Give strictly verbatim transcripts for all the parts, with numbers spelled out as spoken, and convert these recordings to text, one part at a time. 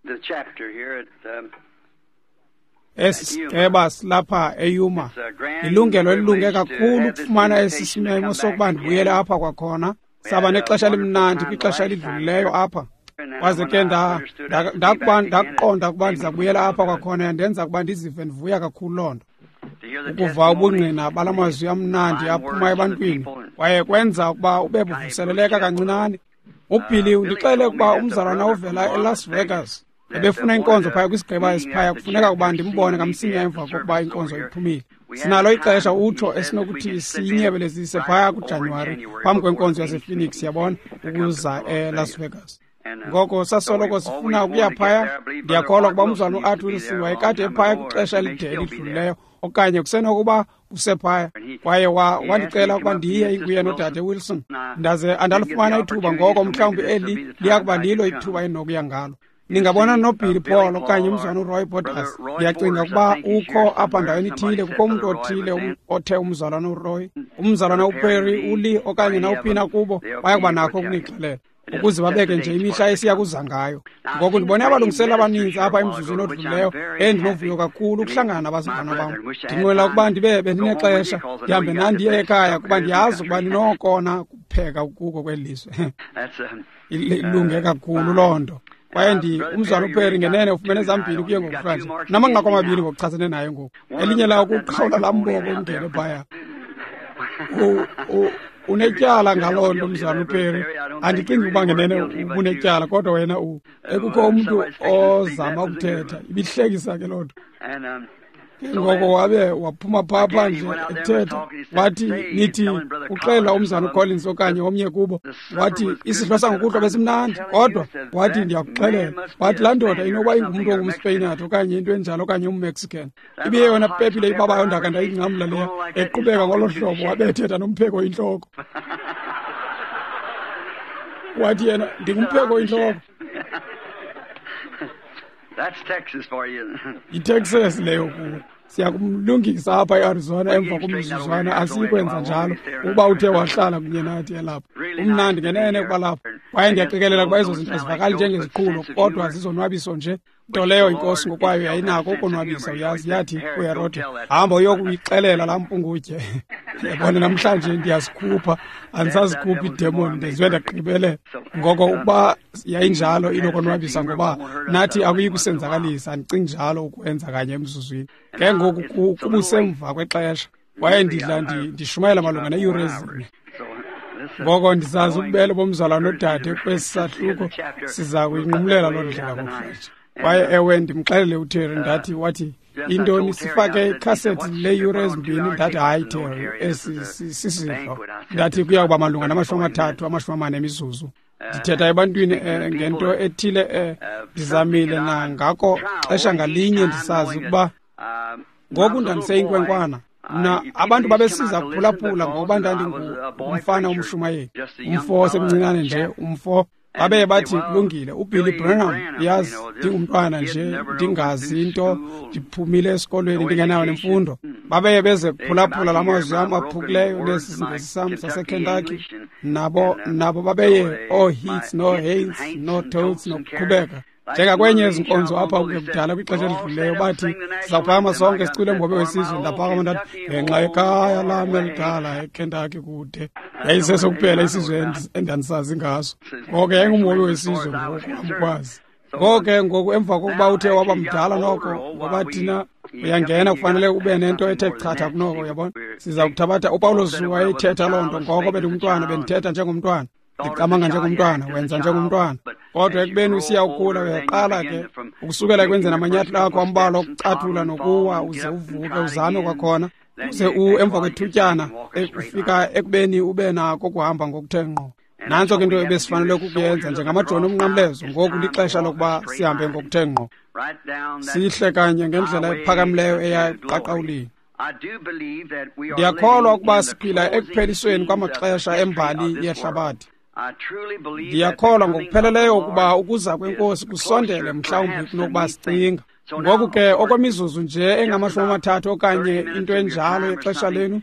The chapter here at um, Esi sigqeba silapha eYuma. Ilungelo elilunge kakhulu ukufumana esi simemo sokuba ndibuyele apha kwakhona. Saba nexesha elimnandi kwixesha elidlulileyo apha. Kwaze ke ndakuba ndakuqonda ukuba ndiza kubuyela apha kwakhona, yandenza ukuba ndizive ndivuya kakhulu loo nto. Ukuva ubungqina bala mazwi amnandi aphuma ebantwini kwaye kwenza ukuba ube buvuseleleka kancinane. UBilly undixele ukuba umzalwana ovela eLas Vegas ebefuna inkonzo phaya kwisigqeba esiphaya, kufuneka ukuba ndimbone kamsinya emva kokuba inkonzo iphumile. Sinalo ixesha utsho esinokuthi siyinyebelezise phaya kuJanuwari phambi kwenkonzo yasePhoenix, yabona, ukuza eLas Vegas. Ngoko sasoloko sifuna ukuya phaya. Ndiyakholwa ukuba umzalwana uArt Wilson wayekade ephaya kwixesha elide elidlulileyo, okanye kusenokuba usephaya. Kwaye wandicela ukuba ndiye inguye nodade Wilson. Ndaze andalifumana ithuba, ngoko mhlawumbi eli liya kuba lilo ithuba endinokuya ngalo. Ningabona noBilly Paul okanye umzalwana uRoy Borders. Ndiyacinga ukuba ukho apha ndaweni ithile, kukho umntu othile othe umzalwana uRoy, umzalwana uPerry, uLee okanye nawuphina kubo baya kuba nakho ukunixelela, ukuze babeke nje imihla esiya kuza ngayo. Ngoku ndibone abalungiseli abaninzi apha emzuzwini odlulileyo endinovuyo kakhulu ukuhlangana nabazalwana bam. Ndinqwenela ukuba ndibe bendinexesha ndihambe nandiye ekhaya, kuba ndiyazi ukuba ninokona kupheka kuko kweli lizwe. Ilunge kakhulu loo nto. Kwaye ndi umzalwana uPerry ngenene ufumene ezambini kuye ngokuhlanje, namanqaku amabini ngokuchasene naye ngoku. Elinye lawo kuqhawula laa mboko ungene phaya. Unetyala ngaloo nto umzalwana uPerry. Andicingi ukuba ngenene ubunetyala, kodwa wena ekukho umntu ozama ukuthetha. Ibihlekisa ke loo nto. Ngoko wabe waphuma phaa phandle ethetha, wathi nithi uxelela umzalwana uCollins okanye omnye kubo, wathi isidlo sangokuhlwa besimnandi, kodwa wathi ndiyakuxelela, wathi laa ndoda inokuba ingumntu ongumSpeyinati okanye into enjalo okanye umMexican. Ibiyeyona pepile ibabayo ndaka ndayingcamla leya, eqhubeka ngolo hlobo wabe ethetha nompheko intloko. Wathi yena ndingumpheko intloko. That's Texas for you. ITexas leyo kuwe. Siyakumlungisa apha eArizona emva komzuzwana, asiyikwenza njalo ukuba uthe wahlala kunye nathi elapha. Umnandi ngenene ukuba lapha. Kwaye ndiyaqikelela ukuba ezo zinto azivakali njengeziqhulo, kodwa zizonwabiso nje. Nto leyo inkosi ngokwayo yayinako ukonwabisa, uyazi. Yathi kuHerode, hamba uyokuyixelela laa mpungutye. Yabona, namhlanje ndiyazikhupha, andisazikhuphi iidemoni, ndenziwe ndagqibelela. Ngoko ukuba yayinjalo inokonwabisa, ngoba nathi akuyi kusenzakalisa, andicingi njalo ukwenza kanye emzuzwini. Ke ngoku kubusemva kwexesha, kwaye ndidla ndishumayela malunga neeyure ezine. Ngoko ndisazi ububele bomzalwana nodade kwesi sahluko, siza kuyinqumlela loo ndlela ngokuhlanje. Kwaye ewe, ndimxelele uTerry, ndathi, wathi intoni, sifake ikhasethi leeyure ezimbini? Ndathi hayi Terry, esi sisidlo. Ndathi kuya kuba malunga namashumi amathathu, amashumi amane emizuzu. Ndithetha ebantwini ngento ethile, ndizamile nangako xesha ngalinye ndisazi ukuba ngoku ndandiseyinkwenkwana. Mna abantu babesiza kuphulaphula ngoba ndandingumfana umshumayeli, umfo osemncinane nje, umfo. Babe bathi kulungile, uBilly Branham, yazi ndingumntwana nje, ndingazi into, ndiphumile esikolweni ndingenayo nemfundo. Babe beze kuphulaphula la mazwi am aphukileyo nesi siNgesi sam saseKentucky. Nabo nabo babeye ooHeats nooHaints nooTotes nokuqhubeka. Njengakwenye ezinkonzo apha kudala kwixesha elidlulileyo, bathi sizawuphakama sonke sicule umhobe wesizwe. Ndaphakama ndathi ngenxa yekhaya lam elidala eKentucky kude. Yayisesokuphela isizwe endandisazi ngaso. Ngoko yayingumhobe wesizwe ngoku amkwazi. Ngoko ke ngoku emva kokuba uthe waba mdala noko, ngoba thina uyangena kufanele ube nento ethe chatha kunoko, uyabona. Siza kuthabatha uPawulos wayethetha loo nto, ngoko bendingumntwana, bendithetha njengomntwana, ndicamanga njengomntwana, wenza njengomntwana. Kodwa ekubeni usiya ukhula, uyaqala ke ukusukela ekwenzeni amanyathelo akho ambalwa okucathula nokuwa, uze uvuke uzame kwakhona, uze emva kwethutyana ufika ekubeni ube nako ukuhamba ngokuthe ngqo. Nantso ke into ebesifanele ukuyenza njengamajoni omnqamlezo. Ngoku lixesha lokuba sihambe ngokuthe ngqo, sihle kanye ngendlela ephakamileyo eya eqaqawulini. Ndiyakholwa ukuba siphila ekuphelisweni kwamaxesha embali yehlabathi. Ndiyakholwa ngokupheleleyo ukuba ukuza kwenkosi kusondele mhlawumbi kunokuba sicinga. Ngoku ke okwemizuzu nje engamashumi amathathu okanye into enjalo yexesha lenu,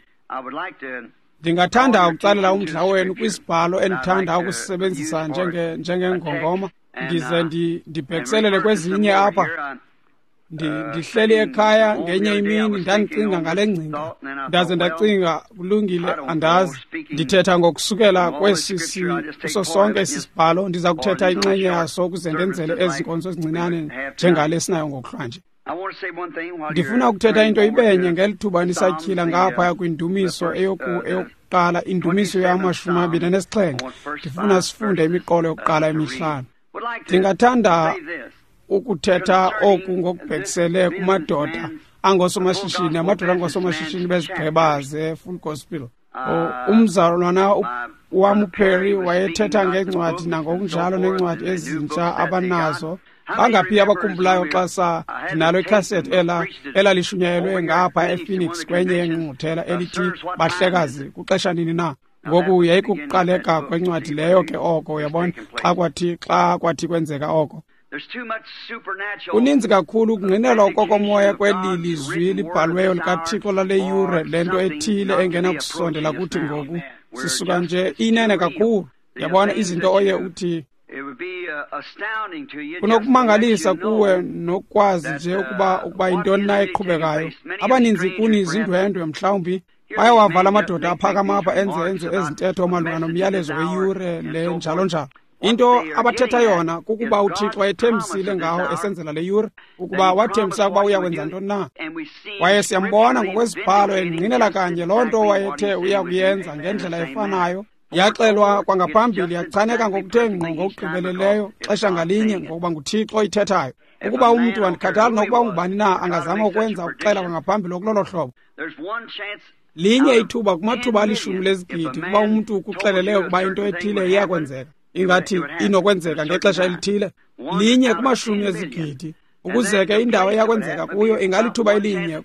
ndingathanda ukutsalela umdla wenu kwisibhalo endithanda ukusisebenzisa njenge njengengongoma. Ndize ndibhekiselele kwezinye apha. Ndihleli ekhaya ngenye imini ndandicinga ngale ngcinga, ndaze ndacinga kulungile, andazi. Ndithetha ngokusukela kwesi kuso sonke esi sibhalo, ndiza kuthetha inxenye yaso ukuze ndenzele ezi nkonzo ezincinane njengale sinayo ngokuhlwanje. Ndifuna ukuthetha into ibenye ngeli thuba nisatyhila ngaphaya kwindumiso eyokuqala, indumiso yamashumi amabini anesixhenxe. Ndifuna sifunde imiqolo yokuqala emihlanu. Ndingathanda ukuthetha oku ngokubhekisele kumadoda angosomashishini, amadoda angosomashishini bezigqeba ze-Full Gospel. Umzalwana wam uPerry wayethetha ngeencwadi nangokunjalo neencwadi ezintsha abanazo. Bangaphi abakhumbulayo xa sa ndinalo ikhasethi ela elalishunyayelwe ngapha ePhoenix kwenye yengqungquthela elithi Bahlekazi kuxesha nini na? Ngoku yayikukuqaleka kwencwadi leyo ke oko, uyabona, xa kwathi xa kwathi kwenzeka oko. Kuninzi kakhulu ukungqinelwa okokomoya kweli lizwi libhalweyo likaThixo lale yure, le nto ethile engenakusondela kuthi ngoku. Sisuka nje inene kakhulu. Yabona izinto oye uthi kunokumangalisa kuwe nokwazi nje ukuba ukuba yintoni na eqhubekayo. Abaninzi kuni zindwendwe mhlawumbi bayawavala amadoda aphakama apha enze enze ezintetho malunga nomyalezo weyure le njalo njalo. Into abathetha yona kukuba uThixo wayethembisile ngawo esenzela le yure, ukuba wathembisa ukuba uyakwenza ntoni na. Kwaye siyambona ngokwezibhalo engqinela kanye loo nto wayethe uyakuyenza ngendlela efanayo. Yaxelwa kwangaphambili, yachaneka ngokuthe ngqo ngokugqibeleleyo xesha ngalinye, ngokuba nguThixo oyithethayo. Ukuba umntu, andikhathali nokuba ungubani na, angazama ukwenza ukuxela kwangaphambili okulolo hlobo. Linye ithuba kumathuba alishumi lezigidi ukuba umntu ukuxeleleyo ukuba into ethile iyakwenzeka, ingathi inokwenzeka ngexesha elithile. Linye kumashumi ezigidi, ukuze ke indawo eyakwenzeka kuyo ingalithuba elinye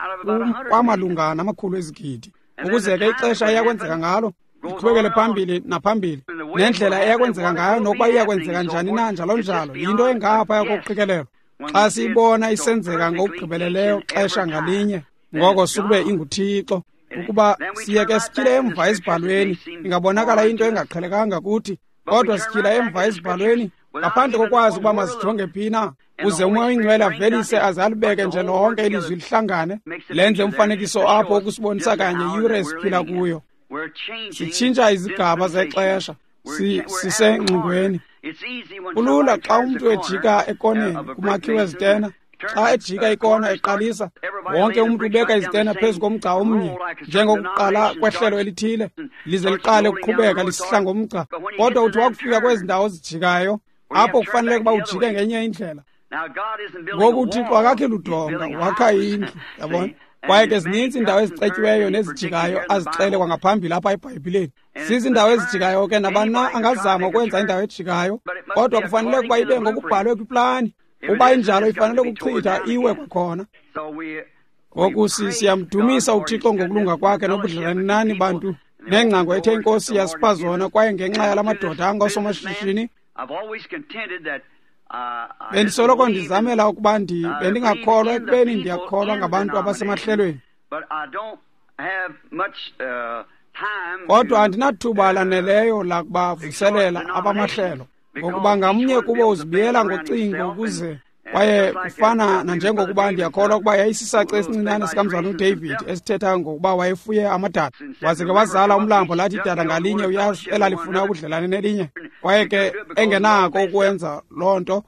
kwamalunga namakhulu ezigidi, ukuze ke ixesha eyakwenzeka ngalo iqhubekele phambili naphambili, nendlela eyakwenzeka ngayo nokuba iyakwenzeka njani na, njalo njalo. Yinto engaphaya kokuqikelelwa. Xa siyibona isenzeka ngokugqibeleleyo xesha ngalinye, ngoko sukube inguThixo. Ukuba siye ke sityhile emva ezibhalweni, ingabonakala into engaqhelekanga kuthi, kodwa sityhila emva ezibhalweni ngaphandle kokwazi ukuba masijonge phi na, uze uMoya oyiNgcwele avelise aze alibeke nje lonke ilizwi lihlangane, lenze umfanekiso apho ukusibonisa kanye iyure esiphila kuyo. Sitshintsha izigaba zexesha, sisengxingweni. Kulula xa umntu ejika ekoneni kumakhiwo ezitena. Xa ejika ikona eqalisa, wonke umntu ubeka izitena phezu komgca omnye, njengokuqala kwehlelo elithile, lize liqale ukuqhubeka lisihla ngomgca. Kodwa uthi wakufika kwezi ndawo zijikayo, apho kufanele ukuba ujike ngenye indlela. Ngoku uThixo akakhi ludonga, wakha indlu, yabona. Kwaye ke zininzi iindawo ezicetyiweyo nezijikayo azixele kwangaphambili apha eBhayibhileni. Zizindawo ezijikayo ke, nabani na angazama ukwenza indawo ejikayo, kodwa kufanele ukuba ibe ngokubhalwe kwiplani. Uba injalo ifanele ukuchitha iwe kwakhona. Ngoku siyamdumisa uThixo ngokulunga kwakhe nobudlelane nani bantu, nengcango ethe iNkosi yasipha zona. Kwaye ngenxa yala madoda angosomashishini, bendisoloko ndizamela ukuba ndi bendingakholwa ekubeni ndiyakholwa ngabantu abasemahlelweni, kodwa andinathuba laneleyo lakubavuselela abamahlelo, ngokuba ngamnye kubo uzibiyela ngocingo ukuze. Kwaye kufana nanjengokuba ndiyakholwa ukuba yayisisaci esincinane sikamzalwana uDavid esithetha ngokuba wayefuye amadada, waze ke wazala umlambo, lathi idada ngalinye uyazi elalifuna ubudlelane nelinye. Kwaye ke engenako ukwenza loo nto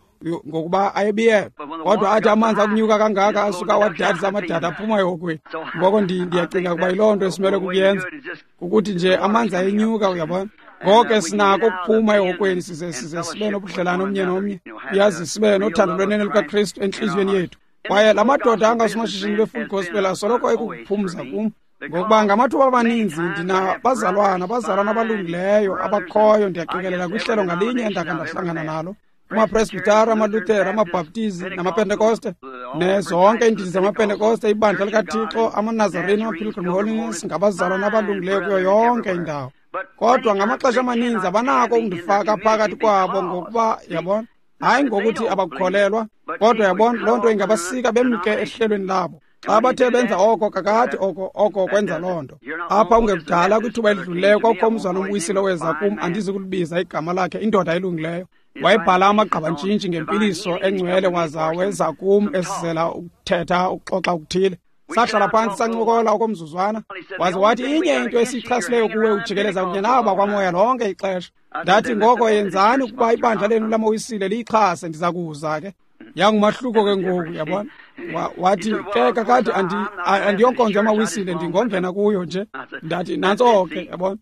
ngokuba ayebiyelwe, kodwa athi amanzi akunyuka kangaka asuka wadadisa amadada aphuma ehokweni. Ngoko ndiyacinga ukuba yiloo nto esimele kukuyenza, kukuthi nje amanzi ayenyuka, uyabona. Ngoko ke sinako ukuphuma ehokweni size size sibe nobudlelane omnye nomnye, uyazi, sibe nothando lwenene lukaKristu entliziyweni yethu. Kwaye la madoda angasomashishini beFull Gospel asoloko ekukuphumza kum, ngokuba ngamathuba amaninzi ndinabazalwana, abazalwana abalungileyo abakhoyo, ndiyaqikelela kwihlelo ngalinye endakha ndahlangana nalo, kumapresbitari, amaLuthera, amaBhaptizi namaPentekoste, nezonke iindidi zamaPentekoste, ibandla likaThixo, amaNazarene, amaPilgrim Holiness, ngabazalwana abalungileyo kuyo yonke indawo. Kodwa ngamaxesha amaninzi abanako ukundifaka phakathi kwabo, ngokuba yabona, hayi ngokuthi abakukholelwa, kodwa yabona loo nto ingabasika bemke ehlelweni labo. Xa bathe benza oko kakade, oko oko kwenza loo nto. Apha ungekudala kwithuba elidlulileyo kwakukho umzalwana umwisile oweza kum, andizi kulibiza igama lakhe, indoda elungileyo. Wayebhala amagqabantshintshi ngempiliso engcwele waza weza kum esizela ukuthetha ukuxoxa okuthile. Sahlala phantsi sancokola okomzuzwana, waze wathi inye into esiyichasileyo kuwe ujikeleza kunye nabo bakwamoya lonke ixesha. Ndathi ngoko yenzani ukuba ibandla lenu lamawisile liyixhase, ndiza kuza ke. Yangumahluko ke ngoku, yabona. Wathi ke kakade andiyonkonzo yamawisile, ndingongena kuyo nje. Ndathi nantso ke, yabona.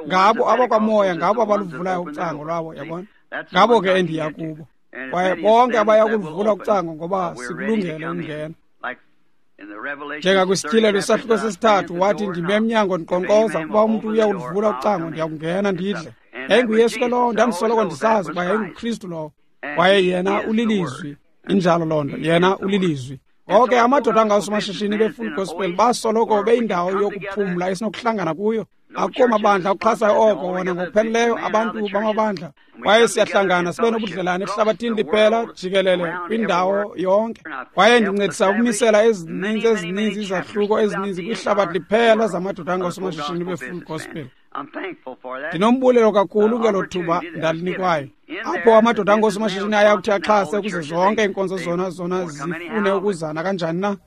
Ngabo abakwamoya, ngabo abaluvulayo ucango lwabo, yabona. Ngabo ke endiya kubo. Kwaye bonke abaya kuluvula ucango ngoba sikulungele ukungena. Njengakwisityhilelo isahluko sesithathu wathi ndime emnyango ndiqonkqoza, ukuba umntu uyawuluvula ucango ndiyakungena ndidle. YayinguYesu ke lowo, ndandisoloko ndisazi ukuba yayinguKristu lowo. Kwaye yena ulilizwi, injalo loo nto, yena ulilizwi. Ngoko amadoda angawusomashishini be-Full Gospel basoloko beyindawo yokuphumla esinokuhlangana kuyo. Akukho mabandla akuxhasayo oko wona ngokupheleleyo, abantu bamabandla. Kwaye siyahlangana sibe nobudlelane ehlabathini liphela jikelele kwindawo yonke. Kwaye ndincedisa ukumisela ezininzi ezininzi izahluko ezininzi kwihlabathi liphela zamadoda angawusomashishini be-Full Gospel. Ndinombulelo kakhulu ngelo thuba ndalinikwayo. Apho amadoda angosomashishini aya kuthi axhase ukuze zonke iinkonzo zona zona zifune ukuzana kanjani na.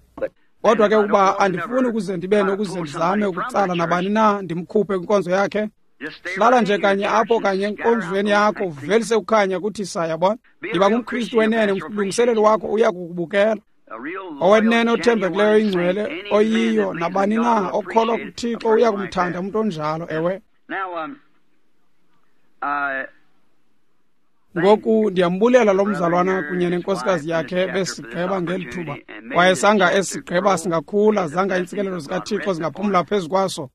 Kodwa ke ukuba andifuni ukuze ndibe nokuze ndizame ukutsala nabani na ndimkhuphe kwinkonzo yakhe. Hlala nje kanye apho kanye enkonzweni yakho, uvelise ukukhanya kuthi sa, yabona. Yiba ngumKristu wenene, umlungiseleli wakho uya kukubukela. Owenene othembekileyo ingcwele oyiyo nabani na okholwa kuThixo uya kumthanda umntu onjalo, ewe. Ngoku ndiyambulela lo mzalwana kunye nenkosikazi yakhe besigqeba ngeli thuba. Kwaye sanga esigqeba singakhula, zanga iintsikelelo zikaThixo zingaphumla phezu kwaso.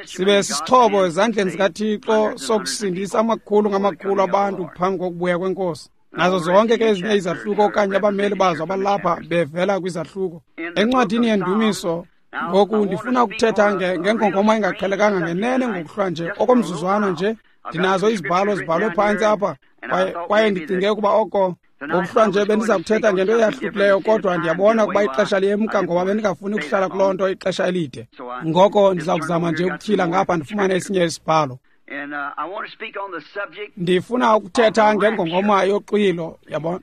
Sibe sisixhobo ezandleni zikaThixo sokusindisa amakhulu ngamakhulu abantu phambi kokubuya kweNkosi. Nazo zonke ke ezinye izahluko okanye abameli bazo abalapha bevela kwizahluko. Encwadini yeNdumiso, ngoku ndifuna ukuthetha ngengongoma engaqhelekanga ngenene ngokuhlwa nje, okomzuzwana nje. Ndinazo izibhalo zibhalwe phantsi apha, kwaye, kwaye ndicinge ukuba oko ngokuhlwa nje bendiza kuthetha ngento eyahlukileyo, kodwa ndiyabona ukuba ixesha liyemka ngoba bendingafuni ukuhlala kuloo nto ixesha elide. Ngoko ndiza kuzama nje ukutyhila ngapha ndifumane esinye isibhalo. Ndifuna ukuthetha ngengongoma yoxwilo, yabona.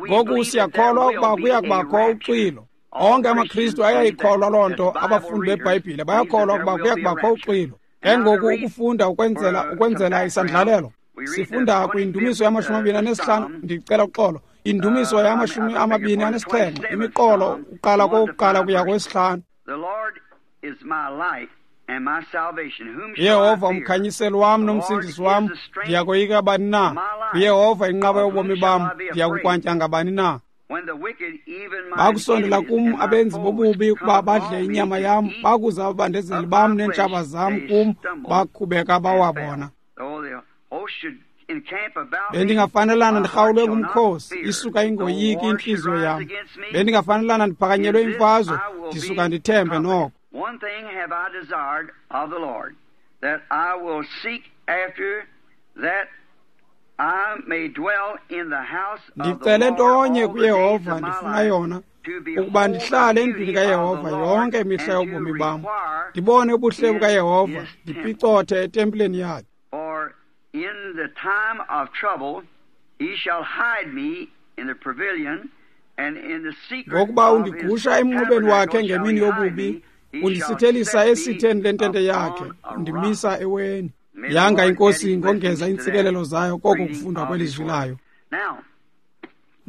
Ngoku siyakholwa ukuba kuya kubakho uxwilo. Onke amaKristu ayayikholwa loo nto, abafundi beBhayibhile bayakholwa ukuba kuya kubakho uxwilo. Ke ngoku ukufunda ukwenzela ukwenzela isandlalelo. Sifunda kwindumiso yamashumi amabini anesihlanu, ndicela uxolo. Indumiso yamashumi amabini anesixhenxe, imiqolo uqala kokuqala kuya kwesihlanu. Yehova umkhanyiseli wam nomsindisi wam, ndiyakoyika bani na? Yehova inqaba yobomi bam, ndiyakukwantya ngabani na? Bakusondela kum abenzi bobubi ukuba badle inyama yam, bakuza ababandezeli bam neentshaba zam kum, bakhubeka bawabona. Bendingafanelana ndirhawulwe ngumkhosi, isuka ingoyiki intliziyo yam. Bendingafanelana ndiphakanyelwe imfazwe, ndisuka ndithembe noko. One thing have I desired of the Lord, that I will seek after, that I may dwell in the house of the Ndicele Lord ntonye all the days kuYehova of my ndifuna life, yona, to ukuba behold ndihlale the endlwini beauty of kaYehova the yonke Lord imihla and to yobomi bam. require Ndibone ubuhle in bukaYehova, his temple. ndipicothe etempileni yakhe. For in the time of trouble he shall hide me in the pavilion, and in the secret Ngokuba of his undigusha emnqubeni wakhe tabernacle shall ngemini he hide yobubi, me. He shall undisithelisa set me esitheni lentente yakhe, upon a rock. undimisa eweni. May the Yanga Lord add iNkosi his ingongeza blessings to that iintsikelelo zayo koko reading kufundwa of his kwelizwi word. layo. Now,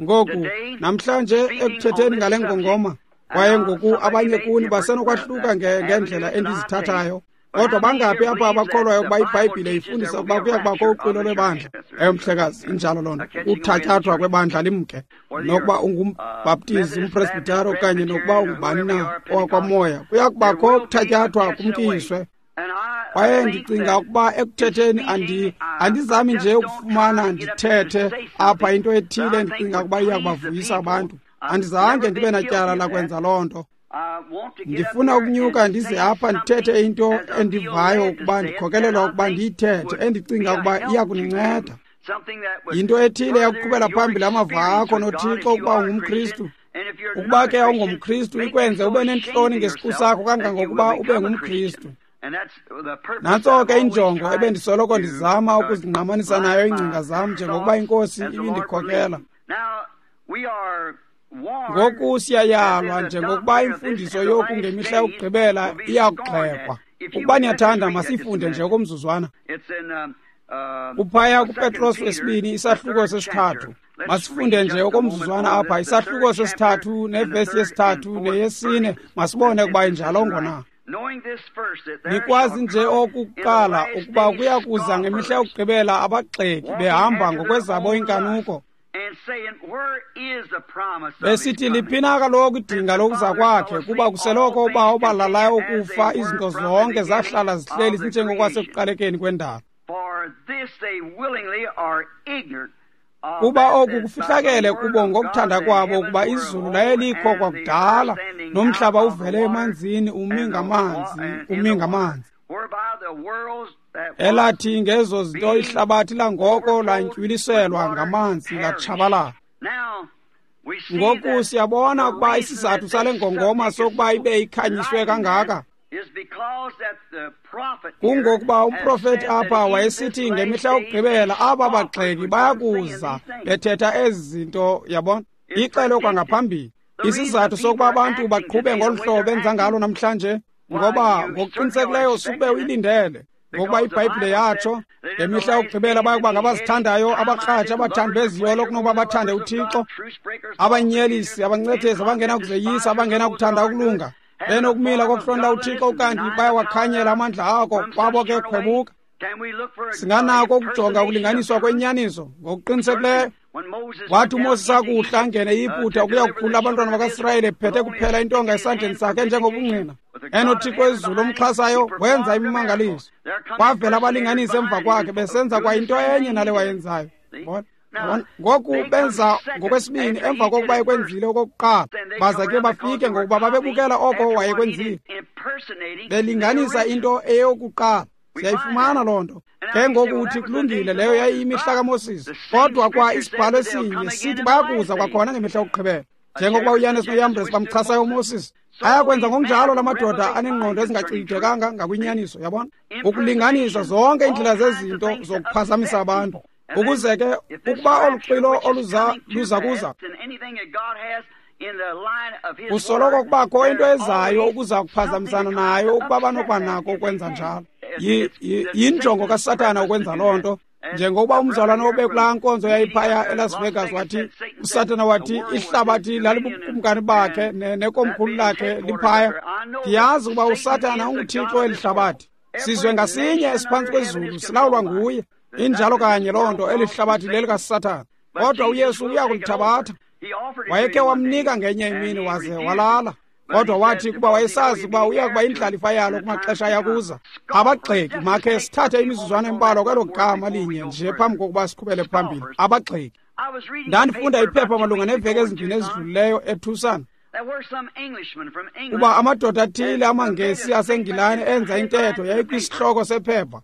Ngoku today, namhlanje speaking on ekuthetheni this ngale subject, ngongoma, and kwaye now ngoku somebody abanye may kuni differ basenokwahluka the nge- ngendlela avenues that I take, endizithathayo. but Kodwa how many bangaphi here apha believe that abakholwayo the ukuba Bible iBhayibhile teaches there ifundisa will ukuba be a kuya kubakho rapture of uxwilo the church? lwebandla? Yes, sir. Ewe, mhlekazi, injalo loo nto. A catching away of the Ukuthatyathwa church. kwebandla limke. Whether Nokuba you're uh, ungumbhaptizi, Methodist, Baptist, umpresbhitari okanye nokuba Presbyterian, or ungubani whoever you na are, Pentecost, owakwamoya, kuya there kubakho will be a ukuthatyathwa catching away. kumkiswe. And I Kwaye think ndicinga that ukuba in ekuthetheni andi speaking, I, I andizami nje just don't try ukufumana to get up here to ndithethe say apha something into that ethile I think endicinga would ukuba iya please the kubavuyisa people. abantu. I've Andizange never ndibe been natyala guilty of that. lakwenza loo nto. I want to get up Ndifuna here ukunyuka and ndize say apha ndithethe something into as I feel endivayo led to ukuba say it that ndikhokelelwa I ukuba think ndiyithethe, would endicinga be a ukuba help iya to you. kuninceda. Something that would Yinto ethile further yakuqhubela your phambili amava experience akho with God noThixo if you ukuba are a ungumKristu. Christian. And if you're Ukuba not a ke Christian, awungomKristu make you ikwenze so ube ashamed nentloni of ngesiqu yourself sakho that you will kangangokuba ube become a ngumKristu. Christian. Nantso ke injongo ebendisoloko ndizama ukuzingqamanisa nayo iingcinga zam njengokuba iNkosi ibindikhokela. Ngoku siyayalwa njengokuba imfundiso yoku ngemihla yokugqibela iyakugxekwa. Ukuba niyathanda, masifunde nje okomzuzwana. Kuphaya kuPetros wesibini isahluko sesithathu. Masifunde nje okomzuzwana apha isahluko sesithathu nevesi yesithathu neyesine, masibone ukuba injalongo na. Nikwazi nje okukuqala ukuba kuya kuza ngemihla yokugqibela abagxeki behamba ngokwezabo iinkanuko, besithi liphina kaloku idinga lokuza kwakhe, kuba kuseloko ubawo balalayo ukufa, izinto zonke zahlala zihleli zinjengokwasekuqalekeni kwendalo. Kuba oku kufihlakele kubo ngokuthanda kwabo, ukuba izulu laye likho kwakudala, nomhlaba uvele emanzini umi ngamanzi, umi ngamanzi. Elathi ngezo zinto ihlabathi langoko lantywiliselwa ngamanzi latshabalala. Ngoku siyabona ukuba isizathu sale ngongoma sokuba ibe ikhanyiswe kangaka kungokuba umprofeti apha wayesithi ngemihla yokugqibela aba bagxeki bayakuza bethetha ezi zinto, yabona, ixelo kwangaphambili. Isizathu sokuba abantu baqhube ngolu hlobo benza ngalo namhlanje, ngoba ngokuqinisekileyo sube uyilindele, ngokuba iBhayibhile yatsho ngemihla yokugqibela bayakuba ngabazithandayo, abakratshi, abathandi beziyolo kunokuba bathande uThixo, abanyelisi, abancethezi, abangenakuzeyisa, abangenakuthanda ukulunga, benokumila kokuhlonela uThixo, kanti bayawakhanyela amandla ako, kwabo ke khwebuka. Singanako ukujonga ukulinganiswa kwenyaniso ngokuqinisekileyo. Wathi uMoses akuhla angene eYiputa ukuya kukhulula abantwana bakaSirayeli, ephethe kuphela intonga esandleni sakhe njengobungqina, enoThixo wezulu omxhasayo, wenza imimangaliso. Kwavela abalinganisi emva kwakhe besenza kwayinto enye nale wayenzayo. Ngoku benza ngokwesibini emva kokuba ekwenzile okokuqala, baza ke bafike ngokuba babebukela oko wayekwenzile, belinganisa into eyokuqala. Siyayifumana loo nto. Ke ngoku uthi kulungile, leyo yayiyimihla kaMoses, kodwa kwa isibhalo esinye sithi bayakuza kwakhona ngemihla yokugqibela, njengokuba uYanes noYambres bamchasayo uMoses. Ayakwenza ngokunjalo la madoda anengqondo ezingacidekanga ngakwinyaniso, yabona, ukulinganisa zonke iindlela zezinto zokuphazamisa abantu, ukuze ke ukuba olu xilo oluza luza kuza kusoloko kubakho into ezayo ukuza kuphazamisana nayo, ukuba banokuba nako ukwenza njalo. Yinjongo kaSathana ukwenza loo nto. Njengokuba umzalwana obekulaa nkonzo yayiphaya eLas Vegas wathi, uSathana wathi ihlabathi lalibukumkani bakhe nekomkhulu lakhe liphaya. Ndiyazi ukuba uSathana unguthixo eli hlabathi. Sizwe ngasinye esiphantsi kwezulu silawulwa nguye. Injalo kanye loo nto, eli hlabathi lelikaSathana. Kodwa uYesu uya kulithabatha. Wayekhe wamnika ngenye imini waze walala. Kodwa wathi kuba wayesazi ukuba uya kuba indlalifa yalo kumaxesha ayakuza. Abagxeki, makhe sithathe imizuzwana embalwa kwelo gama linye nje phambi kokuba siqhubele phambili. Abagxeki. Ndandifunda iphepha malunga neeveki ezimbini ezidlulileyo eTucson, kuba amadoda athile amaNgesi aseNgilane enza intetho yayikwisihloko sephepha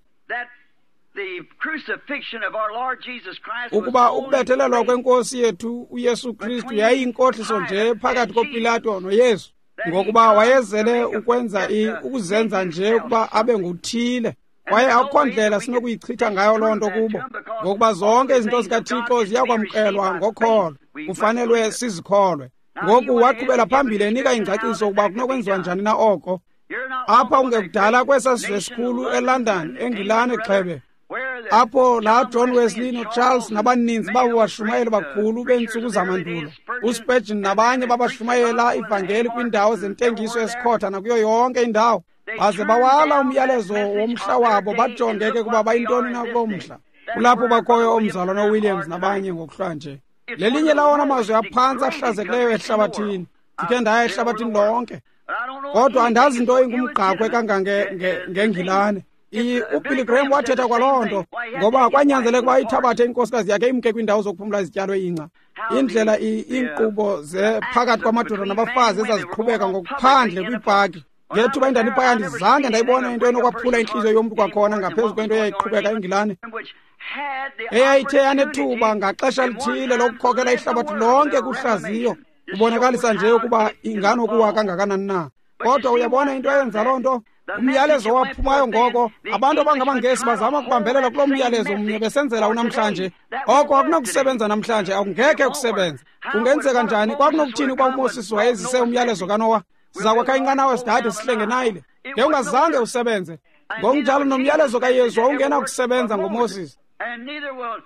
ukuba ukubethelelwa kwenkosi yethu uYesu Kristu yayiyinkohliso nje phakathi koPilato noYesu, ngokuba wayezele ukwenza ukuzenza nje ukuba abe nguthile. Kwaye akukho ndlela sinokuyichitha ngayo loo nto kubo, ngokuba zonke izinto zikaThixo ziyakwamkelwa ngokholo, kufanelwe sizikholwe. Ngoku waqhubela phambili enika ingcaciso ukuba kunokwenziwa njani na oko. Apha kungekudala kwesaa sizwe esikhulu eLondon, eNgilane gxebe, apho laa John Wesley noCharles nabaninzi babo bashumayeli bakhulu beentsuku zamandulo, uSpurgeon nabanye babashumayela ivangeli kwiindawo zentengiso esikhotha nakuyo yonke indawo, baze bawala umyalezo womhla wabo, bajonge ke kuba bayintoni na kuloo mhla. Kulapho bakhoyo omzalwana uWilliams nabanye ngokuhlwanje. Lelinye lawona mazwe aphantsi ahlazekileyo ehlabathini. Ndikhe ndaya ehlabathini lonke, kodwa andazi into ingumgqakhwe kangangengilane. UBilly Graham wathetha kwaloo nto, ngoba kwanyanzeleka uba ithabathe inkosikazi yakhe imke kwiindawo zokuphumla izityalo ingca. Indlela iinkqubo ze phakathi kwamadoda nabafazi ezaziqhubeka ngokuphandle kwiipaki. Ngethuba endandiphaya andizange ndayibona into enokwaphula intliziyo yomntu kwakhona ngaphezu kwento eyayiqhubeka eNgilane, eyayithe yanethuba ngaxesha lithile lokukhokela ihlabathi lonke kuhlaziyo, kubonakalisa nje ukuba inganokuwa kangakanani na. Kodwa uyabona into eyenza loo nto, Umyalezo owaphumayo ngoko, abantu abangamaNgesi bazama ukubambelela kuloo myalezo mnye besenzela unamhlanje. Oko akunakusebenza namhlanje, akungekhe kusebenze. Kungenzeka njani? Kwakunokuthini ukuba uMoses wayezise umyalezo kaNowa? Siza kwakha inqanawa sidade sihlenge Nayile. Ngewungazange usebenze. Ngokunjalo nomyalezo kaYesu wawungenakusebenza ngoMoses.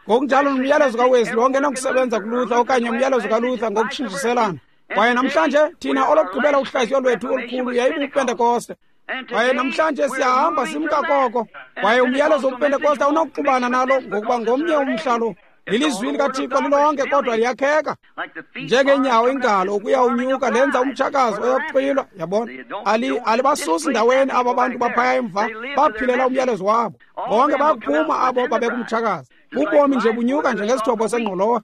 Ngokunjalo nomyalezo kaWesley wawungenakusebenza kuLuther okanye umyalezo kaLuther ngokutshintshiselana. Kwaye namhlanje thina olokugqibela uhlaziyo lwethu olukhulu yayibuPentekoste. Kwaye namhlanje siyahamba simka koko. Kwaye umyalezo wobuPentekoste awunakuxubana nalo ngokuba ngomnye umhla lo. Lilizwi likaThixo lilonke kodwa liyakheka njengeenyawo ingalo ukuya unyuka lenza umtshakazi oyakuxwilwa. Yabona, ali alibasusi ndaweni aba bantu baphaya emva, baphilela umyalezo wabo. Bonke bayakuphuma abo babekumtshakazi. Ubomi nje bunyuka njengesithobo sengqolowa,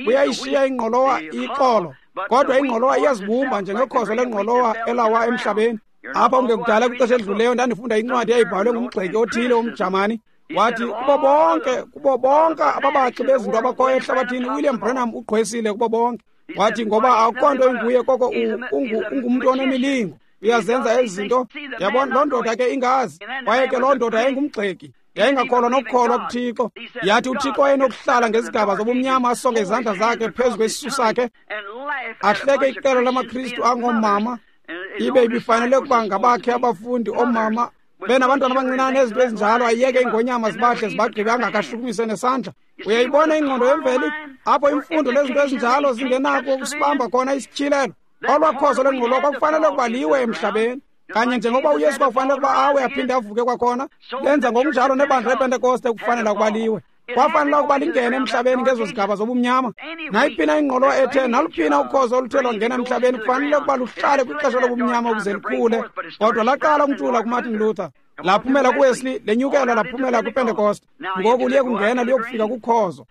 buyayishiya ingqolowa ixolo, kodwa ingqolowa iyazibumba njengekhozo lengqolowa elawa emhlabeni. Apha kungekudala kwixesha elidluleyo ndandifunda incwadi eyayibhalwe ngumgxeki othile womJamani. Wathi kubo bonke kubo bonke ababaxi bezinto abakhoyo ehlabathini, uWilliam Branham ugqwesile kubo bonke. Wathi ngoba akukho nto inguye koko ungumntu onemilingo, uyazenza ezi zinto. Yabona, loo ndoda ke ingazi. Kwaye ke loo ndoda yayingumgxeki, yayingakholwa nokukholwa kuThixo. Yathi uThixo wayenokuhlala ngezigaba zobumnyama asonge izandla zakhe phezu kwesisu sakhe, ahleke iqela lamaKristu angoomama, ibe ibifanele ukuba ngabakhe abafundi oomama benabantwana abancinane ezinto ezinjalo, ayiyeke iingonyama zibahle zibagqibe angakashukumise nesandla. Uyayibona ingqondo yemveli apho imfundo lezinto ezinjalo zingenako ukusibamba khona isityhilelo. Olwakhozo lwengqolowa kwakufanele ukuba liwe emhlabeni, kanye njengoba uYesu kwakufanele ukuba awe aphinde avuke kwakhona. Lenza ngokunjalo nebandla lePentekoste kufanele ukuba liwe. Kwafanele ukuba lingene emhlabeni ngezo zigaba zobumnyama. Nayiphina ingqolowa ethe naluphina ukhozo oluthe lwangena emhlabeni kufanele ukuba luhlale kwixesha lobumnyama ukuze likhule. Kodwa laqala umntula kuMartin Luther, laphumela kuWesley, lenyukela laphumela kwiPentekoste. Ngoku liye kungena liyokufika kukhozo.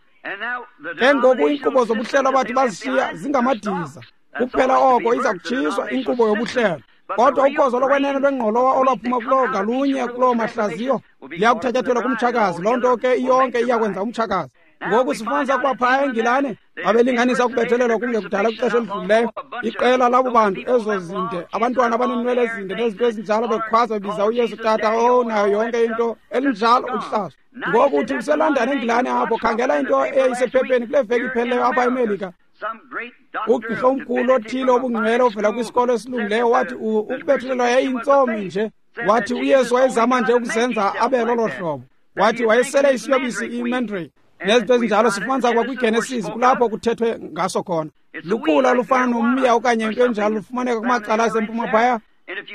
Ke ngoku iinkqubo zobuhlelo abathi bazishiya zingamadiza. Kuphela oko iza kutshiswa inkqubo yobuhlelo. Kodwa ukhozo lokwenene lwengqolowa olwaphuma kuloo ngalunye kuloo mahlaziyo liyakuthatyathelwa kumtshakazi. Loo nto ke iyonke iyakwenza umtshakazi. Ngoku sifumanisa ukuba phaya eNgilane babelinganisa ukubethelelwa kungekudala kwixesha elidlulileyo. Iqela labo bantu ezo zinde, abantwana abaneenwele ezinde nezinto ezinjalo, bekhwaza bebiza uYesu tata, oh nayo yonke into elinjalo uhlazo. Ngoku uthi useLondon eNgilane apho, khangela into eyayisephepheni kule veki iphelileyo apha eMelika. Ugqirha omkhulu othile obungcwele ovela kwisikolo esilungileyo wathi ukubethelelwa yayintsomi nje. Wathi uYesu wayezama nje ukuzenza abe lolo hlobo. Wathi wayesele isiyobisi imandrake nezinto ezinjalo. Sifumanisa ukuba kwiGenesis kulapho kuthethwe ngaso khona. Lukhula olufana nomya okanye into enjalo lufumaneka kumacala asempuma phaya.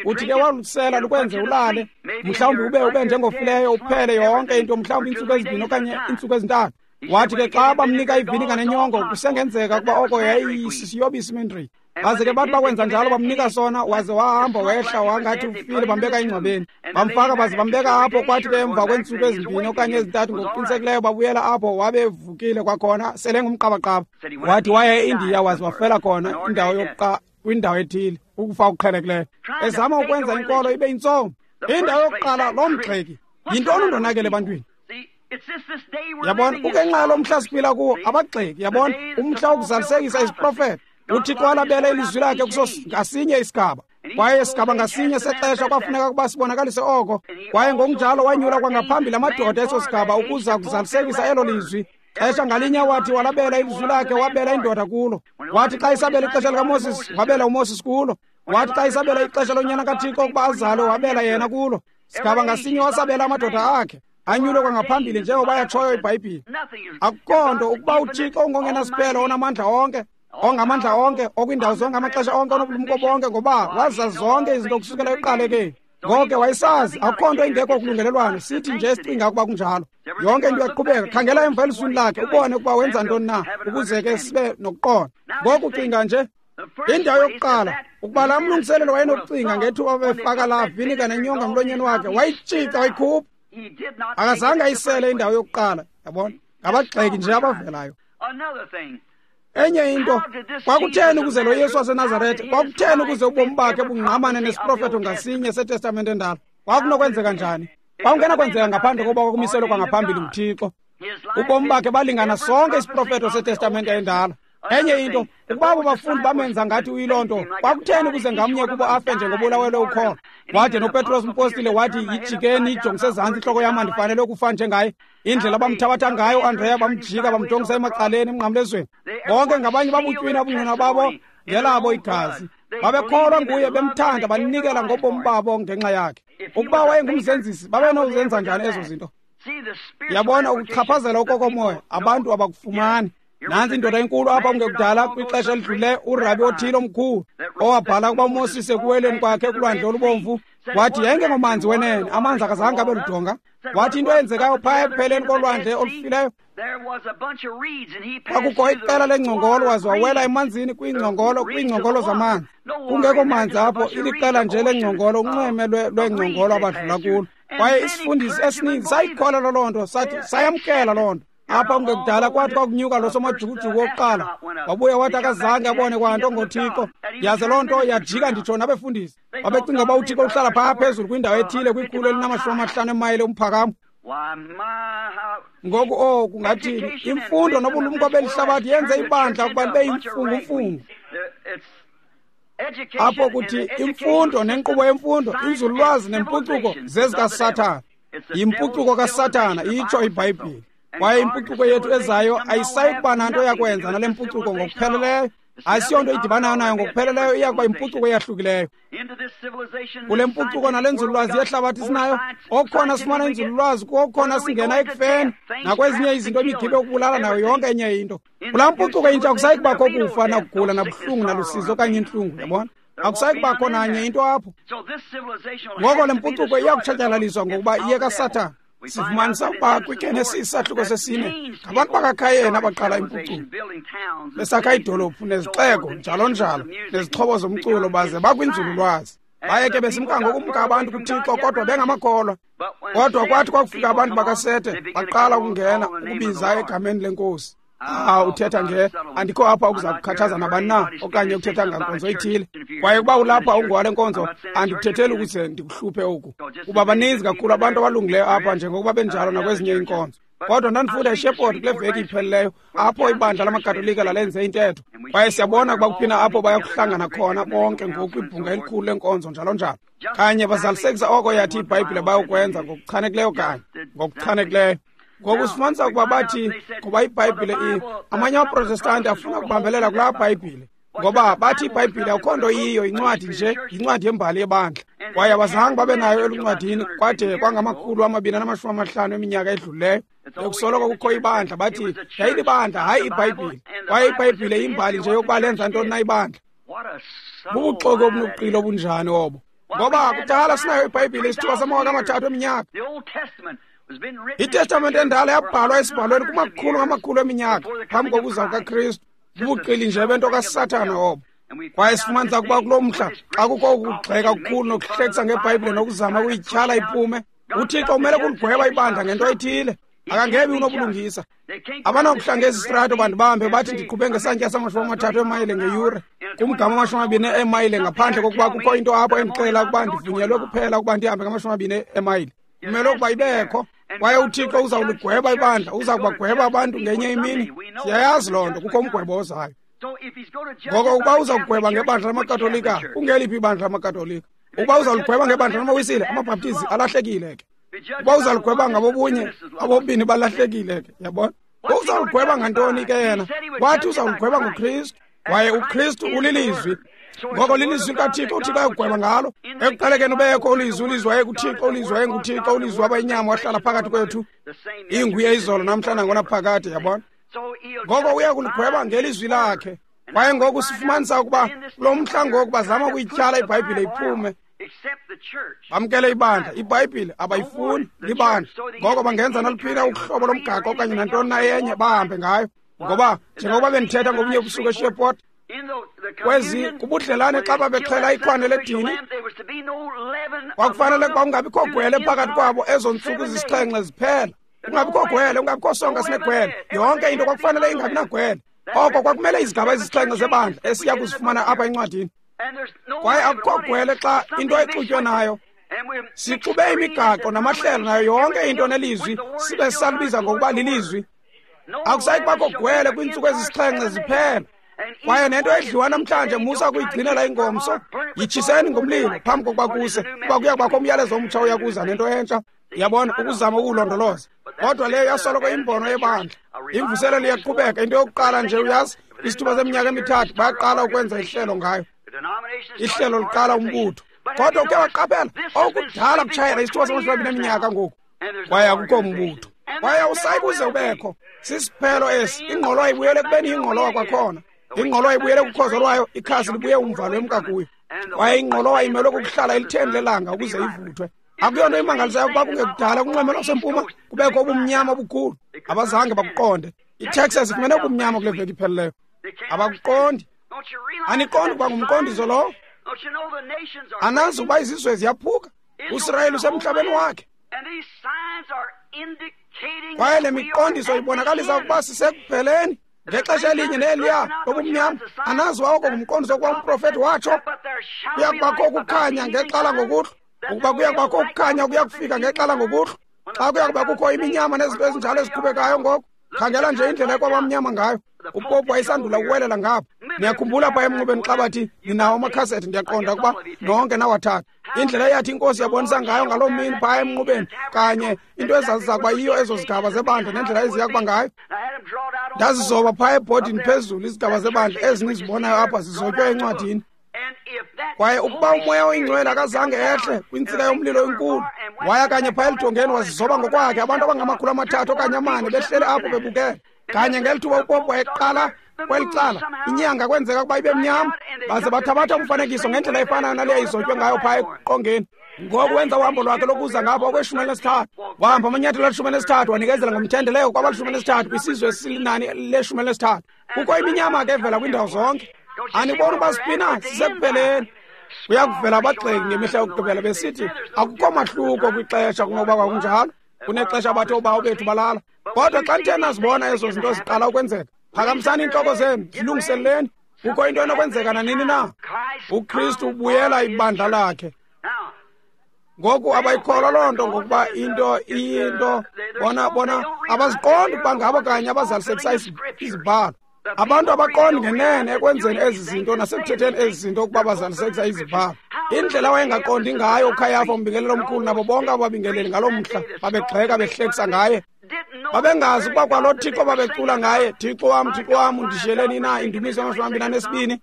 Uthi ke walusela lukwenze ulale, mhlawumbi ube ube njengofileyo uphele yonke into, mhlawumbi iintsuku ezibini okanye iintsuku ezintathu. Wathi ke xa bamnika ivinika nenyongo, kusengenzeka ukuba oko yayisisiyobisi imandrake. Baze ke bathi bakwenza njalo bamnika sona, waze wahamba wehla wangathi ufile, bambeka engcwabeni. Bamfaka baze bambeka apho. Kwathi ke emva kweentsuku ezimbini okanye ezintathu ngokuqinisekileyo babuyela apho, wabe vukile kwakhona sele ngumqabaqaba. Wathi waya eIndiya waze wafela khona indawo yokuqa kwindawo ethile, ukufa okuqhelekileyo. Ezama ukwenza inkolo ibe yintsomi. Indawo yokuqala loo mgxeki. Yintoni undonakele ebantwini? Yabona, kungenxa yalo mhla siphila kuwo abagxeki. Yabona, umhla wokuzalisekisa isiprofeto. uThixo walabela ilizwi lakhe kuso ngasinye isigaba, kwaye sigaba ngasinye sexesha kwafuneka ukuba sibonakalise oko. Kwaye ngokunjalo wanyula kwangaphambili amadoda eso sigaba ukuza kuzalisekisa elo lizwi. Xesha ngalinye wathi walabela ilizwi lakhe, wabela indoda kulo. Wathi xa isabela ixesha likaMoses, wabela uMoses kulo. Wathi xa isabela ixesha lonyana kaThixo ukuba azalwe, wabela yena kulo. Sigaba ngasinye wasabela amadoda akhe anyulwe kwangaphambili njengoba yatshoyo iBhayibhile. Akukho nto ukuba uThixo ungongenasiphelo, onamandla onke, ongamandla onke, okwindawo zonke, amaxesha onke, onobulumko bonke, ngoba wazazi zonke izinto kusukela ekuqalekeni. Ngoko ke wayesazi akukho nto ingekho kulungelelwano. Sithi nje sicinga ukuba kunjalo. Yonke into iyaqhubeka. Khangela emva elizwini lakhe ubone ukuba wenza ntoni na, ukuze ke sibe nokuqonda. Ngoku cinga nje indawo yokuqala, ukuba laa mlungiselelo wayenokucinga ngethuba befaka laa vinika nenyonga emlonyeni wakhe, wayitshica wayikhupha. Akazange ayisele indawo yokuqala. Yabona, ngabagxeki nje abavelayo. Enye into, kwakutheni ukuze lo Yesu waseNazaretha, kwakutheni ukuze ubomi bakhe bungqamane nesiprofeto ngasinye seTestamente endala? Kwakunokwenzeka njani? Kwakungenakwenzeka ngaphandle kokuba kwakumiselwe kwangaphambili nguThixo. Ubomi bakhe balingana sonke isiprofeto seTestamente endala. Enye into, ukuba abo bafundi bamenza ngathi uyiloo nto, kwakutheni ukuze ngamnye kubo afe njengobulawelwe ukholo? Wade noPetros umpostile wathi, yijikeni ijongise ezantsi intloko yam, andifanele ukufa njengaye. Indlela abamthabatha ngayo uAndreya, bamjika bamjongisa emacaleni emnqamlezweni. Bonke ngabanye babutywina ubungqina babo ngelabo igazi. Babekholwa nguye, bemthanda, banikela ngobomi babo ngenxa yakhe. Ukuba wayengumzenzisi, babenozenza njani ezo zinto? Yabona, ukuchaphazela okokomoya abantu abakufumani. Nantsi indoda enkulu apha kungekudala kwixesha elidlulileyo, urabi othile omkhulu owabhala ukuba uMoses ekuweleni kwakhe kulwandle olubomvu wathi yayingengomanzi wenene, amanzi akazange abe ludonga. Wathi into eyenzekayo phaya ekupheleni kolwandle olufileyo, kwakukho iqela lengcongolo, waze wawela emanzini kwiingcongolo, kwiingcongolo zamanzi. Kungekho manzi apho, iliqela nje lengcongolo, unxweme lweengcongolo abadlula kulo. Kwaye isifundisi esininzi sayikholelwa loo nto, sathi sayamkela loo nto. Apha kungekudala kwathi kwakunyuka lo somajukujuku wokuqala, wabuya wathi akazange abone kwanto ngoThixo. Yaze loo nto yajika nditsho nabefundisi. Babecinga uba uThixo uhlala phaa phezulu kwindawo ethile kwikhulu elinamashumi amahlanu emayile umphakamo. Ngoku o kungathini? Imfundo nobulumko beli hlabathi yenze ibandla ukuba libe yimfungumfungu. Apho kuthi imfundo nenkqubo yemfundo, inzululwazi nempucuko zezikaSathana. Yimpucuko kaSathana, itsho iBhayibhile. Kwaye impucuko yethu ezayo ayisayi kuba nanto yakwenza nale mpucuko ngokupheleleyo. Ayisiyonto idibanayo nayo ngokupheleleyo, iya kuba yimpucuko eyahlukileyo. Kule mpucuko nale nzululwazi yehlabathi sinayo, okukhona sifumana inzululwazi, kokukhona singena ekufeni nakwezinye izinto, imigibe yokubulala nayo yonke enye into. Kulaa mpucuko intsha akusayi kubakho kufa nakugula nabuhlungu nalusizi okanye intlungu, yabona? Akusayi kubakho nanye into apho. Ngoko le mpucuko iya kutshatyalaliswa ngokuba iye kaSathana. Sifumanisa ukuba kwiGenesis isahluko sesine ngabantu bakaKhayeni abaqala impucuko, besakha iidolophu nezixeko njalo njalo nezixhobo zomculo, baze bakwinzululwazi. Baye ke besimka ngokumka abantu kuThixo, kodwa bengamakholwa. Kodwa kwathi kwakufika abantu bakaSete, baqala ukungena ukubiza egameni leNkosi. Ah, uthetha nge andikho apha ukuza kukhathaza nabani na okanye ukuthetha ngankonzo ethile. Kwaye ukuba ulapha ungowale nkonzo, andikuthetheli ukuze ndikuhluphe oku, kuba baninzi kakhulu abantu abalungileyo apha njengokuba benjalo nakwezinye iinkonzo. Kodwa ndandifunda eShepherd kule veki iphelileyo, apho ibandla lamaKatolika lalenze intetho. Kwaye siyabona ukuba kuphina apho bayakuhlangana khona bonke ngoku kwibhunga elikhulu lenkonzo njalo njalo. Kanye bazalisekisa oko yathi iBhayibhile bayokwenza ngokuchanekileyo kanye, ngokuchanekileyo. Ngoku sifumanisa ukuba bathi ngoba iBhayibhile i amanye amaProtestanti afuna ukubambelela kulaa Bhayibhile, ngoba bathi iBhayibhile akukho nto iyiyo, yincwadi nje, yincwadi yembali yebandla. Kwaye abazange babe nayo eluncwadini kwade kwangamakhulu amabini anamashumi amahlanu eminyaka edlulileyo. Bekusoloko kukho ibandla, bathi yayilibandla, hayi iBhayibhile. Kwaye iBhayibhile yimbali nje yokuba lenza ntoni na ibandla. Bubuxoki obunobuqili obunjani obo? Ngoba kudala sinayo iBhayibhile isithuba samawaka amathathu eminyaka. ITestamente endala yabhalwa esibhalweni kumakhulu ngamakhulu eminyaka phambi kokuza kukaKristu. Bubuqili nje bento kaSathana obo. Kwaye sifumanisa ukuba kulo mhla xa kukho ukugxeka okukhulu nokuhlekisa ngeBhayibhile nokuzama ukuyityhala iphume, uThixo umele kuligweba ibandla ngento ethile. Akangebi unobulungisa. Abanakuhla ngezi strato bandibambe bathi ndiqhube ngesantya samashumi amathathu emayile ngeyure kumgama amashumi amabini emayile ngaphandle kokuba kukho into apho endixelela ukuba ndivunyelwe kuphela ukuba ndihambe ngamashumi amabini emayile. Kumele ukuba ibekho. Kwaye uThixo uzawuligweba ibandla, uza kubagweba abantu ngenye imini. Siyayazi loo nto, kukho umgwebo ozayo. Ngoko ukuba uza kugweba ngebandla lamaKatolika, kungeliphi ibandla lamaKatolika? Ukuba uzawuligweba ngebandla lamaWisile, amaBhaptizi alahlekile ke. Ukuba uzawuligweba ngabobunye, abobini balahlekile ke, yabona? Uzawuligweba ngantoni ke yena? Wathi uzawuligweba ngoKristu. Kwaye uKristu ulilizwi. Ngoko lilizwi likaThixo, uThixo ayakugweba ngalo. Ekuqalekeni ubekho ulizwi, ulizwi wayekuThixo, ulizwi wayenguThixo, ulizwi waba yinyama wahlala phakathi kwethu. Inguye izolo namhla nangonaphakade, yabona? Ngoko uya kuligweba ngelizwi lakhe. Kwaye ngoku sifumanisa ukuba kulo mhla ngoku bazama ukuyityhala iBhayibhile iphume. Bamkele ibandla, iBhayibhile abayifuni, libandla. Ngoko bangenza naluphi na uhlobo lomgaqo okanye nantoni na enye bahambe ngayo. Ngoba njengokuba bendithetha ngobunye ubusuku eShepherd, kwezi kubudlelane xa babexhela ikhwane ledini, kwakufanele ukuba kungabikho gwele phakathi kwabo ezo ntsuku zisixhenxe ziphela. Kungabikho gwele, kungabikho sonka sinegwele. Yonke into kwakufanele ingabi nagwele. Oko kwakumele izigaba ezisixhenxe zebandla esiya kuzifumana apha encwadini. Kwaye akukho gwele xa into exutywe nayo. Sixube imigaqo namahlelo nayo yonke into nelizwi, sibe salibiza ngokuba lilizwi. Akusayi kubakho gwele kwiintsuku ezisixhenxe ziphela. Kwaye nento edliwa namhlanje musa kuyigcinela ingomso, yitshiseni ngomlilo phambi kokuba kuse, kuba kuya kubakho umyalezo omtsha uya kuza nento entsha. Yabona, ukuzama ukuwulondoloza. Kodwa leyo yasoloko imbono yebandla. Imvuselelo iyaqhubeka. Into yokuqala nje uyazi, isithuba seminyaka emithathu bayaqala ukwenza ihlelo ngayo. Ihlelo liqala umbutho. Kodwa uke waqaphela okudala kutshayela isithuba samashumi amabini eminyaka ngoku, kwaye akukho mbutho, kwaye awusayi kuze ubekho. Sisiphelo esi. Ingqolowa ibuyele ekubeni yingqolowa kwakhona. Ingqolowa ibuyele kukhozo lwayo, ikhasi libuye umva lwemka kuyo. Kwaye ingqolowa imelwe kukuhlala elitheni lelanga ukuze ivuthwe. Akuyonto imangalisayo ukuba kungekudala kunxweme lwasempuma kubekho ubumnyama obukhulu. Abazange bakuqonde. ITexas ifumene ubumnyama kule veki iphelileyo. Abakuqondi. Aniqondi ukuba ngumqondiso lowo? Anazi ukuba izizwe ziyaphuka. USirayeli usemhlabeni wakhe. Kwaye le miqondiso ibonakalisa ukuba sisekupheleni. Ngexesha elinye neliya lobumnyama, anazi oko ngumqondiso ukuba umprofethi watsho kuya kubakho ukukhanya ngexala ngokuhlwa, ukuba kuya kubakho ukukhanya kuya kufika ngexala ngokuhlwa. Xa kuya kuba kukho iminyama nezinto ezinjalo eziqhubekayo ngoku, khangela nje indlela ekwabamnyama ngayo. Upopu wayesandula ukuwelela ngapha. Niyakhumbula phaa emnqubeni xa bathi ninawo amakhasethi, ndiyaqonda ukuba nonke nawathatha. Indlela eyathi inkosi yabonisa ngayo ngaloo mini phaa emnqubeni kanye into ezaziza kuba yiyo ezo zigaba zebandla nendlela eziya kuba ngayo. Ndazizoba phaa ebhodini phezulu izigaba zebandla ezinizibonayo apha zizotywe encwadini. Kwaye ukuba umoya oyingcwele akazange ehle kwintsika yomlilo enkulu, waya kanye phaa elidongeni wazizoba ngokwakhe, abantu abangamakhulu amathathu okanye amane behleli apho bebukele. Kanye ngeli thuba upopu wayeqala kweli cala, inyanga kwenzeka ukuba ibe mnyama, baze bathabatha umfanekiso ngendlela efanayo naleyo izotywe ngayo phaa eqongeni. Ngoku wenza uhambo lwakhe lokuza ngapha okweshumi elinesithathu. Wahamba amanyathelo alishumi elinesithathu, wanikezela ngomthendeleko kwabalishumi elinesithathu kwisizwe esilinani leshumi elinesithathu. Kukho iminyama ke evela kwiindawo zonke. Aniboni uba sipina? Sisekupheleni. Kuya kuvela abagxeki ngemihla yokugqibela besithi akukho mahluko kwixesha kunokuba kwakunjalo. Kunexesha abathi oobawo bethu balala. Kodwa xa nithe nazibona ezo zinto ziqala ukwenzeka, phakamisani iintloko zenu, zilungiseleleni. Kukho into enokwenzeka nanini na. UKristu ubuyela ibandla lakhe. Ngoku abayikholwa loo nto ngokuba into iyinto bona bona abaziqondi ukuba ngabo kanye abazalisekisa izibhalo. Abantu abaqondi ngenene ekwenzeni ezi zinto nasekuthetheni ezi zinto ukuba bazalisekisa izibhalo. Indlela wayengaqondi ngayo uKhayafa umbingeleli omkhulu nabo bonke ababingeleli ngaloo mhla babegxeka behlekisa ngaye. Babengazi ukuba kwalo Thixo babecula ngaye, Thixo wam, Thixo wam, undishiyeleni na indumiso yamashumi amabini anesibini?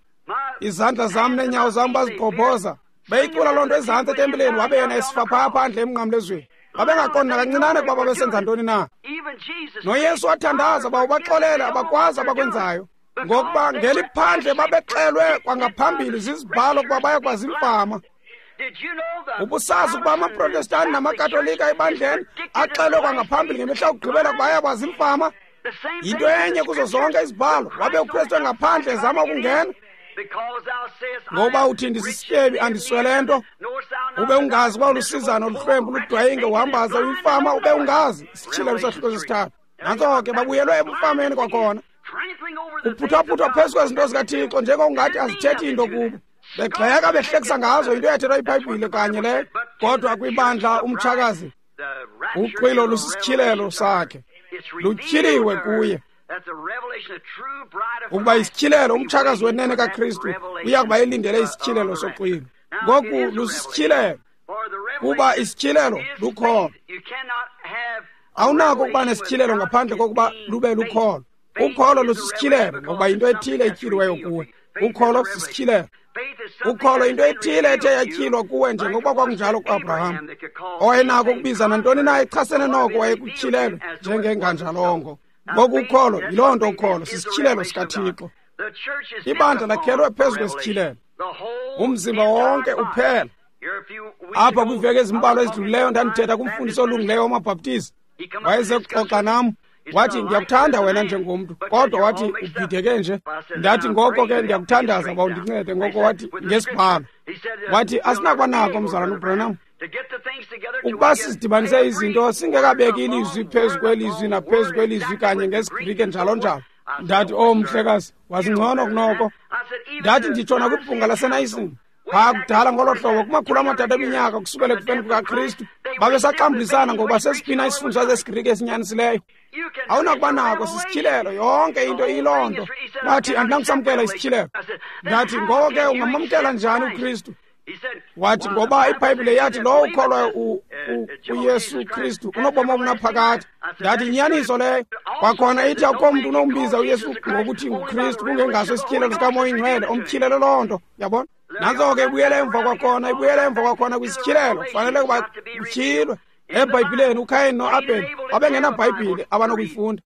Izandla zam neenyawo zam bazigqobhoza. Beyicula loo nto ezantsi etempileni, wabe yena esifa phaa phandle emnqamlezweni. Babengaqondi nakancinane ukuba babesenza ntoni na. NoYesu wathandaza uba ubaxolele abakwazi abakwenzayo, ngokuba ngeliphandle babexelwe kwangaphambili zizibhalo ukuba baya kuba ziimfama. Ubusazi ukuba amaProtestanti namaKatolika ebandleni axelwe kwangaphambili ngemihla yokugqibela ukuba aya kuba ziimfama? Yinto enye kuzo zonke izibhalo. Wabe uKristu engaphandle ezama ukungena. Ngoba uthi ndisisityebi andiswele nto, ube ungazi uba ulusizana oluhlwempu ludwayinge uhambaze uyimfama, ube ungazi. Isityhilelo sahluko sesithathu. Nantso ke babuyelwe ebufameni kwakhona. Kuphuthaphutha phezu kwezinto zikaThixo njengokungathi azithethi into kubo. Begxeka behlekisa ngazo into eyathethwa iBhayibhile kanye leyo. Kodwa kwibandla umtshakazi uxwilo lusisityhilelo sakhe, lutyhiliwe kuye. Ukuba isityhilelo umtshakazi wenene kaKristu uya kuba elindele isityhilelo soxwilo. Ngoku lusisityhilelo, kuba isityhilelo lukholo. Awunako ukuba nesityhilelo ngaphandle kokuba lube lukholo. Ukholo lusisityhilelo ngokuba yinto ethile etyhiliweyo kuwe. Ukholo sisityhilelo. Ukholo yinto ethile ethe yatyhilwa kuwe njengokuba kwakunjalo kuAbraham, owayenako ukubiza nantoni na echasene noko wayekutyhilelwe njengenganjalongo. Ngoku ukholo yiloo nto. Ukholo sisityhilelo sikaThixo. Ibandla lakhelwe phezu kwesityhilelo, umzimba wonke uphela. Apha kwiiveki ezimbalwa ezidlulileyo ndandithetha kumfundisi olungileyo wamaBhaptizi. Wayeze kuxoxa nam, wathi ndiyakuthanda wena njengomntu, kodwa wathi ubhideke nje. Ndathi ngoko ke ndiyakuthandaza uba undincede. Ngoko wathi ngesibhalo, wathi asinakuba nako mzalwana uBranham ukuba sizidibanise izinto singekabeki ilizwi phezu kwelizwi naphezu kwelizwi kanye ngesiGrike njalo njalo. Ndathi, oh mhlekazi, wazingcono kunoko. Ndathi nditsho nakwibhunga laseNayisini. Phaa kudala ngolo hlobo kumakhulu amathathu eminyaka kusukela ekufeni kukaKristu, babesaxambulisana ngokuba sesiphi isifundiswa sesiGrike esinyanisileyo. Awunakuba nako, sisityhilelo, yonke into iyiloo nto. Wathi, andinakusamkela isityhilelo. Ndathi, ngoko ke ungamamkela njani uKristu? Wathi, ngoba iBhayibhile yathi lowo ukholwayo uYesu Kristu unobomi obunaphakade. Ndathi, inyaniso leyo. Kwakhona ithi akukho mntu unombiza uYesu ngokuthi nguKristu kungengaso isityhilelo sikaMoya oyiNgcwele omtyhilele loo nto. Yabona? Nantso ke ibuyele emva kwakhona, ibuyele emva kwakhona kwisityhilelo. Kufanele ukuba kutyhilwe. EBhayibhileni uKayin noAbheli babengenabhayibhile abanokuyifunda,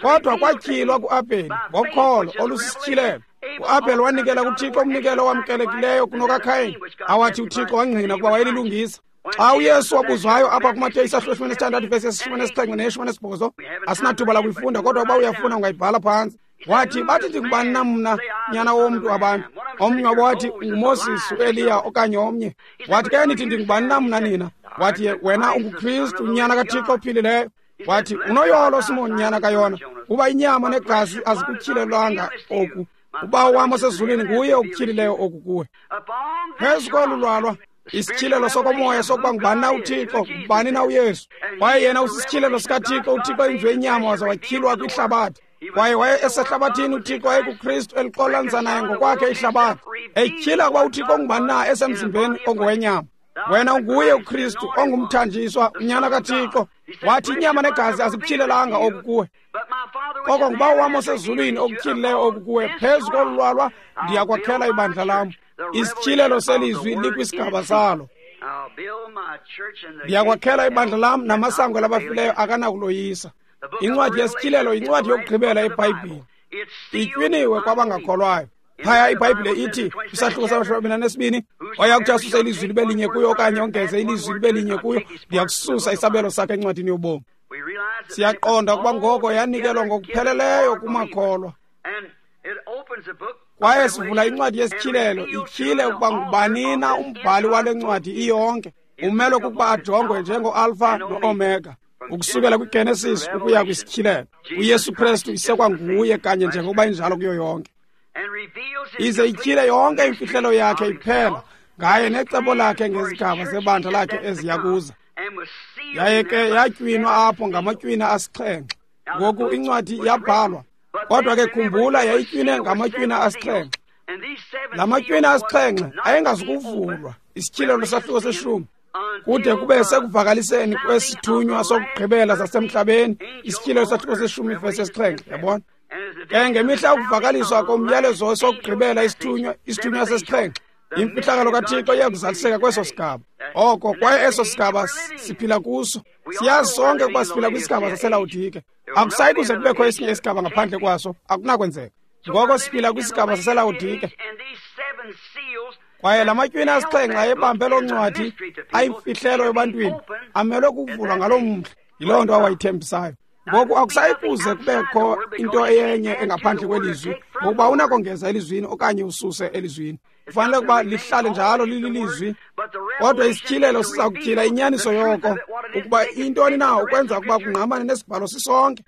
kodwa kwatyhilwa kuAbheli ngokholo olusisityhilelo. UAbheli wanikela kuThixo umnikelo owamkelekileyo kunokaKayin, awathi uThixo wangqina ukuba wayelilungisa. Xa uYesu wabuzwayo apha kuMateyu isahluko eshumi nesithandathu ivesi yeshumi nesixhenxe neyeshumi nesibhozo, asinathuba lakuyifunda, kodwa uba uyafuna ungayibhala phantsi. Wathi, bathi ndingubani na mna, nyana womntu abantu? Omnye wabo wathi, nguMoses, uEliya okanye omnye. Wathi, ke nithi ndingubani na mna nina? Wathi, wena unguKristu, unyana kaThixo ophilileyo. Wathi, unoyolo Simon, nyana kaYona, kuba inyama negazi azikutyhilelwanga oku. Ubawo wam osezulwini nguye okutyhilileyo oku kuwe. Phezu kolu lwalwa, isityhilelo sokomoya sokuba ngubani na uThixo, ngubani na uYesu. Kwaye yena usisityhilelo sikaThixo, uThixo enziwe inyama waza watyhilwa kwihlabathi. Kwaye waye esehlabathini uThixo wayekuKristu elixolanisa naye ngokwakhe ihlabathi, etyhila ukuba uThixo ungubani na esemzimbeni ongowenyama. Wena unguye uKristu ongumthanjiswa, unyana kaThixo. Wathi, inyama negazi azikutyhilelanga oku kuwe, koko ngubawo wam osezulwini okutyhilileyo oku kuwe. Phezu kolu lwalwa ndiyakwakhela ibandla lam. Isityhilelo selizwi likwisigaba salo. Ndiyakwakhela ibandla lam, namasango labafileyo akanakuloyisa. Incwadi yesityhilelo yincwadi yokugqibela eBhayibhile. Itywiniwe kwabangakholwayo. Phaya iBhayibhile ithi kwisahluko samashumi amabini anesibini, oya kuthi asuse ilizwi libe linye kuyo okanye ongeze ilizwi libe linye kuyo, ndiyakususa isabelo sakhe encwadini yobomi. Siyaqonda ukuba ngoko yanikelwa ngokupheleleyo kumakholwa. Kwaye sivula incwadi yesityhilelo, ityhile ukuba ngubani na umbhali wale ncwadi iyonke. Umelwe kukuba ajongwe njengoAlpha noOmega, ukusukela kwiGenesis ukuya kwisityhilelo. uYesu Kristu isekwanguye kanye njengokuba injalo kuyo yonke. Ize ityhile yonke imfihlelo yakhe iphela ngaye necebo lakhe ngezigaba zebandla lakhe eziya kuza. Yaye ke yatywinwa apho ngamatywina asixhenxe. Ngoku incwadi yabhalwa, kodwa ke khumbula yayitywine ngamatywina asixhenxe. La matywina asixhenxe ayengazukuvulwa, isityhilelo sahluko seshumi, kude kube sekuvakaliseni kwesithunywa sokugqibela sasemhlabeni, isityhilelo sahluko seshumi ivesi yesixhenxe. Yabona? Ke ngemihla yokuvakaliswa komyalezo sokugqibela isithunywa, isithunywa sesixhenxe, imfihlakalo kaThixo iyakuzaliseka kweso sigaba. Oko kwaye eso sigaba siphila kuso. Siyazi sonke ukuba siphila kwisigaba saseLawodike. Akusayi kuze kubekho esinye isigaba ngaphandle kwaso, akunakwenzeka. Ngoko siphila kwisigaba saseLawodike. Kwaye la matywina asixhenxe ayebambe loo ncwadi ayimfihlelo ebantwini, amelwe kuvulwa ngaloo mhla. Yiloo nto awayithembisayo. Ngoku akusayi kuze kubekho into eyenye engaphandle kwelizwi, ngokuba unakongeza elizwini okanye ususe elizwini. Kufanele ukuba lihlale njalo lililizwi, kodwa isityhilelo siza kutyhila inyaniso yoko, ukuba intoni na ukwenza ukuba kungqamane nesibhalo sisonke.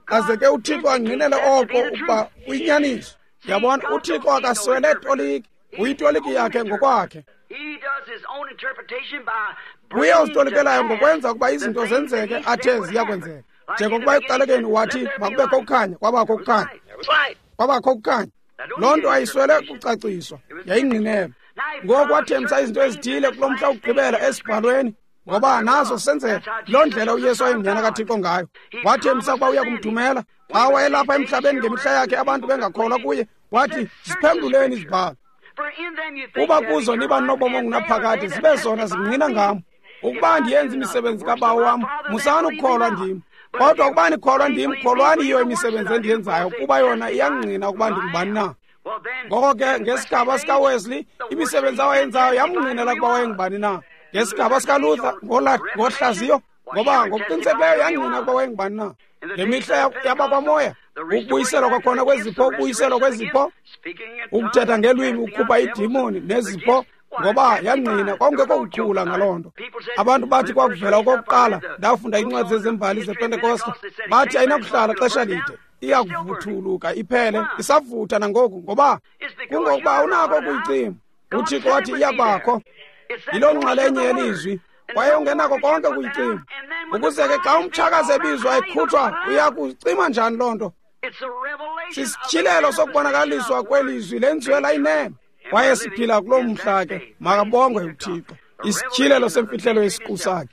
Aze ke uThixo angqinele oko ukuba uyinyaniso. Yabona, uThixo akaswele toliki, uyitoliki yakhe ngokwakhe. Uye ozitolikelayo ngokwenza ukuba izinto zenzeke athe ziyakwenzeka. Njengokuba ekuqalekeni wathi makubekho ukukhanya, kwabakho ukukhanya. Kwabakho ukukhanya. Loo nto ayiswele kucaciswa, yayingqinelwe. Ngoku wathembisa izinto ezithile kulo mhla wokugqibela esibhalweni, ngoba nazo senzeka. Loo ndlela uYesu wayengunyana kaThixo ngayo. Wathembisa ukuba uya kumthumela. Xa wayelapha emhlabeni ngemihla yakhe abantu bengakholwa kuye, wathi, ziphenduleni izibhalo, kuba kuzo niba nobomi ongunaphakade, zibe zona zingqina ngam. Ukuba ndiyenza imisebenzi kaBawo wam, musani ukukholwa ndim. Kodwa ukuba nikholwa ndim, kholwani yiyo imisebenzi endiyenzayo, kuba yona iyangqina ukuba ndingubani na. Ngoko ke ngesigaba sikaWesley, imisebenzi awayenzayo yamngqinela ukuba wayengubani na. Ngesigaba sikaLuther, ngohlaziyo, ngoba ngokuqinisekileyo yangqina ukuba wayengubani na. Ngemihla yabakwamoya, ukubuyiselwa kwakhona kwezipho, ukubuyiselwa kwezipho, ukuthetha ngelwimi, ukukhupha iidimoni nezipho, ngoba yangqina kwakungekho kuthula ngaloo nto. Abantu bathi kwakuvela okokuqala, ndafunda iincwadi zezembali zePentekoste, bathi ayinakuhlala xesha lide, iyakuvuthuluka iphele, isavutha nangoku, ngoba kungokuba awunako ukuyicima. UThixo wathi iyabakho. Yiloo nxalenye yelizwi. Kwaye ungenako konke ukuyicima. Ukuze ke xa umtshakazi ebizwa ekhutshwa, uya kucima njani loo nto? Sisityhilelo sokubonakaliswa kwelizwi lenziwe layinene. Kwaye siphila kuloo mhla ke, makabongwe uThixo. Isityhilelo semfihlelo yesiqu sakhe.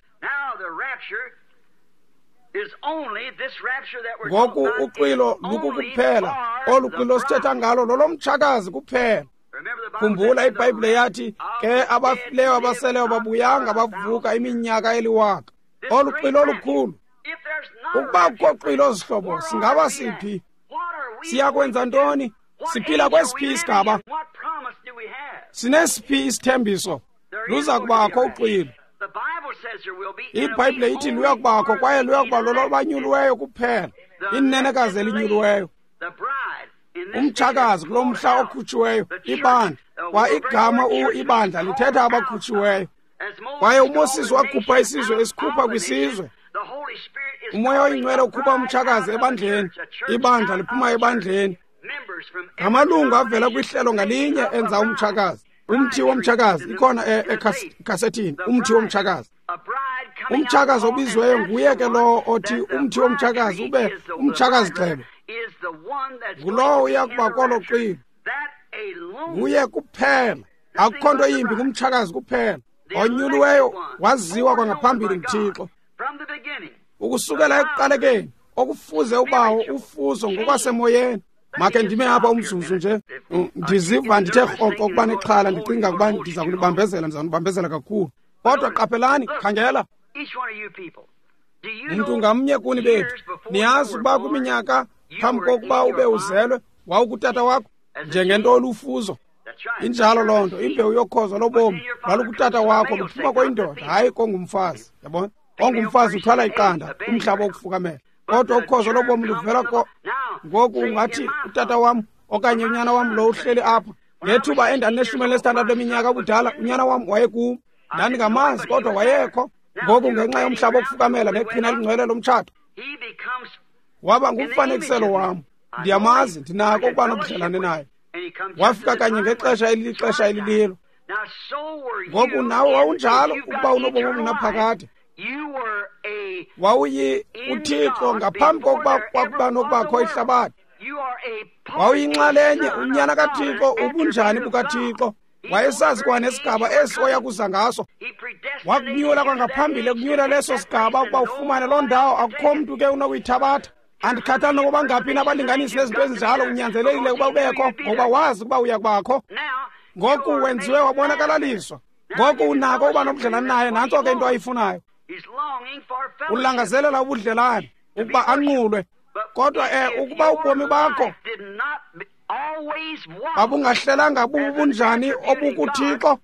Ngoku uxwilo lukukuphela, olu xwilo sithetha ngalo lolomtshakazi kuphela. Khumbula iBhayibhile yathi ke abafileyo abaseleyo babuyanga bavuka iminyaka eliwaka. Olu xwilo olukhulu. Ukuba kukho xwilo zihlobo, singaba siphi? Siyakwenza ntoni? Siphila kwesiphi isigaba? Sinesiphi isithembiso? Luza kubakho uxwilo. IBhayibhile ithi luya kubakho, kwaye luya kuba lolobanyuliweyo kuphela, inenekazi elinyuliweyo, umtshakazi kulo mhla okhutshiweyo, ibandla. Kwa igama u ibandla lithetha abakhutshiweyo. Kwaye uMoses wakhupha isizwe esikhupha kwisizwe. UMoya oyiNgcwele ukhupha umtshakazi ebandleni, ibandla liphuma ebandleni. Ngamalungu avela kwihlelo ngalinye enza umtshakazi. Umthi womtshakazi ikhona ekasethini, umthi womtshakazi. Umtshakazi obizweyo nguye ke lowo othi umthi womtshakazi ube umtshakazi gxebe. Ngulowo uya kuba kolo xwilo. Nguye kuphela. Akukho nto yimbi ngumtshakazi kuphela. Onyuliweyo waziwa kwangaphambili nguThixo. Ukusukela ekuqalekeni okufuze ubawo ufuzo ngokwasemoyeni. Make ndime apha umzuzu nje. Ndiziva ndithe rhoqo ukuba nexhala, ndicinga ukuba ndiza kunibambezela, ndiza kunibambezela kakhulu. Kodwa qaphelani, khangela. Mntu ngamnye kuni bethu, niyazi ukuba kwiminyaka phambi kokuba ube uzelwe wawukutata wakho njengento olufuzo. Injalo loo nto, imbewu yokhozo lobomi lwalukutata wakho luphuma koyindoda, hayi kongumfazi. Yabona? Ongumfazi uthwala iqanda, umhlaba wokufukamela. Kodwa ukhozo lobomi luvela ko. Ngoku ungathi utata wam okanye unyana wam lo uhleli apha. Ngethuba endineshumi elinesithandathu leminyaka ubudala, unyana wam wayekum. Ndandingamazi kodwa wayekho. Ngoku ngenxa yomhlaba wokufukamela neqhina elingcwele lomtshato, waba ngumfanekiselo wam. Ndiyamazi, ndinako ukuba nobudlelane naye. Wafika kanye ngexesha elilixesha elililo. Ngoku nawe wawunjalo ukuba unobomi obungunaphakade. Wawuyi uThixo ngaphambi kokuba kwakuba nokubakho ihlabathi. Wawuyinxalenye unyana kaThixo, ubunjani bukaThixo. Wayesazi kwanesigaba esi oya kuza ngaso. Wakunyula kwangaphambili ekunyula leso sigaba ukuba ufumane loo ndawo. Akukho mntu ke unokuyithabatha. Andikhathali nokuba ngaphi na abalinganisi nezinto ezinjalo, unyanzelekile ukuba ubekho ngoba wazi ukuba uya kubakho. Ngoku wenziwe wabonakalaliswa. Ngoku unako ukuba nobudlelane naye. Nantso ke into ayifunayo. Ulangazelela ubudlelane ukuba anqulwe. Kodwa eh ukuba ubomi bakho babungahlelanga bubunjani obukuThixo,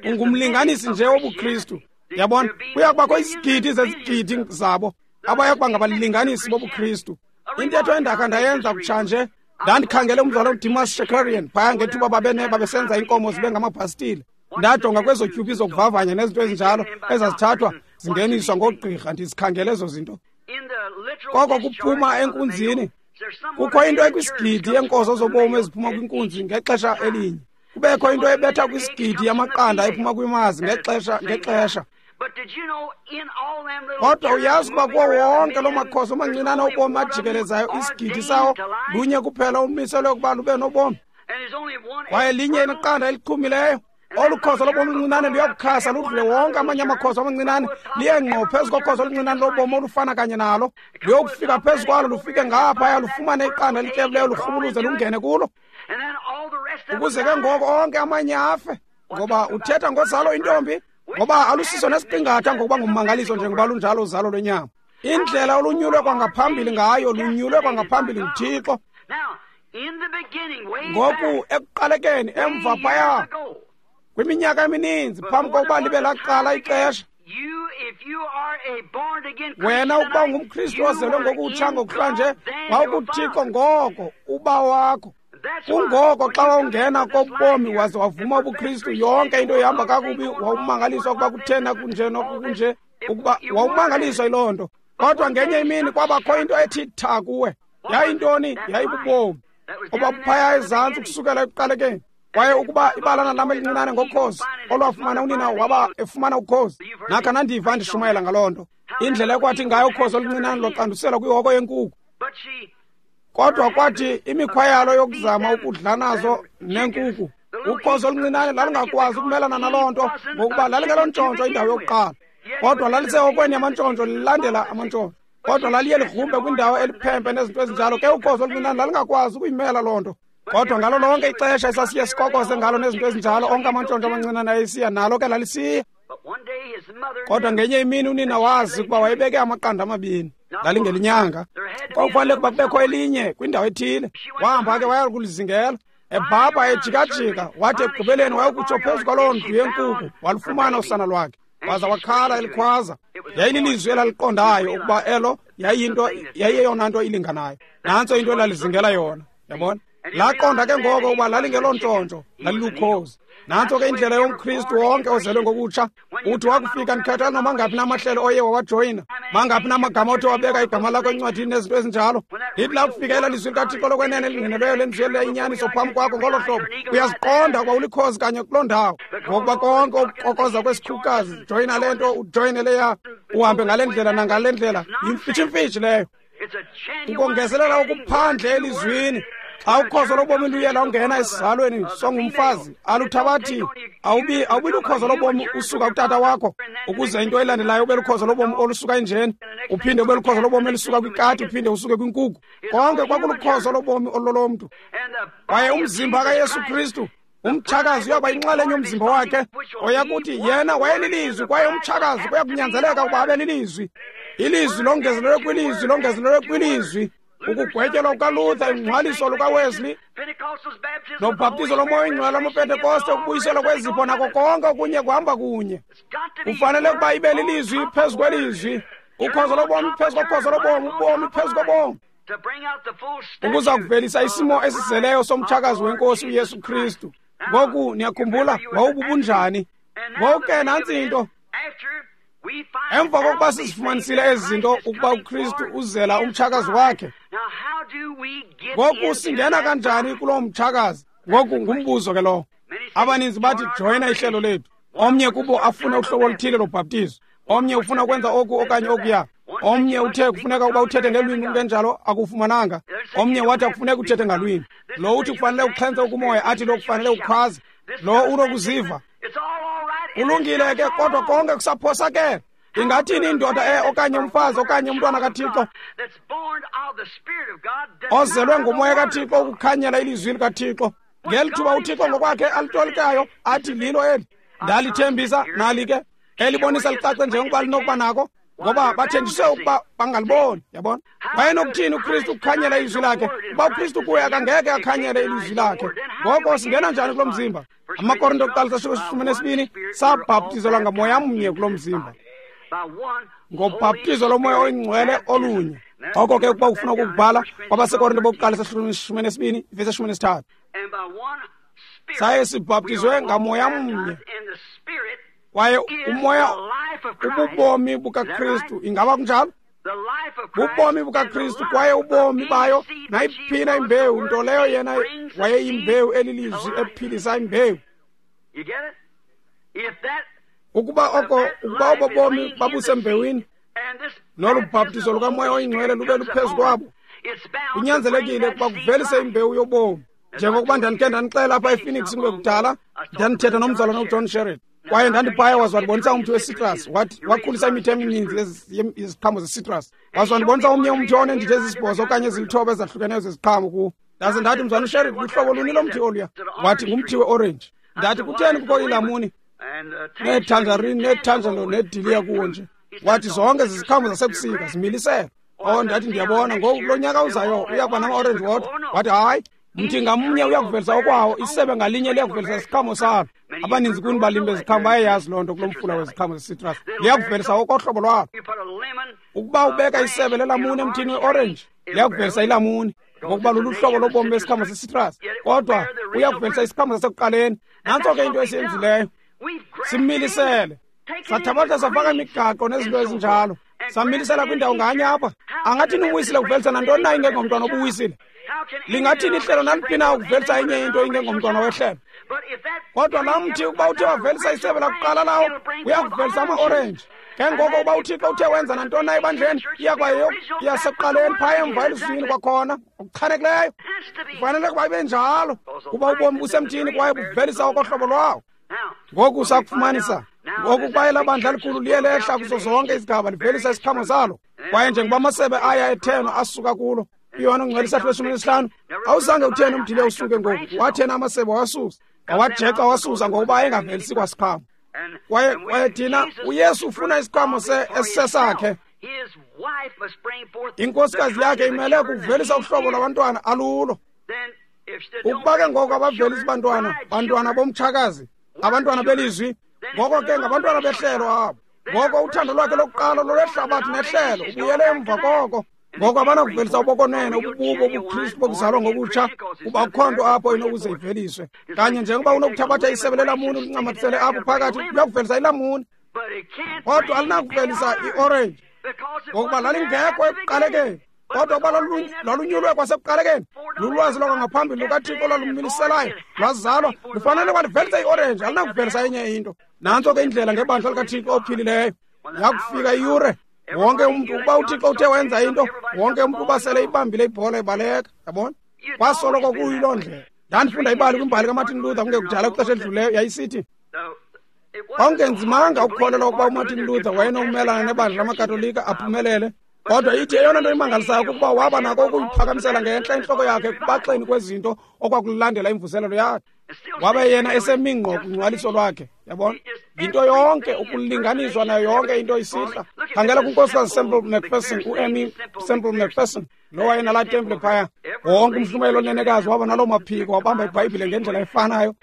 ungumlinganisi nje wobuKristu. Yabona, kuya kubakho izigidi zezigidi zabo abaya kuba ngabalinganisi bobuKristu. Intetho endakha ndayenza kutshanje, ndandikhangele umdlalo uDimas Shakarian phaya ngethuba babene babesenza iinkomo zibe ngamabhastile. Ndajonga kwezo tyubi zokuvavanya nezinto ezinjalo ezazithathwa zingeniswa ngoogqirha, ndizikhangele ezo zinto. Koko kuphuma enkunzini, kukho into ekwisigidi yeenkozo zobomi eziphuma kwinkunzi ngexesha elinye. Kubekho into ebetha kwisigidi yamaqanda ephuma kwimazi ngexesha ngexesha. Kodwa uyazi ukuba kuwo wonke loo makhozo amancinane obomi ajikelezayo, isigidi sawo lunye kuphela umiselwe ukuba lube nobomi. Kwaye linye iqanda eliqhumileyo. Olu khozo lobomi oluncinane luyakukhasa ludlule wonke amanye amakhozo amancinane, liye ngqo phezu kokhozo oluncinane lobomi olufana kanye nalo. Luyokufika phezu kwalo, lufike ngaphaya, lufumane iqanda elityebileyo, lurhubuluze lungene kulo. Ukuze ke ngoko onke amanye afe. Ngoba uthetha ngozalo intombi, ngoba alusiso nesiqingatha ngokuba ngummangaliso njengoba lunjalo uzalo lwenyama. Indlela olunyulwe kwangaphambili ngayo, lunyulwe kwangaphambili nguThixo. Ngoku ekuqalekeni emva phaya kwiminyaka emininzi phambi kokuba libe laqala ixesha, wena ukuba ungumKristu ozelwe ngokutsha ngokuhlanje, wawukuThixo ngoko uba wakho. Kungoko xa wawungena kobomi waze wavuma ubuKristu, yonke into ihamba kakubi, wawumangaliswa ukuba kuthena kunje nokunje, ukuba wawumangaliswa yiloo nto. Kodwa ngenye imini kwabakho into ethi tha kuwe. Yayintoni? Yayibubomi obabuphaya ezantsi ukusukela ekuqalekeni. Kwaye ukuba ibalana lam elincinane ngokhozi olwafumana unina waba efumana ukhozi, nakha nandiva ndishumayela ngaloo nto, indlela ekwathi ngayo ukhozi oluncinane lwaqanduselwa kwihoko yenkuku. Kodwa kwathi imikhwa yalo yokuzama ukudla nazo neenkuku, ukhozi oluncinane lalungakwazi ukumelana naloo nto, ngokuba lalingelontshontsho indawo yokuqala, kodwa lalisehokweni yamantshontsho lilandela amantshontsho. Kodwa laliye ligrumbe kwindawo eliphempe nezinto ezinjalo. Ke ukhozi oluncinane lalungakwazi ukuyimela loo nto. Kodwa ngalo lonke ixesha esasiye sikokose ngalo nezinto ezinjalo, onke amantshontsho amancinane ayesiya nalo ke lalisiya. Kodwa ngenye imini unina wazi ukuba wayebeke amaqanda amabini, lalingelinyanga. Kwakufanele ukuba kubekho elinye kwindawo ethile. Wahamba ke waya kulizingela, ebhabha ejikajika, wathi ekugqibeleni wayokutsho phezu kwaloo ndlu yenkuku, walufumana usana lwakhe. Waza wakhala elikhwaza. Yayililizwi elaliqondayo ukuba elo yayiyinto, yayiyeyona nto ilinganayo. Nantso into elalizingela yona, yabona. Laqonda ke ngoko ukuba lalingelontshontsho, lalilukhozi. Nantso ke indlela yomKristu wonke ozelwe ngokutsha. Uthi wakufika ndikhathala noma ngaphi namahlelo oye wawajoyina, mangaphi namagama othi wabeka igama lakho encwadini nezinto ezinjalo. Lithi lakufika ela lizwi likaThixo lokwenene elingqinelweyo lenziwe inyaniso phambi kwakho ngolo hlobo, uyaziqonda ukuba ulikhozi kanye kuloo ndawo. Ngokuba konke okukokoza kwesikhukukazi, joyina le nto, ujoyine leya, uhambe ngale ndlela nangale ndlela, yimfitshimfitshi leyo. Ukongezelela okuphandle elizwini. Xa ukhozo lobomi luye lwangena esizalweni songumfazi, aluthabathi awubi awubi lukhozo lobomi usuka kutata wakho, ukuze into elandelayo ube lukhozo lobomi olusuka enjeni, uphinde ube lukhozo lobomi elisuka kwikati, uphinde usuke kwinkuku. Konke kwakulukhozo lobomi ololomntu. Kwaye umzimba kaYesu Kristu, umtshakazi uyaba yinxalenye yomzimba wakhe, oyakuthi yena wayelilizwi, kwaye umtshakazi kuyakunyanzeleka ukuba abe lilizwi. Ilizwi longezelelwe kwilizwi, longezelelwe kwilizwi. Ukugwetyelwa kukaLuther, ingcwaliso lukaWesley, nobhaptizo lomoya oyingcwele lamaPentekoste, ukubuyiselwa kwezipho nako konke okunye kuhamba kunye. Kufanele ukuba ibe lilizwi phezu kwelizwi, ukhozo lobomi phezu kokhozo lobomi, ubomi phezu kobomi, ukuza kuvelisa isimo esizeleyo somtshakazi wenkosi uYesu Kristu. Ngoku niyakhumbula wawububunjani? Ngoku ke nantsi into. Emva kokuba sizifumanisile ezi zinto, ukuba uKristu uzela umtshakazi wakhe, ngoku singena kanjani kuloo mtshakazi? Ngoku ngumbuzo ke lowo. Abaninzi bathi joyina ihlelo lethu. Omnye kubo afune uhlobo oluthile lobhaptizo, omnye ufuna ukwenza oku okanye okuya, omnye uthe kufuneka ukuba uthethe ngelwimi kungenjalo akufumananga, omnye wathi akufuneka uthethe ngalwimi, lo uthi kufanele uxhentse ukumoya, athi lo kufanele ukhwaze, lo unokuziva. Kulungile ke, kodwa konke kusaphosakele. Ingathini indoda e okanye umfazi okanye umntwana kaThixo ozelwe ngumoya kaThixo ukukhanyela ilizwi likaThixo ngeli thuba uThixo ngokwakhe alitolikayo athi lilo eli ndalithembisa, nali ke elibonisa licace njengokuba linokuba nako, ngoba bathenjiswe ukuba bangaliboni. Yabona, wayenokuthini uKristu ukukhanyela ilizwi lakhe? Uba uKristu kuye akangeke akhanyele ilizwi lakhe. Ngoko singena njani kulo mzimba? AmaKorinto okuqala sahluko seshumi nesibini, sabhaptizelwa ngamoya mnye kulo mzimba, ngobhaptizo lomoya oyingcwele olunye. Oko ke ukuba ufuna ukukubhala, kwabaseKorinto bokuqala sahluko seshumi nesibini ivesi eshumi nesithathu, saye sibhaptizwe ngamoya mnye, kwaye umoya ububomi bukaKristu. Ingaba kunjalo? Bubomi bukaKristu, kwaye ubomi bayo nayiphina imbewu, nto leyo yena wayeyimbewu elilizwi ephilisa imbewu. Ukuba oko ukuba obo bomi babusembewini, nolu bhaptizo lukamoya oyingcwele lube luphezu kwabo, kunyanzelekile ukuba kuvelise imbewu yobomi. Njengokuba ndandikhe ndandixela apha ePhoenix kungekudala, ndandithetha nomzalwana uJohn Sherritt, kwaye ndandiphaya waze wandibonisa umthi we-citrus. Wathi wakhulisa imithi emininzi yeziqhamo ze-citrus. Waze wandibonisa omnye umthi oneendidi ezisibhozo okanye ezilithoba ezahlukeneyo zeziqhamo kuwo. Ndaze ndathi, mzalwana uSherritt, luhlobo luni lomthi oluya? Wathi ngumthi we-orange. Ndathi, kutheni kukho ilamuni neetangerine neetangelo neediliya kuwo nje? Wathi zonke ziziqhamo zasebusika zimiliselwe. Oh, ndathi ndiyabona ngoku kulo nyaka uzayo uya kuba nama-orange wodwa. Wathi hayi, mthi ngamnye uyakuvelisa okwawo, isebe ngalinye liyakuvelisa isiqhamo salo. Abaninzi kuni balimi beziqhamo bayayazi loo nto kulo mfula weziqhamo ze-citrus, liyakuvelisa okohlobo lwalo. Ukuba ubeka isebe lelamuni emthini we-orange, liyakuvelisa ilamuni, ngokuba luluhlobo lobomi besiqhamo se-citrus, kodwa uyakuvelisa isiqhamo sasekuqaleni. Nantso ke into esiyenzileyo, similisele, sathabatha safaka imigaqo nezinto ezinjalo. Samilisela kwindawo nganye apha. Angathini umwisile ukuvelisa nantoni na ingengomntwana obuwisile? Lingathini ihlelo naliphi na ukuvelisa enye into ingengomntwana wehlelo? Kodwa laa mthi ukuba uthe wavelisa isebe lakuqala lawo, uyakuvelisa ama-orenji. Ke ngoko uba uThixo uthe wenza nantoni na ebandleni, iya kwayo yasekuqaleni phaya emva elizwini kwakhona, okuchanekileyo. Kufanele ukuba ibe njalo, kuba ubomi busemthini kwaye buvelisa okohlobo lwawo. Ngoku sakufumanisa ngoku kwaye elaa bandla likhulu liye lehla kuzo zonke izigaba livelisa isiqhamo salo. Kwaye njengoba amasebe aya ethenwa asuka kulo, uYohane ongcwele isahluko seshumi nesihlanu, awuzange uthene umdiliya usuke ngoku, wathena amasebe wasusa, wawajeca wasusa ngokuba ayengavelisi kwasiqhamo. Kwaye kwaye thina uYesu ufuna isiqhamo esisesakhe. Inkosikazi yakhe imele ukuvelisa uhlobo lwabantwana alulo. Ukuba ke ngoko abavelisi bantwana, bantwana bomtshakazi, abantwana belizwi, ngoko ke ngabantwana behlelo abo. Ngoko uthando lwakhe lokuqala lolwehlabathi nehlelo, ubuyele emva koko. Ngoko abanakuvelisa ubokonene, ubububo obuKristu bokuzalwa ngokutsha, kuba akukho nto apho inokuze iveliswe. Kanye njengoba unokuthabatha isebe lelamuni ulincamathisele apho phakathi, luyakuvelisa ilamuni, kodwa alinakuvelisa iorenji, ngokuba lalingekho ekuqalekeni. Kodwa ukuba lwalunyulwe kwasekuqalekeni, lulwazi lwangaphambili lukaThixo olwalumiliselayo, lwazalwa, lufanele kwalivelisa iorenji, alinakuvelisa enye into. Nantso ke indlela ngebandla likaThixo ophilileyo. Yakufika iyure, wonke umntu, ukuba uThixo uthe wenza into, wonke umntu uba sele ibambile ibhola ibaleka, yabona? Kwasoloko kuyiloo ndlela. Ndandifunda ibali kwimbali kaMartin Luther kungekudala kwixesha elidluleyo, yayisithi kwakungenzimanga ukukholelwa ukuba uMartin Luther wayenokumelana nebandla lamaKatolika aphumelele. Kodwa ithi eyona nto imangalisayo kukuba waba nako ukuyiphakamisela ngentla intloko yakhe ekubaxeni kwezinto okwakulandela imvuselelo yakhe. Wabe yena esemi ngqo kungcwaliso lwakhe, yabona? Yinto yonke ukulinganiswa nayo yonke into isihla. Khangela kuNkosikazi Semple McPherson, uEmmy Semple McPherson, lo wayenalaa temple phaya. Wonke umhlumelo onenekazi waba naloo maphiko, wabamba iBhayibhile ngendlela efanayo.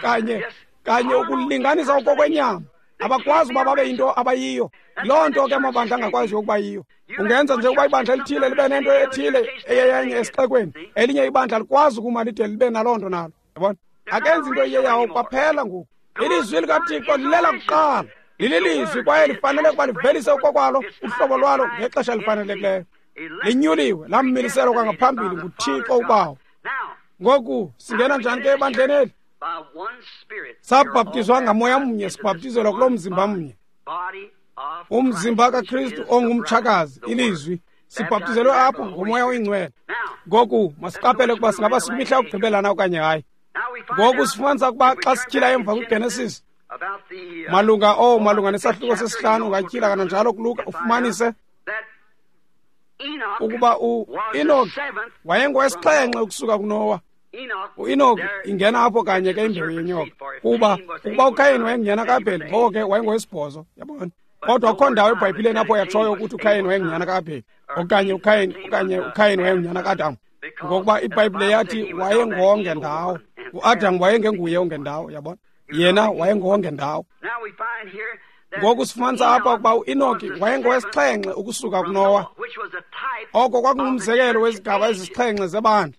Kanye kanye ukulinganisa okokwenyama. Abakwazi uba babe yinto abayiyo. Loo nto ke amabandla angakwaziyo ukuba yiyo. Ungenza nje ukuba ibandla elithile libe nento ethile eyeyenye esixekweni, elinye ibandla likwazi ukuma lide libe naloo nto nalo. Yabona? Akenzi into iyeyawo kwaphela ngoku. Ilizwi likaThixo lilela kuqala. Lililizwi kwaye lifanele ukuba livelise okokwalo uhlobo lwalo ngexesha elifanelekileyo. Linyuliwe, lamiliselwa kwangaphambili nguThixo uBawo. Ngoku singena njani ke ebandleni eli? Sabhaptizwa ngamoya mnye, sibhaptizelwa kuloo mzimba mnye, umzimba kaKristu ongumtshakazi, ilizwi. Sibhaptizelwe apho ngomoya oyingcwele. Ngoku masiqaphele ukuba singaba sikwimihla yokugqibela na okanye hayi. Ngoku sifumanisa ukuba xa sityhila emva kwiGenesis malunga oh malunga nesahluko sesihlanu, ungatyhila kananjalo kuLuka ufumanise ukuba uEnoki wayengowesixhenxe ukusuka kuNowa. UEnoki ingena apho kanye ke imbewu yenyoka, kuba ukuba uKayin wayengunyana kaAbheli, ngoko ke wayengowesibhozo, yabona? Kodwa akukho ndawo eBhayibhileni apho yatshoyo ukuthi uKayin wayengunyana kaAbheli okanye uKayin okanye uKayin wayengunyana kaAdam, ngokuba iBhayibhile yathi wayengongendawo. UAdam wayengenguye ongendawo, yabona? Yena wayengongendawo. Ngoku sifumanisa apha ukuba uEnoki wayengowesixhenxe ukusuka kuNowa. Oko kwakungumzekelo wezigaba ezisixhenxe zebandla.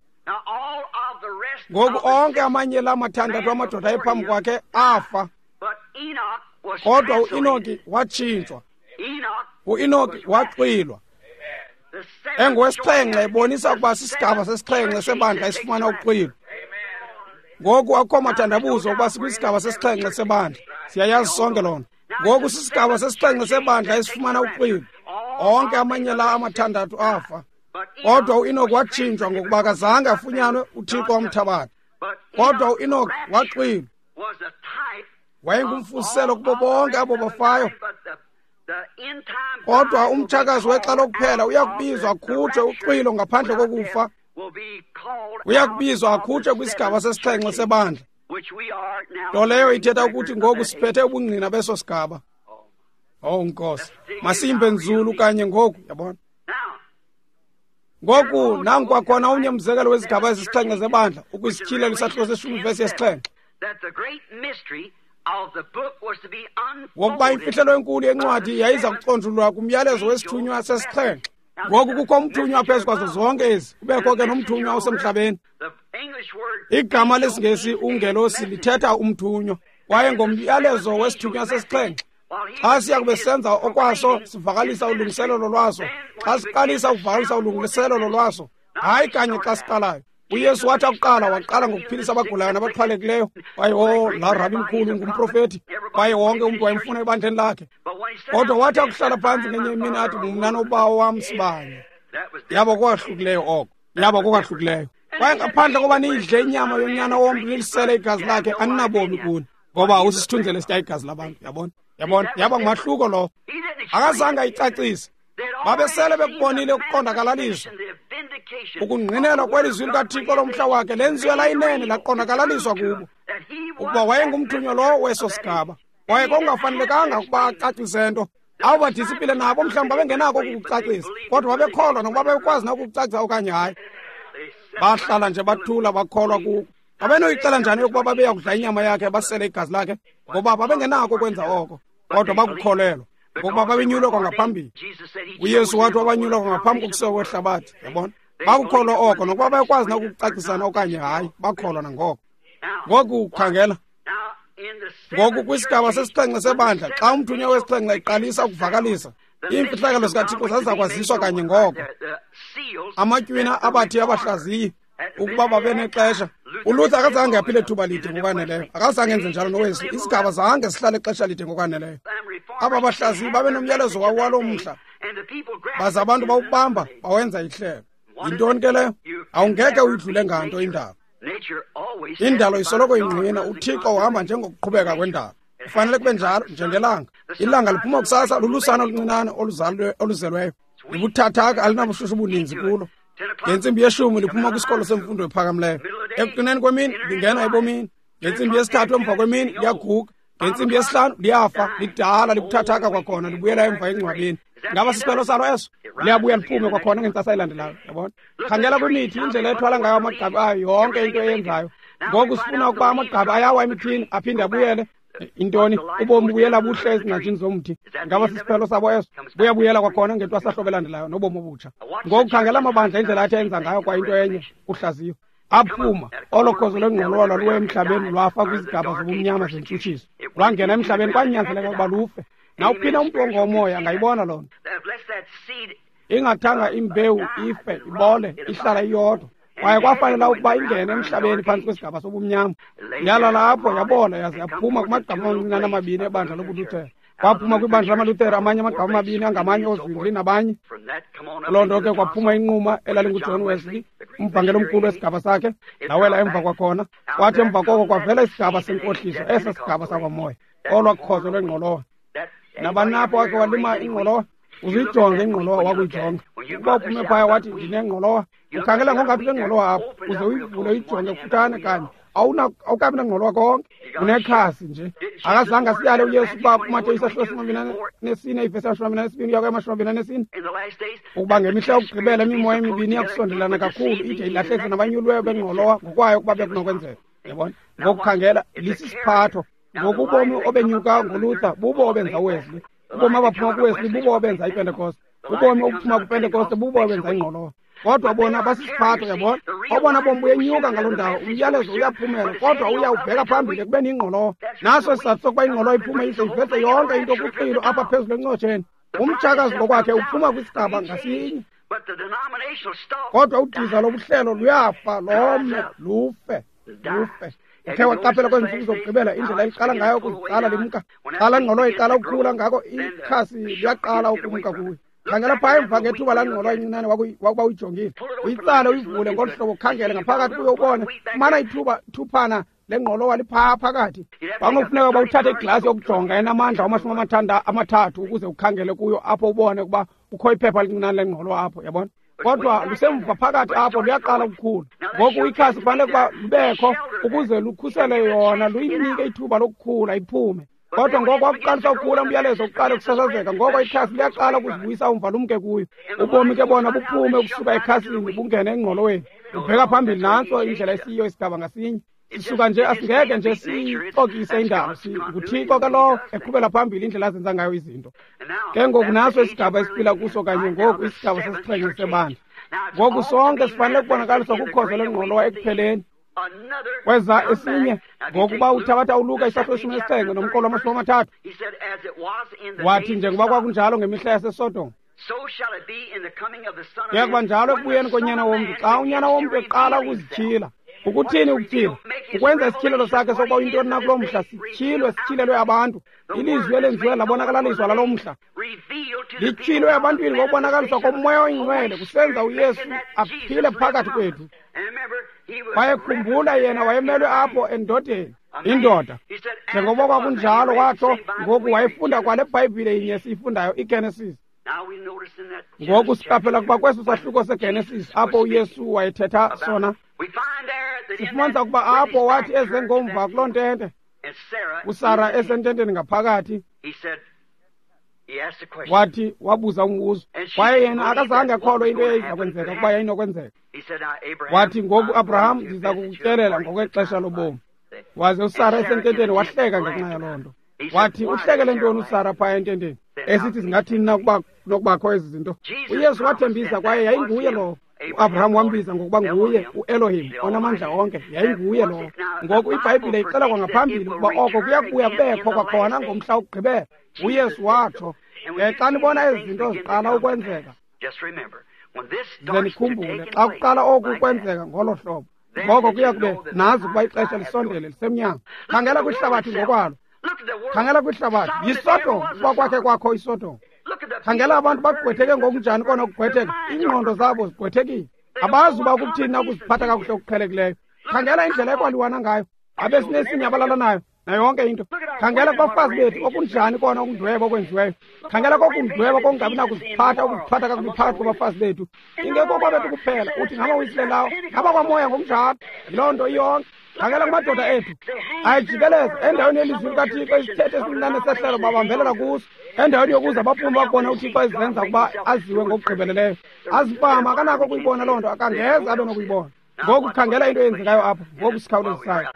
Ngoku onke amanye la mathandathu amadoda ayephambi kwakhe afa, kodwa uEnoki watshintshwa. uEnoki waxwilwa engowesixhenxe, ebonisa ukuba sisigaba sesixhenxe sebandla esifumana uxwilo. Ngoku akukho mathandabuzo ukuba sikwisigaba sesixhenxe sebandla, siyayazi sonke loo nto. Ngoku sisigaba sesixhenxe sebandla esifumana uxwilo. Onke amanye la amathandathu afa, kodwa uEnoki watshintshwa ngokuba akazange afunyanwe uThixo wamthabatha. Kodwa uEnoki waxwilwa, wayengumfuziselo kubo bonke abo bafayo. Kodwa umtshakazi wexa lokuphela uyakubizwa akhutshwe uxwilo ngaphandle kokufa. Uyakubizwa akhutshwe kwisigaba sesixhenxe sebandla, nto leyo ithetha ukuthi ngoku siphethe ubungqina beso sigaba. Oh Nkosi, masiyimbe nzulu kanye ngoku, yabona? Ngoku nanku kwakhona omnye umzekelo wezigaba ezisixhenxe zebandla, ukwiSityhilelo isahluko seshumi vesi yesixhenxe, ngokuba imfihlelo enkulu yencwadi yayiza kuconjululwa kumyalezo wesithunywa sesixhenxe. Ngoku kukho umthunywa phezu kwazo zonke ezi, kubekho ke nomthunywa osemhlabeni. Igama lesiNgesi ungelosi lithetha umthunywa, kwaye ngomyalezo wesithunywa sesixhenxe Xa siya kube senza okwaso sivakalisa ulungiselelo lwaso, xa siqalisa ukuvakalisa ulungiselelo lwaso, hayi kanye xa siqalayo. UYesu wathi akuqala waqala ngokuphilisa abagulayo nabaxhwalekileyo. Kwaye o laa rabi mkhulu ngumprofethi, kwaye wonke umntu wayemfuna ebandleni lakhe. Kodwa wathi akuhlala phantsi ngenye imini athi, mna nobawo wam sibanye. Yaba kokwahlukileyo oko, yaba kokwahlukileyo. Kwaye ngaphandle koba niyidle inyama yonyana womntu nilisele igazi lakhe, aninabomi kuni, ngoba usisithunzele esitya igazi labantu. Yabona, yabona, yaba ngumahluko lowo. Akazange ayicacise. Babesele bekubonile ukuqondakalaliswa, ukungqinelwa kwelizwi likaThixo lomhla wakhe lenziwe layinene laqondakalaliswa kubo ukuba wayengumthunywa lowo weso sigaba. Kwaye kwakungafanelekanga ukuba acacise nto. Abo badisipile nabo mhlawumbi babengenako ukukucacisa, kodwa babekholwa nokuba babekwazi nakukucacisa okanye hayi. Bahlala nje bathula bakholwa kuko. Babenoyixela njani yokuba babeya kudla inyama yakhe basele igazi lakhe? Ngoba babengenako ukwenza oko, kodwa bakukholelwa ngokuba babenyulwe kwangaphambili. UYesu wathi wabanyulwa kwangaphambi kokusekwa kwehlabathi. Yabona, bakukholwa oko nokuba bayakwazi nakukucacisana okanye hayi, bakholwa nangoko. Ngoku khangela, ngoku kwisigaba sesixhenxe sebandla, xa umthunywa wesixhenxe eqalisa ukuvakalisa, iimfihlakalo zikaThixo zaziza kwaziswa kanye ngoko. Amatywina abathi abahlaziyi ukuba babe nexesha. ULuther akazange aphile thuba lide ngokwaneleyo, akazange enze njalo noWesley. Isigaba zange sihlale ixesha lide ngokwaneleyo. Aba bahlaziyi babe nomyalezo wawo waloo mhla, baze abantu bawubamba bawenza ihlelo. Yintoni ke leyo? Awungeke uyidlule nganto indalo. Indalo isoloko ingqina uThixo uhamba njengokuqhubeka kwendalo. Kufanele kube njalo njengelanga. Ilanga liphuma kusasa lulusana oluncinane oluzelweyo, libuthathaka, alinabushushu obuninzi kulo. Ngentsimbi yeshumi liphuma kwisikolo semfundo ephakamileyo. Ekuqineni kwemini lingena ebomini. Ngentsimbi yesithathu emva kwemini liyaguga. Ngentsimbi yesihlanu liyafa, lidala, libuthathaka kwakhona, libuyela emva engcwabeni. Ngaba sisiphelo salo eso? Liyabuya liphume kwakhona ngentsasa elandelayo. Yabona, khangela kwimithi indlela ethwala ngayo amagqabi ayo, yonke into eyenzayo. Ngoku sifuna ukuba amagqabi ayawa emithini aphinde abuyele. Intoni? Ubomi bubuyela buhle ezingcanjini zomthi. Ngaba sisiphelo sabo eso? Buyabuyela kwakhona ngentwasahlobo elandelayo nobomi obutsha. Ngoku khangela amabandla indlela athi enza ngayo kwa into enye uhlaziyo. Aphuma olo khozo lwengqolowa lwaluwe emhlabeni lwafa kwizigaba zobumnyama zentshutshiso, lwangena emhlabeni kwanyanzeleka ukuba lufe. Nawuphina umntu ongomoya angayibona loo nto. Ingathanga imbewu ife, ibole, ihlala iyodwa. Kwaye kwafanela ukuba ingene emhlabeni phantsi kwesigaba sobumnyama. Yalala apho yabola yaze yaphuma kumagqabi amancinane amabini ebandla lobuLuthera. Kwaphuma kwibandla lamaLuthera amanye amagqabi amabini angamanye ooZwingli nabanye. Loo nto ke kwaphuma inquma elalinguJohn Wesley, umvangeli omkhulu wesigaba sakhe, lawela emva kwakhona. Kwathi emva koko kwavela isigaba senkohliso, eso sigaba sakwamoya, olwa khozo lwengqolowa. Nabanapho wakhe walima ingqolowa, uzuyijonge ingqolowa wakuyijonga. Ukuba uphume phaya wathi ndinengqolowa, ukhangela ngongathi unengqolowa apho, uze uyivule uyijonge kufutshane kanye. Awukabi nangqolowa konke, unekhasi nje. Akazange asiyale uYesu ukuba kuMateyu isahluko samabini nesine ivesi yamashumi amabini anesibini uya kwamashumi amabini anesine, ukuba ngemihla yokugqibela imimoya emibini iyakusondelana kakhulu ide ilahlekise nabanyuliweyo bengqolowa ngokwayo ukuba bekunokwenzeka. Yabona, ngokukhangela lisisiphatho. Ngoku ubomi obenyuka ngoLuther bubo obenza uWesley. Ubomi abaphuma kuWesley bubo obenza iPentekoste. Ubomi obuphuma kuPentekoste bubo obenza ingqolowa. Kodwa bona basisiphatho, yabona. Obona bomi buyenyuka ngaloo ndawo, umyalezo uyaphumela, kodwa uyawubheka phambili ekubeni ingqolowa. Naso isizathu sokuba ingqolowa iphume ize iveze yonke into kuxilo apha phezulu encotsheni. Umtshakazi ngokwakhe uphuma kwisigaba ngasinye, kodwa udiza lobuhlelo luyafa, lome, lufe, lufe. Uthe waqaphela kwezi ntsuku zokugqibela indlela eliqala ngayo ukuziqala limka. Xa laa ngqolowa iqala ukukhula ngako ikhasi liyaqala ukumka kuyo. Khangela phaa emva ngethuba laa ngqolowa incinane wakuba uyijongile, uyitsale uyivule ngolu hlobo, ukhangele ngaphakathi kuyo ubone. Fumana ithuba thuphana lengqolowa liphaa phakathi. Kwakunokufuneka uba uthathe iglasi yokujonga enamandla amashumi amathathu ukuze ukhangele kuyo apho ubone ukuba kukho iphepha elincinane lengqolowa apho, yabona. Kodwa lusemva phakathi apho luyaqala ukukhula. Ngoku ikhasi kufanele ukuba lubekho ukuze lukhusele yona, luyinike ithuba lokukhula iphume. Kodwa ngoko wakuqalisa ukukhula umyalezo uqale ukusasazeka, ngoko ikhasi liyaqala ukuzibuyisa umva lumke kuyo. Ubomi ke bona buphume ukusuka ekhasini bungene engqoloweni, ubheka phambili. Nantso indlela esiyiyo isigaba ngasinye. Sisuka nje asingeke nje sixokise indalo, nguThixo ke lowo eqhubela phambili indlela azenza ngayo izinto. Ke ngoku naso isigaba esiphila kuso kanye ngoku, isigaba sesixhenxe sebandla. Ngoku sonke sifanele ukubonakaliswa kukhozo lwengqolowa ekupheleni. Kweza esinye, ngokuba uthabatha uLuka isahluko seshumi nesixhenxe nomqolo wamashumi amathathu, wathi njengoba kwakunjalo ngemihla yaseSodom, kuya kuba njalo ekubuyeni konyana womntu, xa unyana womntu eqala ukuzityhila. Ukuthini ukutyhila? Ukwenza isityhilelo sakhe sokuba uyintoni na kuloo mhla, sityhilwe, sityhilelwe abantu. Ilizwi elenziwe labonakalaliswa laloo mhla, lityhilwe ebantwini ngokubonakaliswa koMoya oyiNgcwele, kusenza uYesu aphile phakathi kwethu. Kwaye khumbula, yena wayemelwe apho endodeni, indoda. Njengoba kwakunjalo watsho, ngoku wayefunda kwale Bhayibhile inye siyifundayo, iGenesis. Ngoku siqaphela kuba kweso sahluko seGenesis apho uYesu wayethetha sona, sifumanisa ukuba apho wathi eze ngomva kuloo ntente, uSara esententeni ngaphakathi, wathi wabuza umbuzo, kwaye yena akazange akholwe into eyayiza kwenzeka ukuba yayinokwenzeka. Wathi, ngoku Abraham, ndiza kukutyelela ngokwexesha lobomi. Waze uSara esententeni wahleka ngenxa yaloo nto. Wathi, uhlekele ntoni uSara phaya ententeni, esithi zingathini na ukuba nokubakho ezi zinto? UYesu wathembisa, kwaye yayinguye lowo. UAbraham wambiza ngokuba nguye uElohim, onamandla onke, yayinguye lowo. Ngoku iBhayibhile ixela kwangaphambili ukuba oko kuya kubuya kubekho kwakhona ngomhla wokugqibela. uYesu watsho, ke xa nibona ezi zinto ziqala ukwenzeka, ze nikhumbule, xa kuqala oku kwenzeka ngolo hlobo, ngoko kuya kube nazi ukuba ixesha lisondele, lisemnyango. Khangela kwihlabathi ngokwalo, khangela kwihlabathi, yiSodom, ukuba kwakhe kwakho iSodom. Khangela abantu bagqwetheke ngokunjani kona ukugqwetheka, iingqondo zabo zigqwethekile, abazi uba kukuthini na ukuziphatha kakuhle okuqhelekileyo. Khangela indlela ekwaliwana ngayo, abesinesinye abalalanayo, nayo yonke into. Khangela kubafazi bethu, okunjani kona ukundweba okwenziweyo. Khangela kokundweba kokungabi nakuziphatha, ukuziphatha kakubi phakathi kwabafazi bethu. Ingekho kwabethu kuphela, uthi ngamawisile lawo, ngabakwamoya ngokunjalo. Yiloo nto iyonke. Khangela kumadoda ethu, ayijikeleza endaweni yelizwi likaThixo, isithethe esincinane sehlelo babambelela kuso, endaweni yokuza baphume bakubona uThixo ezenza ukuba aziwe ngokugqibeleleyo. Azipama, akanako ukuyibona loo nto, akangeze abe nokuyibona. Ngoku khangela into eyenzekayo apha, ngoku sikhawulezisayo.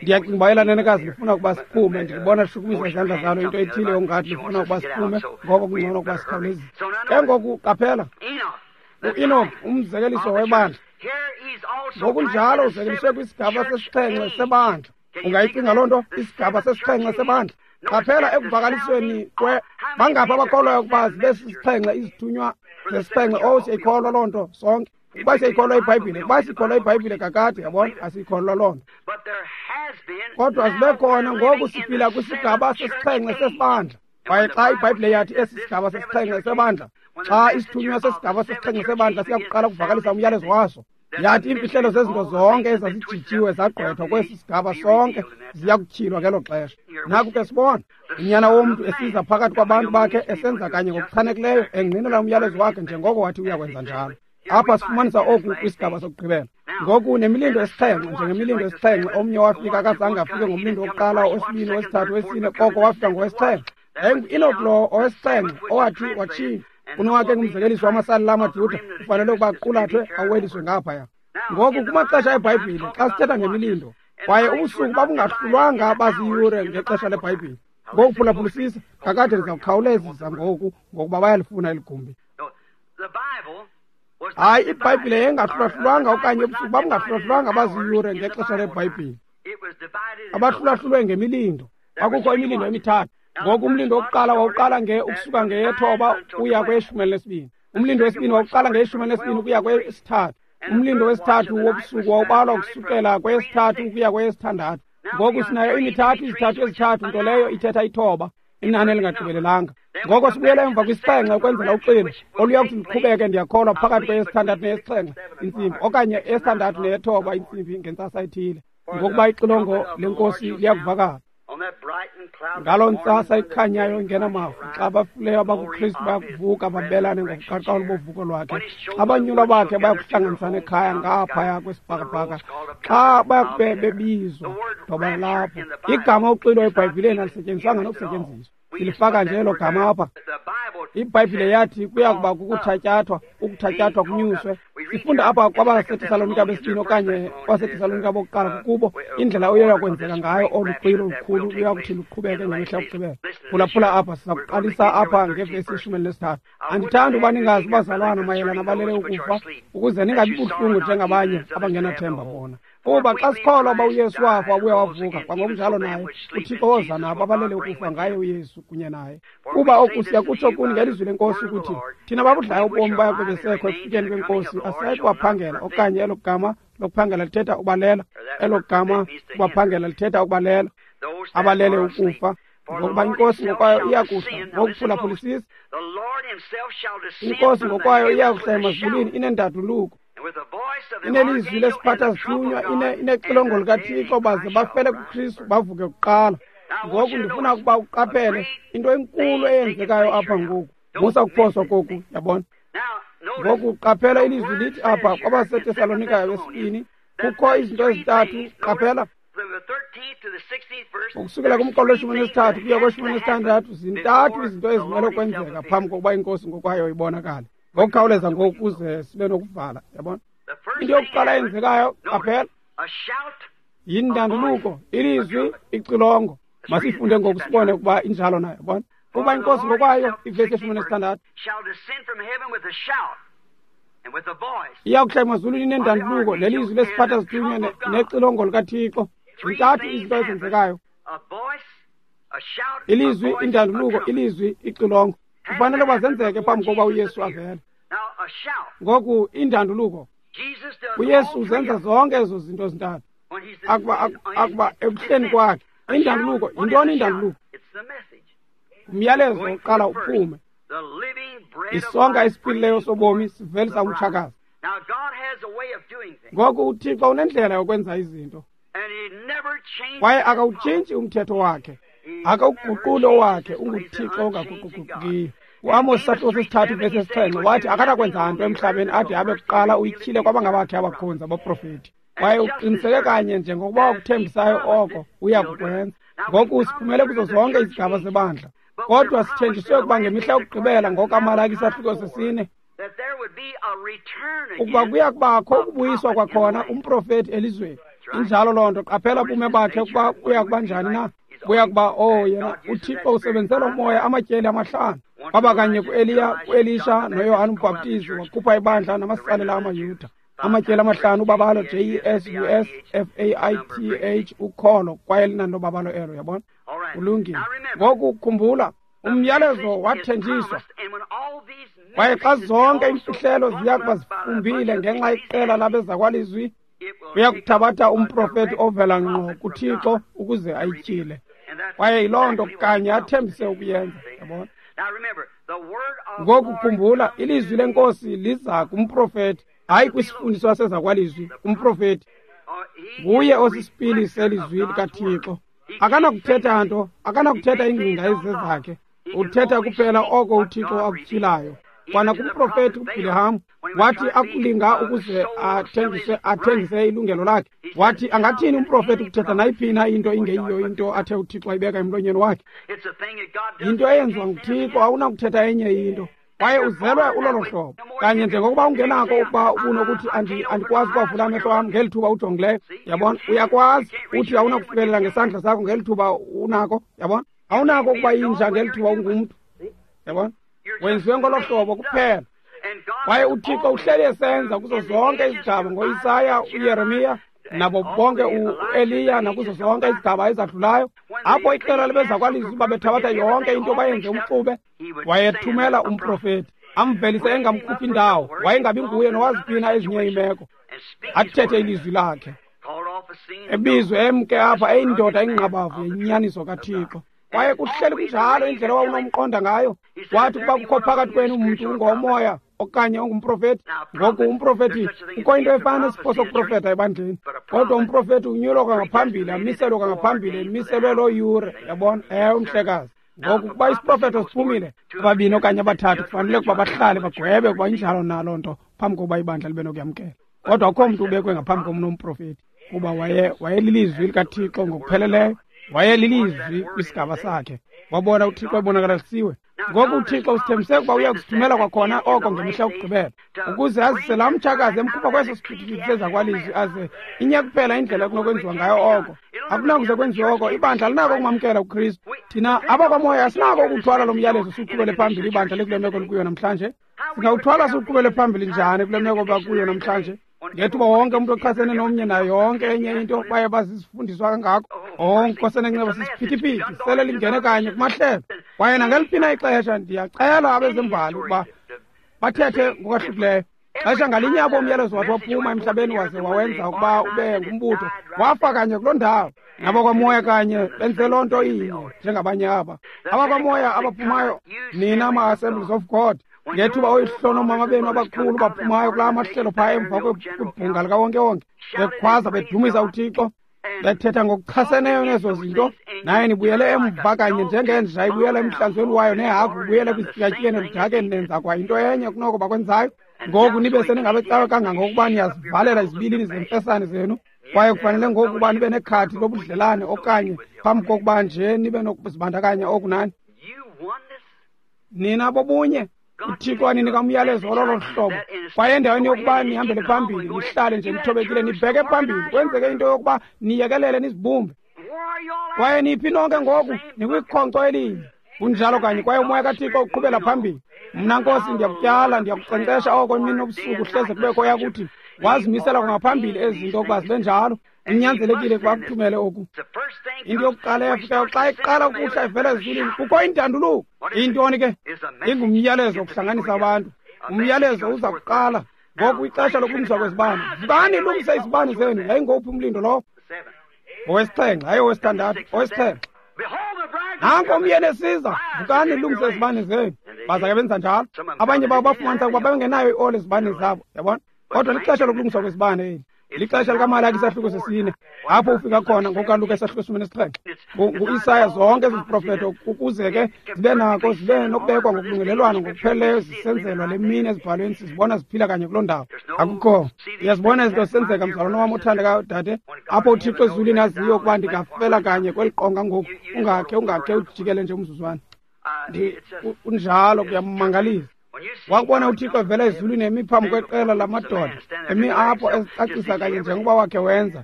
Ndiyacinga uba elaa nenekazi lifuna ukuba siphume, ndilibona lishukumisa izandla zalo, into ethile yongathi lifuna ukuba siphume, ngoko kungcono ukuba sikhawulezise. Ke ngoku qaphela, uEnoch, umzekeliso webandla, ngokunjalo uzekeliswe kwisigaba sesixhenxe sebandla. Ungayicinga loo nto, isigaba sesixhenxe sebandla. Qaphela ekuvakalisweni kwe bangaphi abakholwayo ukuba zibe sisixhenxe izithunywa zesixhenxe. Oh, siyayikholwa loo nto sonke. Ukuba siyayikholwa iBhayibhile, ukuba siyikholwa iBhayibhile kakade, yabona, asiyikholwa loo nto. Kodwa zibe khona ngoku siphila kwisigaba sesixhenxe sesibandla. Kwaye xa iBhayibhile yathi esi sigaba sesixhenxe sebandla, xa isithunywa sesigaba sesixhenxe sebandla siyakuqala ukuvakalisa umyalezo waso, yathi iimfihlelo zezinto zonke ezazijitshiwe zagqwethwa kwesi sigaba sonke ziya kutyhilwa ngelo xesha. Naku ke sibona unyana womntu esiza phakathi kwabantu bakhe, esenza kanye ngokuchanekileyo, engqinela umyalezo wakhe njengoko wathi uyakwenza njalo. Apha sifumanisa oku kwisigaba sokugqibela. Ngoku nemilindo esixhenxe, njengemilindo esixhenxe, omnye wafika akazange afike ngomlindo wokuqala, owesibini, owesithathu, owesine, koko wafika ngowesixhenxe. YayinguEnoch lo owesixhenxe owathi watshintsha. Unowakhe ngumzekeliso wamasalela amaJuda, ufanele ukuba aqulathwe aweliswe ngaphaya. Ngoku kumaxesha eBhayibhile, xa sithetha ngemilindo, kwaye ubusuku babungahlulwanga baziyure ngexesha leBhayibhile. Ngoku phulaphulisisa, kakade ndiza kukhawulezisa ngoku, ngokuba bayalifuna eli gumbi. Hayi, iBhayibhile yayingahlulahlulwanga okanye ubusuku babungahlulahlulwanga baziyure ngexesha leBhayibhile. Abahlulahlulwe ngemilindo. Kwakukho imilindo emithathu. Ngoku umlindo wokuqala wawuqala nge ukusuka ngeyethoba uya kweyeshumi elinesibini. Umlindo wesibini wawuqala ngeyeshumi elinesibini ukuya kweyesithathu. Umlindo wesithathu wobusuku wawubalwa ukusukela kweyesithathu ukuya kweyesithandathu. Ngoku sinayo imithathu, izithathu ezithathu, nto leyo ithetha ithoba, inani elingagqibelelanga. Ngoko sibuyela emva kwisixhenxe ukwenzela uxilo oluya kuthi luqhubeke, ndiyakholwa, phakathi kweyesithandathu neyesixhenxe intsimbi, okanye eyesithandathu neyethoba intsimbi ngentsasa ethile, ngokuba ixilongo lenkosi liyakuvakala. Ngaloo ntsasa ikhanyayo ingenamafu, xa abafileyo abakuKristu bayakuvuka babelane ngokuqaqawula bovuko lwakhe, xa abanyulwa bakhe bayakuhlanganisana ekhaya ngaphaya kwesibhakabhaka, xa bayakube bebizwa ndoba lapho. Igama uxilo eBhayibhileni alisetyenziswanga nokusetyenziswa, silifaka nje elo gama apha. IBhayibhile yathi kuya kuba kukuthatyathwa, ukuthatyathwa kunyuswe. Sifunda apha kwabaseTesalonika besibini okanye kwaseTesalonika bokuqala kukubo indlela oye kwenzeka ngayo olu xwilo lukhulu luya kuthi luqhubeke ngemihla yokugqibela. Phulaphula apha, siza kuqalisa apha ngevesi yeshumi elinesithathu. Andithandi uba ningazi bazalwana mayelana balele ukufa, ukuze ningabi buhlungu njengabanye abangenathemba bona. Kuba xa sikholwa uba uYesu wafa wabuya wavuka, kwangokunjalo naye uThixo woza nabo abalele ukufa ngaye uYesu kunye naye. Kuba oku siyakutsho kuni ngelizwi leNkosi ukuthi thina babudlayo ubomi baya kube besekho ekufikeni kweNkosi, asisayi kubaphangela. Okanye elo gama lokuphangela lithetha ubalela, elo gama kubaphangela lithetha ukubalela, abalele ukufa. Ngokuba iNkosi ngokwayo iya kuhla ngokuphulaphulisisa, iNkosi ngokwayo iya kuhla emazulwini inendaduluko, inelizwi lesiphatha zithunywa, inexilongo likaThixo, baze bafele kuKristu bavuke kuqala. Ngoku ndifuna ukuba uqaphele into enkulu eyenzekayo apha ngoku. Musa ukuphoswa koku, yabona. Ngoku qaphela ilizwi lithi apha kwabaseTesalonika wesibini kukho izinto ezintathu. Qaphela ukusukela kumqolo weshumi nesithathu kuya kweshumi nesithandathu, zintathu izinto ezimele ukwenzeka phambi kokuba iNkosi ngokwayo ibonakale. Ngokukhawuleza ngoku ukuze sibe nokuvala, yabona. Into yokuqala eyenzekayo, qaphela, yindanduluko, ilizwi, ixilongo. Masifunde ngoku sibone ukuba injalo nayo, yabona. Kuba iNkosi ngokwayo, ivesi yeshumi nesithandathu, iya kuhla emazulwini inendanduluko nelizwi lesiphatha zithunywa nexilongo likaThixo. Zintathu izinto ezenzekayo: ilizwi, indanduluko, ilizwi, ixilongo. Kufanele uba zenzeke phambi kokuba uYesu avele. Ngoku indanduluko, uYesu uzenza zonke ezo zinto zintathu akuba akuba ekuhleni kwakhe. Indanduluko, yintoni indanduluko? Umyalezo uqala uphume. Isonka esiphilileyo sobomi sivelisa umtshakazi. Ngoku uThixo unendlela yokwenza izinto, kwaye akawutshintshi umthetho wakhe, akawuguquli owakhe. UnguThixo ongaguquguqukiyo. UAmos isahluko sesithathu ivesi yesixhenxe wathi akanakwenza nto emhlabeni ade abe kuqala uyityhile kwabangabakhe abakhonzi abaprofeti. Kwaye uqiniseke kanye njengokuba wakuthembisayo oko uya kukwenza. Ngoku siphumele kuzo zonke izigaba zebandla, kodwa sithenjiswe ukuba ngemihla yokugqibela ngokaMalaki isahluko sesine ukuba kuya kubakho ukubuyiswa kwakhona umprofeti elizweni. Injalo loo nto. Qaphela bume bakhe ukuba buya kuba njani na. Buya kuba, oh, yena uThixo usebenzisela umoya amatyeli amahlanu. Kwaba kanye kuEliya, kuElisha noYohane uMbhaptizi, wakhupha ibandla namasalela amaYuda. Amatyeli amahlanu, ubabalo J E S U S F A I T H, ukholo, kwaye linani lobabalo elo, yabona. Kulungile. Ngoku khumbula, umyalezo wathenjiswa. Kwaye xa zonke iimfihlelo ziya kuba zifumbile ngenxa yeqela labezakwalizwi, uya kuthabatha umprofeti ovela ngqo kuThixo ukuze ayityhile. Kwaye yiloo nto kanye athembise ukuyenza, yabona. Ngoku khumbula, ilizwi leNkosi liza kumprofeti, hayi kwisifundiso sezakwalizwi, kumprofeti. Nguye osisipili selizwi likaThixo. Akanakuthetha nto, akanakuthetha iingcinga ezizezakhe. Uthetha kuphela oko uThixo akutyhilayo. Kwana kumprofeti uBhileham wathi akulinga ukuze athengise athengise ilungelo lakhe, wathi angathini umprofeti ukuthetha nayiphina into ingeyiyo into athe uThixo ayibeka emlonyeni wakhe. Yinto eyenziwa nguThixo, awunakuthetha enye into. Kwaye uzelwe ulolo hlobo kanye njengokuba ungenako ukuba ubunokuthi andikwazi ukwavula amehlo am ngeli thuba ujongileyo, yabona. Uyakwazi uthi awunakufikelela ngesandla sakho ngeli thuba unako, yabona. Awunako ukuba yinja ngeli thuba ungumntu, yabona. Wenziwe ngolo hlobo kuphela. Kwaye uThixo uhleli esenza kuzo zonke izigaba ngoIsaya, uYeremiya, nabo bonke uEliya, nakuzo zonke izigaba ezadlulayo. Apho iqela lebezakwalizwi babethabatha yonke into bayenze umxube, wayethumela umprofeti amvelise engamkhuphi indawo, wayengabi nguye nowaziphina ezinye iimeko, athethe ilizwi lakhe, ebizwe emke apha eyindoda ingqabavu yenyaniso kaThixo. Kwaye kuhleli kunjalo indlela owawunomqonda ngayo. Wathi ukuba kukho phakathi kwenu umntu ungomoya okanye ungumprofeti. Ngoku umprofeti, kukho into efana nesipho sokuprofeta ebandleni, kodwa umprofeti unyulwa kwangaphambili, amiselwe kwangaphambili, emiselwe loo yure, yabona. Ewe, umhlekazi. Ngoku ukuba isiprofeto siphumile, ababini okanye abathathu kufanele ukuba bahlale bagwebe ukuba injalo na loo nto phambi kokuba ibandla libe nokuyamkela. Kodwa akukho mntu ubekwe ngaphambi komnomprofeti, kuba waye wayelilizwi likaThixo ngokupheleleyo. Wayelilizwi kwisigaba sakhe. Wabona uThixo ebonakalisiwe. Ngoku uThixo usithembise ukuba uya kusithumela kwakhona oko ngemihla yokugqibela, ukuze azise laa mtshakazi emkhupha kweso siphithiphithi sezakwalizwi, aze inye kuphela indlela ekunokwenziwa ngayo oko. Akunakuze kwenziwe oko. Ibandla linako ukumamkela uKristu. Thina abakwamoya asinako ukuthwala lo myalezo siwuqhubele phambili ibandla likule meko likuyo namhlanje. Singawuthwala siwuqhubele phambili njani kule meko bakuyo namhlanje? Ngethuba wonke umntu ochasene nomnye nayo yonke enye into baye bazifundiswa kangako. Oh, Nkosi enenceba, sisiphithiphithi sele lingene kanye kumahlelo. Kwaye nangeliphi na ixesha ndiyacela abezembali ukuba bathethe ngokwahlukileyo. Xesha ngalinye apho umyalezo wathi waphuma emhlabeni waze wawenza ukuba ube ngumbutho, wafa kanye kuloo ndawo. Nabakwamoya kanye benze loo nto inye njengabanye aba. Abakwamoya abaphumayo, nina ma-Assemblies of God, ngethuba oyihlonomama benu abakhulu baphumayo kulaa mahlelo phaya emva kwibhunga likawonkewonke, bekhwaza bedumisa uThixo, bethetha ngokuchaseneyo nezo zinto, naye nibuyele emva kanye njengenja ibuyela emhlanzweni wayo nehagu ibuyele kwisityatyeni eludakeni, nenza kwa into enye kunoko bakwenzayo. Ngoku nibe seningabecawe kangangokuba niyazivalela izibilini zemfesane zenu, kwaye kufanele ngoku uba nibe nekhadi lobudlelane okanye phambi kokuba nje nibe nokuzibandakanya okunani. Nina bobunye, uThixo waninika umyalezo ololo hlobo, kwaye endaweni yokuba nihambele phambili, nihlale nje nithobekile, nibheke phambili, kwenzeke into yokuba niyekelele nizibumbe. Kwaye niphi nonke ngoku nikwikhonkco elinye. Kunjalo kanye, kwaye umoya kaThixo uqhubela phambili. Mna Nkosi ndiyakutyala, ndiyakuqeqesha oko imini nobusuku, hleze kubekho yakuthi wazimisela kwangaphambili ezi zinto ukuba zibe njalo. Unyanzelekile ukuba akuthumele oku. Into yokuqala eyafikayo xa iqala ukuhla ivela ezulwini, kukho intanduluko. Intoni ke? Ingumyalezo wokuhlanganisa abantu. Umyalezo uza kuqala ngoku, ixesha lokulungiswa kwezibane. Vukani, lungise izibane zenu. Yayingowuphi umlindo lowo? Owesixhenxe, hayi owesithandathu, owesixhenxe. Nanko umyeni esiza, vukani, lungise izibane zenu. Baza ke benza njalo. Abanye babo bafumanisa ukuba bengenayo ioli ezibane zabo, yabona. Kodwa lixesha lokulungiswa kwezibane eli. Lixesha likaMalaki isahluko sesine, apho ufika khona ngokukaLuka isahluko sesine nesixhenxe. NguIsaya zonke ezi ziprofeto ukuze ke zibe nako zibe nokubekwa ngokulungelelwano ngokupheleleyo zisenzelwa le mini ezibhalweni, sizibona ziphila kanye kuloo ndawo. Akukho. Uyazibona izinto zisenzeka, mzalwana wam othandekayo dade, apho uThixo ezulwini aziyo ukuba ndingafela kanye kweli qonga ngoku. Ungakhe ungakhe ujikele nje umzuzwana. Kunjalo, kuyamangalisa. Wakubona uThixo evela ezulwini emi phambi kweqela lamadoda, emi apho ezicacisa kanye njengoba wakhe wenza.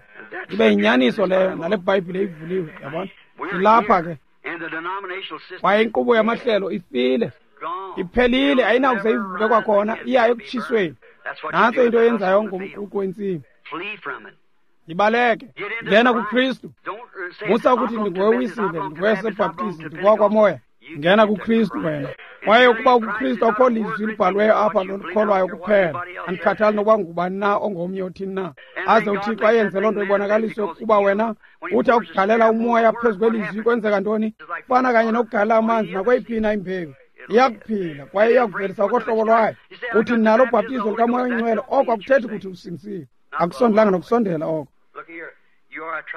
Ibe yinyaniso leyo, nale Bhayibhile ivuliwe, yabona. Silapha ke. Kwaye inkqubo yamahlelo ifile, iphelile, ayinakuze ivuke kwakhona, iya ekutshisweni. Nantso into eyenzayo ngomququ wentsimi. Ibaleke, ngena kuKristu. Musa ukuthi ndingowewisile, ndingowesebhaptizi, ndingowakwamoya. Ngena kuKristu wena. Kwaye ukuba ukuKristu akukho lizwi libhalweyo apha lolikholwayo kuphela, andikhathali nokuba ngubani na ongomnye othini na, aze uThixo ayenze loo nto ibonakaliswe ukuba wena uthi akugalela umoya phezu kwelizwi, kwenzeka ntoni? Kufana kanye nokugalela amanzi nakweyiphi na imbewu, iyakuphila kwaye iyakuvelisa kohlobo lwayo. Uthi nalo ubhaptizo lukaMoya oyiNgcwele, oko akuthethi kuthi usindisiwe. Akusondelanga nokusondela oko.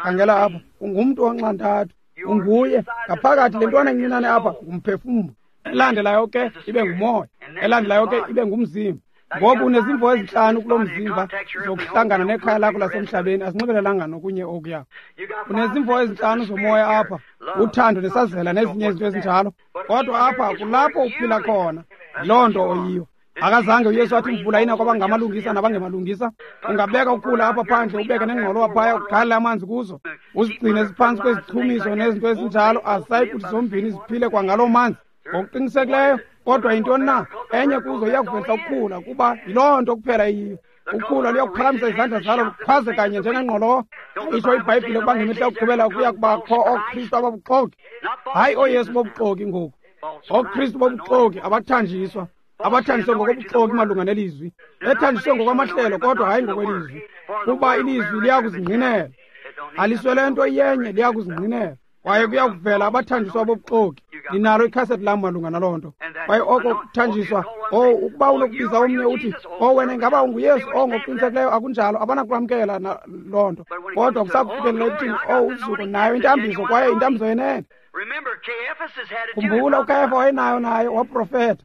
Khangela apha, ungumntu onxantathu, unguye ngaphakathi. Le ntwana incinane apha ngumphefumlo, elandelayo ke ibe ngumoya, elandelayo ke ibe ngumzimba. Ngoku unezimvo ezintlanu kulo mzimba zokuhlangana nekhaya lakho lasemhlabeni, azinxibelelanga nokunye okuya. Unezimvo ezintlanu zomoya apha, uthando nesazela nezinye izinto ezinjalo, kodwa apha kulapho uphila khona, yiloo nto oyiyo. Akazange uYesu athi imvula ina kwabangamalungisa nabangemalungisa. Ungabeka ukhula apha phandle, ubeke nengqolowa phaya, ugalele amanzi kuzo, uzigcine ziphantsi kwezichumiso nezinto ezinjalo, azisayi kuthi zombini ziphile kwangaloo manzi ngokuqinisekileyo. Kodwa yintoni na? Enye kuzo iyakuvelisa ukukhula, kuba yiloo nto kuphela iyiyo. Ukhula luyakuphakamisa izandla zalo lukhwaze kanye njengengqolowa. Itsho iBhayibhile ukuba ngemihla yokugqibela kuya kubakho ooKristu ababuxoki. Hayi ooYesu bobuxoki ngoku, ooKristu bobuxoki abathanjiswa, abathanjiswe ngokobuxoki malunga nelizwi, bethanjiswe ngokwamahlelo kodwa hayi ngokwelizwi, kuba ilizwi liyakuzingqinela. Aliswele nto iyenye, liyakuzingqinela. Kwaye kuyakuvela abathanjiswa bobuxoki. Ndinalo ikhasethi lam malunga naloo nto. Kwaye oko kuthanjiswa, oh, ukuba unokubiza omnye uthi, oh, wena ingaba unguYesu, oh, ngokuqinisekileyo akunjalo, abanakwamkela loo nto. Kodwa kusakufikelela ekuthini, oh, uzuko, nayo intambiso, kwaye intambiso yenene. Khumbula, uKayafa wayenayo naye, waprofeta.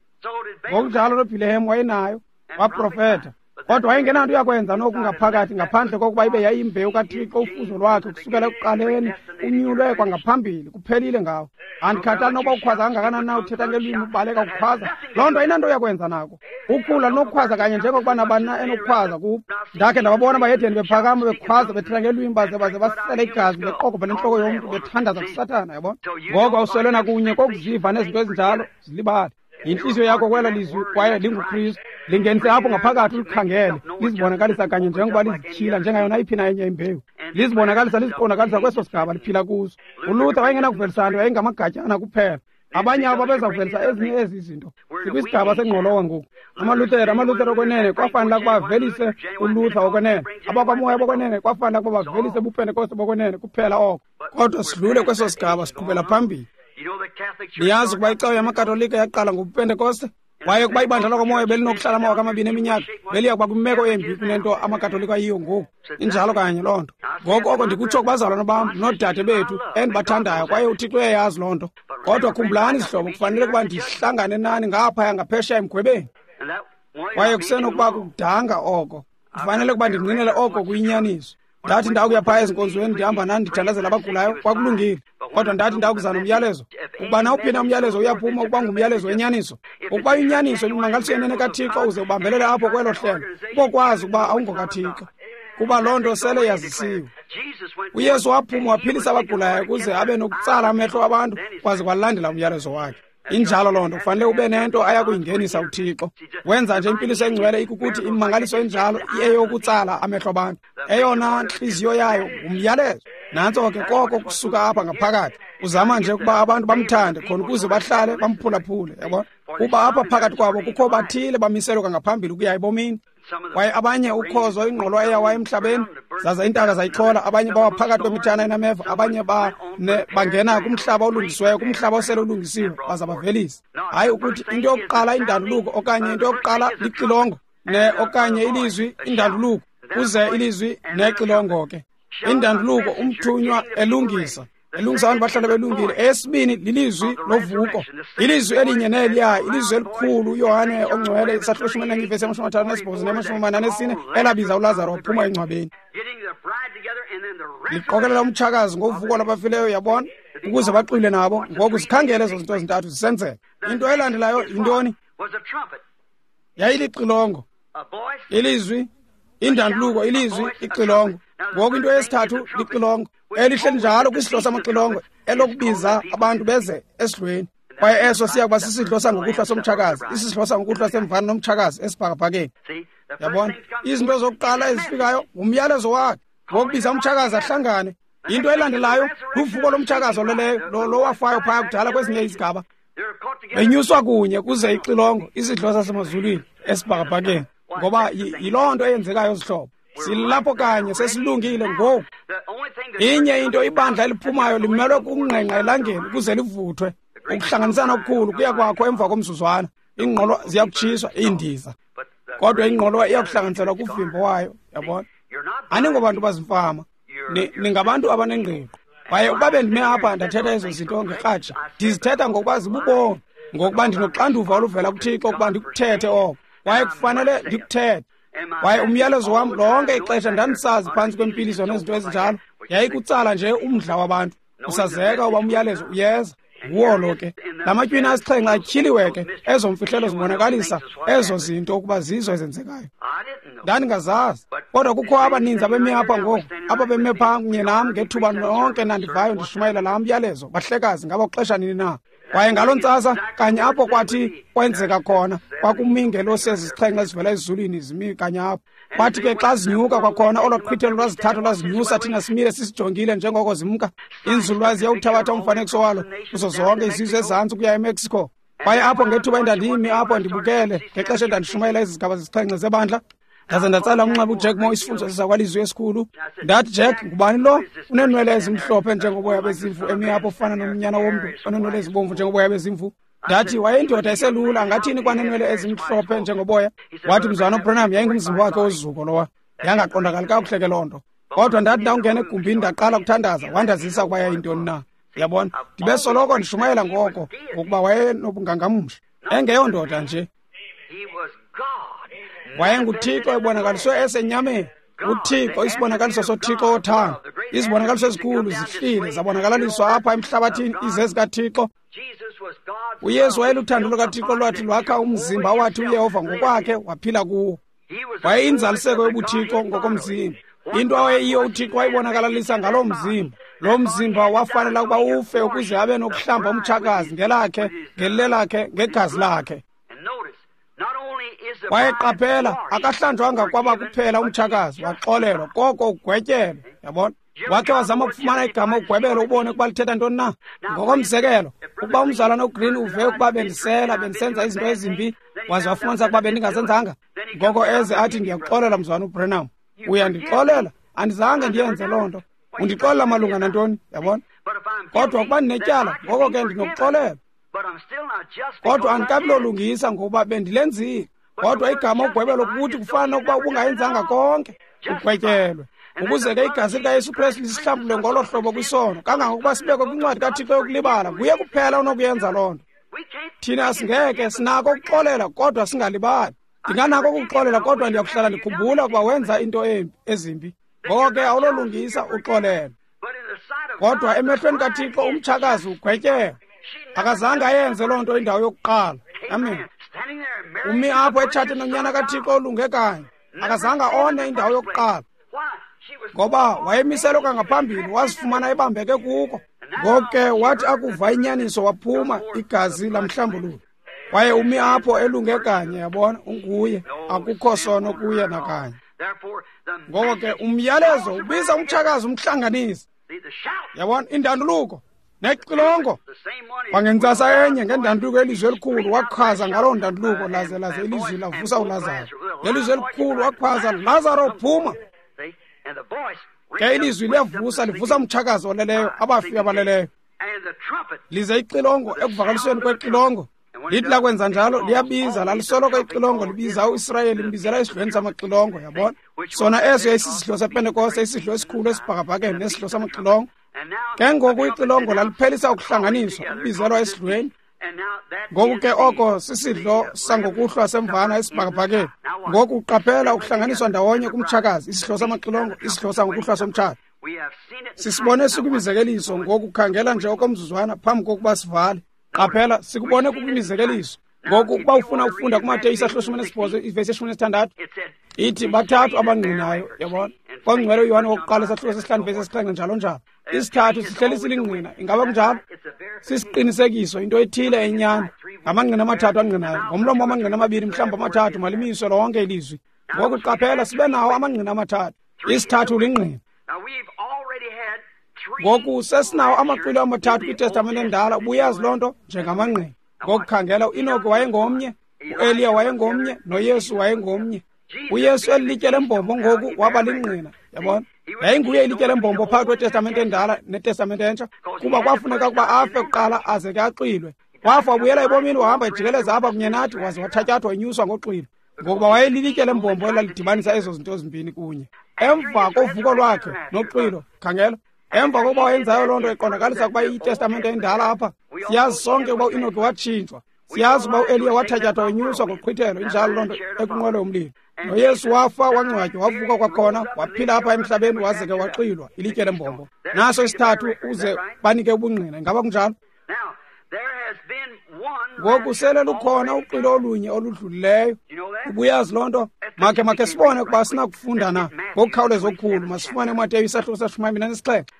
Ngokunjalo noBhilehem wayenayo, waprofeta. Kodwa wayengenanto yakwenza noku ngaphakathi ngaphandle kokuba ibe yayimbewu kaThixo, ufuzo lwakhe kusukela ekuqaleni, unyulwe kwangaphambili, kuphelile ngawo. Andikhathali noba ukhwaza kangakanani na, uthetha ngelwimi, ubaleka ukhwaza, loo nto ayinanto yakwenza nako. Ukhula lunokukhwaza kanye njengokuba nabani na enokukhwaza kubo. Ndakhe ndababona abayedeni bephakama bekhwaza bethetha ngelwimi, baze baze basele igazi beqokobha nentloko yomntu bethandaza kuSathana, yabona. Ngoko awuswelwe nakunye kokuziva nezinto ezinjalo, zilibale. Yintliziyo yakho kwela lizwi kwaye linguKristu. Lingenise apho ngaphakathi ulikhangele, lizibonakalisa kanye njengoba lizityhila njengayo nayiphi na enye imbewu. Lizibonakalisa liziqondakalisa kweso sigaba liphila kuso. ULuther wayengenakuvelisa nto, yayingamagatyana kuphela. Abanye abo babeza kuvelisa ezinye ezi zinto. Sikwisigaba sengqolowa ngoku. AmaLuthere, amaLuthere okwenene kwafanele ukuba avelise uLuther okwenene. Abakwamoya bokwenene kwafanele ukuba bavelise ubuPentekoste bokwenene kuphela oko. Kodwa sidlule kweso sigaba siqhubela phambili. Niyazi ukuba icawa yamaKatolika yaqala ngobuPentekoste? Kwaye ukuba ibandla lakwamoya belinokuhlala amawaka amabini eminyaka, beliya kuba kwimeko embi kunento amaKatolika ayiyo ngoku. Injalo kanye loo nto. Ngoku oko ndikutsho kubazalwana bam noodade bethu endibathandayo, kwaye uThixo uyayazi loo nto. Kodwa khumbulani zihlobo, kufanele ukuba ndihlangane nani ngaphaya ngaphesheya emgwebeni. Kwaye kusenokuba kukudanga oko. Kufanele ukuba ndingqinele oko kuyinyaniso. Ndathi ndakuya phaya ezinkonzweni ndihamba nani ndithandazela abagulayo, kwakulungile. Kodwa ndathi ndakuza nomyalezo. Ukuba nawuphi na umyalezo uyaphuma ukuba ngumyalezo wenyaniso. Ukuba inyaniso imimangaliso yenene kaThixo uze ubambelele apho kwelo hlelo, ubokwazi ukuba awungokaThixo, kuba loo nto sele yazisiwe. UYesu waphuma waphilisa abagulayo ukuze abe nokutsala amehlo abantu kwaze kwalandela umyalezo wakhe. Injalo loo nto, kufanele ube nento ayakuyingenisa uThixo. Wenza nje impiliso engcwele ikukuthi imimangaliso enjalo iyeyokutsala amehlo abantu. Eyona ntliziyo yayo ngumyalezo. Nantso ke koko kusuka apha ngaphakathi. Uzama nje ukuba abantu bamthande khona ukuze bahlale bamphulaphule, yabona? Kuba apha phakathi kwabo kukho bathile bamiselwe kwangaphambili ukuya ebomini. Kwaye abanye ukhozo ingqolo eyawa emhlabeni, zaza iintaka zayichola, abanye bawa phakathi kwemithana enameva, abanye ba ne, bangena kumhlaba olungisiweyo, kumhlaba osele ulungisiwe, baza bavelisa. Hayi ukuthi into yokuqala indanduluko okanye into yokuqala lixilongo, ne okanye ilizwi indanduluko, kuze ilizwi nexilongo ke. Indanduluko umthunywa elungisa, elungisa abantu bahlale belungile. Eyesibini lilizwi lovuko, ilizwi elinye neliya, ilizwi elikhulu uYohane ongcwele isahluko shumi elinanye ivesi yamashumi amathathu nesibhozo namashumi amane anesine elabiza uLazaro waphuma engcwabeni. Liqokelela umtshakazi ngovuko lwabafileyo, yabona, ukuze baxwile nabo. Ngoku zikhangele ezo zinto zintathu zisenzeka. Into elandelayo yintoni? Yayilixilongo, ilizwi, indanduluko, ilizwi, ixilongo. Ngoku into yesithathu lixilongo, elihle njalo kwisidlo samaxilongo elokubiza abantu beze esidlweni. Kwaye eso siya kuba sisidlo sangokuhlwa somtshakazi, isidlo sangokuhlwa semvana nomtshakazi esibhakabhakeni. Yabona, izinto zokuqala ezifikayo ngumyalezo wakhe ngokubiza umtshakazi ahlangane. Into elandelayo luvuko lomtshakazi oleleyo, lo lowafayo phaya kudala kwezinye izigaba. Benyuswa kunye kuze ixilongo, isidlo sasemazulwini esibhakabhakeni. Ngoba yiloo nto eyenzekayo zihlobo. Silapho kanye sesilungile ngoku. Inye into ibandla eliphumayo limelwe kungqengqa elangeni ukuze livuthwe. Ukuhlanganisana okukhulu kuya kwakho emva komzuzwana. Iingqolo ziyakutshiswa, iindiza. Kodwa ingqolowa iyakuhlanganiselwa kuvimbo wayo, yabona. Aningobantu bazimfama, ningabantu abanengqiqo. Kwaye ukuba bendime apha ndathetha ezo zinto ngerhatsha, ndizithetha ngokuba zibubomi, ngokuba ndinoxanduva oluvela kuThixo ukuba ndikuthethe oko. Kwaye kufanele ndikuthethe. Kwaye umyalezo wam lonke ixesha ndandisazi phantsi kwempiliso nezinto ezinjalo, yayikutsala nje umdla wabantu. Usazeka uba umyalezo uyeza. Nguwo lo ke. La matywina asixhenxe atyhiliwe ke, ezo mfihlelo zibonakalisa ezo zinto ukuba zizo ezenzekayo. Ndandingazazi. Kodwa kukho abaninzi abemi apha ngoku, ababeme phaa kunye nam ngethuba nonke nandivayo ndishumayela laa myalezo, bahlekazi ngaba kuxesha nini na. Kwaye ngaloo ntsasa kanye apho kwathi kwenzeka khona, kwakumi iingelosi ezisixhenxe ezivela ezulwini zimi kanye apho. Kwathi ke xa zinyuka kwakhona olo qhwithelo lwazithathu lwazinyusa, thina simile sisijongile njengoko zimka. Inzululwazi yawuthabatha umfanekiso walo kuzo zonke izizwe ezantsi ukuya eMexico. Kwaye apho ngethuba endandimi apho ndibukele ngexesha endandishumayela ezi zigaba zisixhenxe zebandla, ndaze ndatsala umnxeba uJack Moore, isifundo sakwalizwi esikhulu. Ndathi, Jack, ngubani lo uneenwele ezimhlophe njengoboya bezimvu emi apho ofana nomnyana womntu oneenwele ezibomvu njengoboya bezimvu? Ndathi, wayeyindoda eselula, angathini kwaneenwele ezimhlophe njengoboya? Wathi, mzwana uBranham, yayingumzimba wakhe wozuko lowa. Yangaqondakali kakuhle ke loo nto. Kodwa ndathi ndawungena egumbini ndaqala ukuthandaza, wandazisa ukuba yayintoni na. Yabona, ndibe soloko ndishumayela ngoko, ngokuba wayenobungangamsha, engeyondoda nje. WayenguThixo ebonakaliswe esenyameni. UThixo, isibonakaliso soThixo wothando. Izibonakaliso ezikhulu zihlile zabonakalaliswa apha emhlabathini, izezikaThixo. UYesu wayeluthando lukaThixo lwathi lwakha umzimba wathi uYehova ngokwakhe waphila kuwo. Wayeyinzaliseko yobuThixo ngokomzimba. Into awayeyiyo uThixo wayibonakalalisa ngaloo mzimba. Lo mzimba wafanela ukuba ufe ukuze abe nokuhlamba umtshakazi ngelakhe, ngelelakhe, ngegazi lakhe. Kwaye qaphela, akahlanjwanga kwaba kuphela umtshakazi, waxolelwa, koko ugwetyelwe. Yabona? Wakhe wazama ukufumana igama ugwebelo ubone ukuba lithetha ntoni na. Ngokomzekelo, ukuba umzalwana uGreen uve ukuba bendisela, bendisenza izinto ezimbi, waze wafumanisa ukuba bendingazenzanga, ngoko eze athi ndiyakuxolela mzalwana uBranham. Uyandixolela? Andizange ndiyenze loo nto. Undixolela malunga nantoni? Yabona? Kodwa ukuba ndinetyala, ngoko ke ndinokuxolela. Kodwa andikabilolungisa ngokuba bendilenzile. Kodwa igama ugwebelo kukuthi kufana nokuba ubungayenzanga konke, ugwetyelwe. Ukuze ke igazi likaYesu Kristu lisihlambulule ngolo hlobo kwisono, kangangokuba sibekwe kwincwadi kaThixo yokulibala. Nguye kuphela onokuyenza loo nto. Thina singeke sinako ukuxolela kodwa singalibali. Ndinganako ukuxolela kodwa ndiyakuhlala ndikhumbula ukuba wenza into embi ezimbi. Ngoko ke awulolungisa uxolelwe. Kodwa emehlweni kaThixo umtshakazi ugwetyelwe. Akazange ayenze loo nto indawo yokuqala. Amen. Umi apho etshate nonyana kaThixo olunge kanye. Akazange one indawo yokuqala. Ngoba wayemiselwe kwangaphambili, wazifumana ebambeke kuko. Ngoko ke wathi akuva inyaniso waphuma, igazi lamhlambulula. Kwaye umi apho elunge kanye, yabona, unguye, akukho sono kuye nakanye. Ngoko ke umyalezo ubiza umtshakazi umhlanganisi. Yabona, indanduluko nexilongo. Kwangentsasa enye ngendanduluko elizwi elikhulu wakhwaza ngaloo ndanduluko, laze laze ilizwi lavusa uLazaro. Ngelizwi elikhulu wakhwaza, Lazaro phuma. Ke ilizwi liyavusa, livusa umtshakazi oleleyo, abafi abaleleyo. Lize ixilongo ekuvakalisweni kwexilongo. Lithi lakwenza njalo liyabiza, lalisoloko ixilongo libiza uIsrayeli, limbizela esidlweni samaxilongo, yabona. Sona eso yayisisidlo sePentekoste, isidlo esikhulu esibhakabhakeni nesidlo samaxilongo. Ke ngoku ixilongo laliphelisa ukuhlanganiswa, ukubizelwa esidlweni. Ngoku ke oko sisidlo sangokuhlwa semvana esibhakabhakeni. Ngoku uqaphela ukuhlanganiswa ndawonye kumtshakazi, isidlo samaxilongo, isidlo sangokuhlwa somtshato. Sisibone sikwimizekeliso ngoku, khangela nje okomzuzwana phambi kokuba sivale. Qaphela, sikubone kukwimizekeliso. Ngoku ukuba ufuna ukufunda kuMateyu isahluko seshumi nesibhozo ivesi yeshumi nesithandathu, ithi bathathu abangqinayo, yabona. Kwangcwele uYohane wokuqala isahluko sesihlanu ivesi yesixhenxe njalo njalo. Isithathu sihleli silingqina, ingaba kunjalo? Sisiqinisekiso, into ethile enyani. Ngamangqina amathathu angqinayo, ngomlomo wamangqina amabini mhlawumbi amathathu, malimiswe lonke ilizwi. Ngoku qaphela, sibe nawo amangqina amathathu. Isithathu lingqina. Ngoku sesinawo amaqwilo amathathu kwiTestamente endala, ubuyazi loo nto njengamangqina. Ngoku khangela, uEnoki wayengomnye, uEliya wayengomnye, noYesu wayengomnye. uYesu elilitye lembombo ngoku waba lingqina, yabona. Yayinguye ilitye lembombo phakathi kweTestamente endala neTestamente entsha, kuba kwafuneka ukuba afe kuqala aze ke axwilwe. Wafa wabuyela ebomini, wahamba ejikeleza apha kunye nathi, waze wathatyathwa wenyuswa ngoxwilo. Ngokuba wayelilitye lembombo elalidibanisa ezo zinto zimbini kunye. Emva kovuko lwakhe noxwilo, khangela, emva kokuba wayenzayo loo nto iqondakalisa ukuba iTestamente endala apha. Siyazi sonke ukuba uEnoki watshintshwa. Siyazi ukuba uEliya wathatyathwa wenyuswa ngoqhwithelo, injalo loo nto, ekunqwelo yomlilo. NoYesu wafa, wangcwatywa, wavuka kwakhona, waphila apha emhlabeni, waze ke waxwilwa, ilitye lembombo. Naso isithathu uze banike ubungqina. Ingaba kunjalo? Ngoku sele lukhona uxwilo olunye oludlulileyo. Ubuyazi loo nto? Makhe makhe sibone ukuba sinakufunda na ngokukhawuleza okukhulu. Masifumane uMateyu isahluko seshumi amabini anesixhenxe.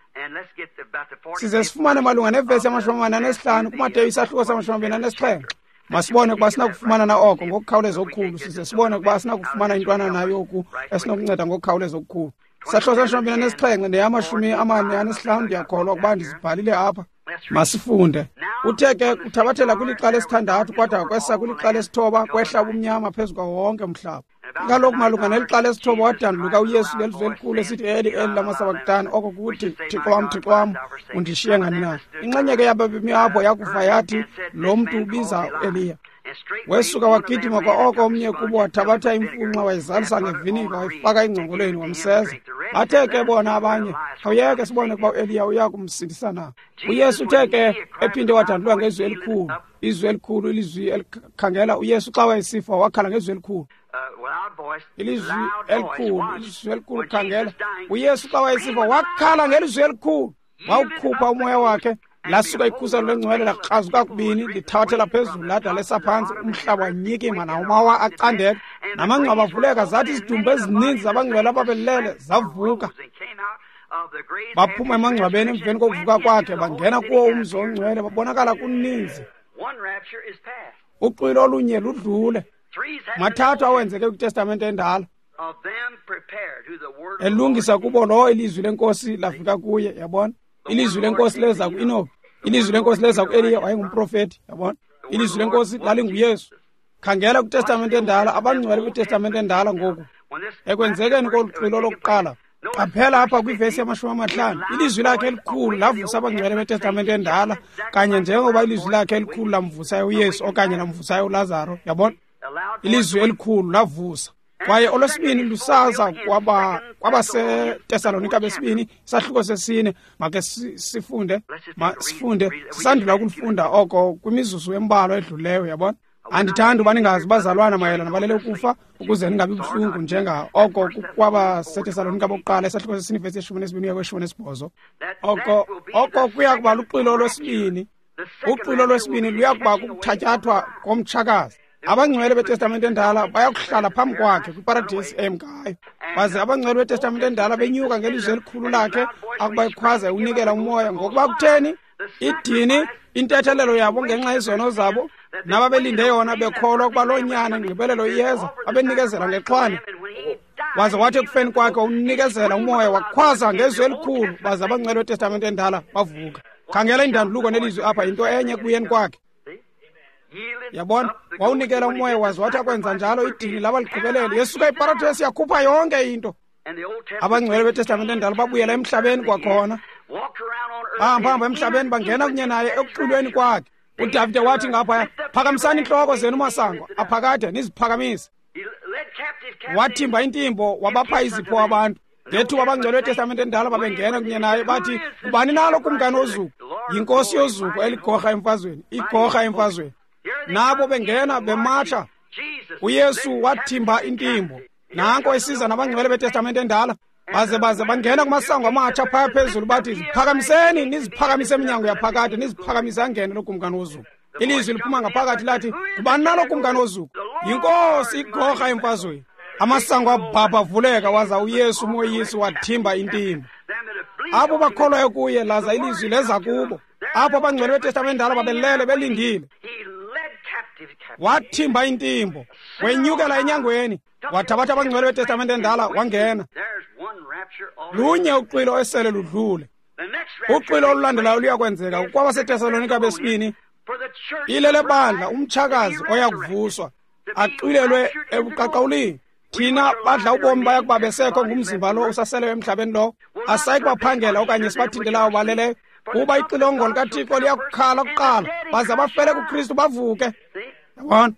Size sifumane malunga nevesi yamashumi amane anesihlanu kuMateyu isahluko samashumi amabini anesixhenxe. Masibone ukuba sinakufumana na oko ngokukhawuleza okukhulu. Size sibone ukuba sinakufumana intwana nayo oku esinokunceda ngokukhawuleza okukhulu. Isahluko seshumi amabini anesixhenxe neyamashumi amane anesihlanu, ndiyakholwa ukuba ndizibhalile apha. Masifunde. Uthe ke kuthabathela kwilixa lesithandathu kwada kwesa kwilixa lesithoba, kwehla ubumnyama phezu kwawo wonke umhlaba. Kaloku malunga nelixa lesithoba wadanduluka uYesu ngelizwi elikhulu esithi, Eli, Eli, lama sabakutani, oko kuthi, Thixo wam, Thixo wam, undishiye ngani na? Inxenye ke yababemi apho yakuva yathi, lo mntu ubiza uEliya. Wesuka wagidima kwa oko omnye kubo, wathabatha imfunxa wayizalisa ngevinika, wayifaka engcongolweni, wamseza. Bathe ke bona abanye, khawuyeke sibone ukuba uEliya uya kumsindisa na. uYesu uthe ke ephinde wadanduluka ngezwi elikhulu, izwi elikhulu, ilizwi elikhangela. uYesu xa wayesifa wakhala ngezwi elikhulu, ilizwi elikhulu, ilizwi elikhulu, khangela. uYesu xa wayesifa wakhala ngelizwi elikhulu, wawukhupha umoya wakhe. Lasuka ikhuselo lengcwele lakrazuka kubini, lithabathela phezulu lada lesa phantsi, umhlaba wanyikima nawumawa acandeka, namangcwaba avuleka, zathi izidumbu ezininzi zabangcwele ababelele zavuka. Baphuma emangcwabeni emveni kokuvuka kwakhe, bangena kuwo umzi ongcwele, babonakala kuninzi. Uxwilo olunye ludlule. Mathathu awenzeke kwiTestamente endala. Elungisa kubo lowo ilizwi lenkosi lafika kuye, yabona? Ilizwi lenkosi leza ku-Enoki. Ilizwi lenkosi leza ku-Eliya, wayengumprofeti, yabona? Ilizwi lenkosi lalinguYesu. Khangela kwiTestamente endala, abangcwele kwiTestamente endala ngoku. Ekwenzekeni kolu xwilo lokuqala, qaphela apha kwivesi yamashumi amahlanu, ilizwi lakhe elikhulu lavusa abangcwele beTestamente endala, kanye njengoba ilizwi lakhe elikhulu lamvusayo uYesu okanye lamvusayo uLazaro, yabona? Ilizwi elikhulu lavusa. Kwaye olwesibini lusaza kwaba kwabaseTesalonika besibini, isahluko sesine. Make sifunde, ma sifunde, sisandula ukulufunda oko kwimizuzu embalwa edluleyo, yabona? Andithandi uba ningazi bazalwana mayelana balele ukufa, ukuze ningabi buhlungu njenga oko kwabaseTesalonika bokuqala, isahluko sesine ivesi yeshumi nesibini uya kweshumi nesibhozo. Oko oko kuya kuba luxwilo lwesibini. Uxwilo lwesibini luya kuba kukuthatyathwa komtshakazi. Abangcwele beTestamente endala bayakuhlala phambi kwakhe kwiparadesi emkayo. Baze abangcwele beTestamente endala benyuka ngelizwi elikhulu lakhe akuba ekhwaza unikela umoya. Ngokuba kutheni? Idini, intethelelo yabo ngenxa yezono zabo, nababelinde yona bekholwa ukuba loo nyana ingqibelelo iyeza, babenikezela ngexhwane. Waze wathi ekufeni kwakhe unikezela umoya, wakhwaza ngezwi elikhulu, baze abangcwele beTestamente endala bavuka. Khangela indanduluko nelizwi apha, yinto enye ekubuyeni kwakhe. Yabona, wawunikela umoya, waze wathi akwenza njalo idini laba ligqibelele. Yesuka iparadesi yakhupha yonke into. Abangcwele beTestamente endala babuyela emhlabeni kwakhona. Bahamba emhlabeni bangena kunye naye ekuxwilweni kwakhe. uDavide wathi ngapha, phakamisani intloko zenu masango aphakade, niziphakamise. Wathimba intimbo, wabapha izipho abantu. Ngethuba abangcwele beTestamente endala babengena kunye naye, bathi, ubani nalo kumkani wozuko? Yinkosi yozuko eligorha emfazweni, igorha emfazweni. Nabo bengena bematsha. uYesu wathimba intimbo. Nanko esiza nabangcwele beTestamente endala. Baze baze bangena kumasango amatsha phaya phezulu, bathi, ziphakamiseni, niziphakamise eminyango yaphakade, niziphakamise angene lo kumkani wozuko. Ilizwi liphuma ngaphakathi lathi, ubani nalo kumkani wozuko? Yinkosi igorha emfazweni. Amasango abhabha avuleka, waza uYesu umoyisi wathimba intimbo. Abo bakholwayo kuye, laza ilizwi leza kubo. Apho abangcwele beTestamente endala babelele belindile. Wathimba intimbo, wenyukela enyangweni, wathabatha abangcwele beTestamente endala wangena. Lunye uxwilo esele ludlule. Uxwilo olulandelayo luyakwenzeka kwabaseTesalonika besibini. Ilele bandla umtshakazi oyakuvuswa, axwilelwe ebuqaqawulini. Thina badla ubomi baya kuba besekho ngumzimba lo usaseleyo emhlabeni lo, asayi kubaphangela okanye sibathintelayo baleleyo. Kuba ixilongo likaThixo liyakukhala kuqala, baze abafele kuKristu bavuke. Yabona?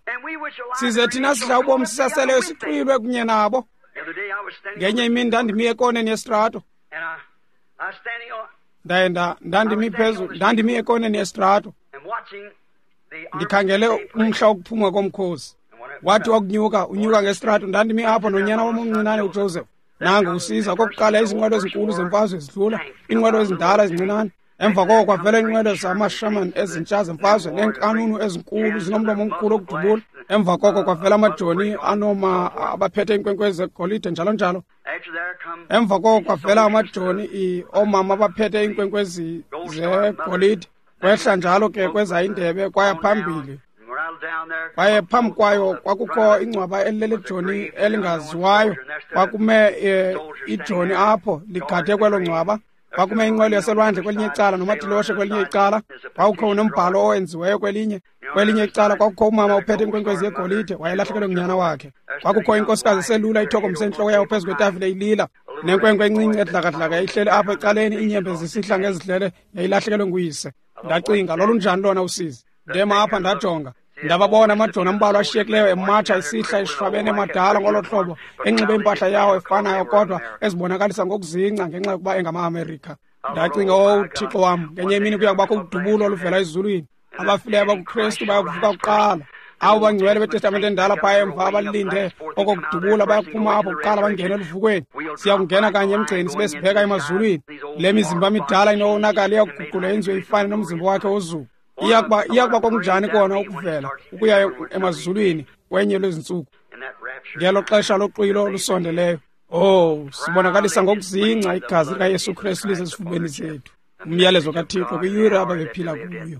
Size thina sidla ubomi sisaseleyo sixwilwe kunye nabo. Ngenye imini ndandimi ekoneni yestrato. Ndaye ndandimi phezulu, ndandimi ekoneni yestrato. Ndikhangele umhla wokuphuma komkhosi. Wathi wakunyuka, unyuka ngestrato, ndandimi apho nonyana wam omncinane uJoseph. Nangu usiza kokuqala izinqwelo ezinkulu zemfazwe zidlula, iinqwelo ezindala ezincinane. Emva koko kwavela iinqwelo zamashaman ezintsha zemfazwe neenkanunu ezinkulu zinomlomo omkhulu okudubula. Emva koko kwavela amajoni anoma abaphethe iinkwenkwezi zegolide njalo njalo. Emva koko kwavela amajoni oomama abaphethe iinkwenkwezi zegolide. Kwehla njalo ke kweza indebe kwaya phambili. Kwaye phambi kwayo kwakukho ingcwaba elilelijoni elingaziwayo. Kwakume e, ijoni apho ligade kwelo ngcwaba. Kwakume inqwelo yaselwandle kwelinye icala nomatiloshe kwelinye icala. Kwakukho nombhalo owenziweyo kwelinye kwelinye icala. Kwakukho umama ophethe inkwenkwezi yegolide, wayelahlekelwe ngunyana wakhe. Kwakukho inkosikazi eselula ithokombise intloko yayo phezu kwetafile ilila, nenkwenkwe encinci edlakadlaka ihleli apho ecaleni, iinyembe zisihla ngezidlele, yayilahlekelwe nguyise. Ndacinga, lolunjani lona usizi? Ndema apha ndajonga. Ndababona amajoni ambalwa ashiyekileyo ematsha isihla eshwabene emadala ngolo hlobo, enxibe impahla yawo efanayo kodwa ezibonakalisa ngokuzingca ngenxa yokuba engama-Amerika. Ndacinga, oh Thixo wam, ngenye imini kuya kubakho udubulo oluvela ezulwini. Abafileyo abakuKristu bayakuvuka kuqala. Abo bangcwele beTestamente endala phaya emva abalinde okokudubula bayakuphuma apho kuqala bangene eluvukweni. Siya kungena kanye emgceni sibe sibheka emazulwini. Le mizimba midala inowonakala iyakuguqulwa yenziwe ifane nomzimba wakhe wozuko. Iyakuba iyakuba kokunjani kona ukuvela ukuya emazulwini kwenye lwezintsuku ngelo xesha loxwilo lusondeleyo. Oh, sibonakalisa ngokuzingca igazi likaYesu Kristu lisezifubeni zethu. Umyalezo kaThixo kwiyure ababephila kuyo.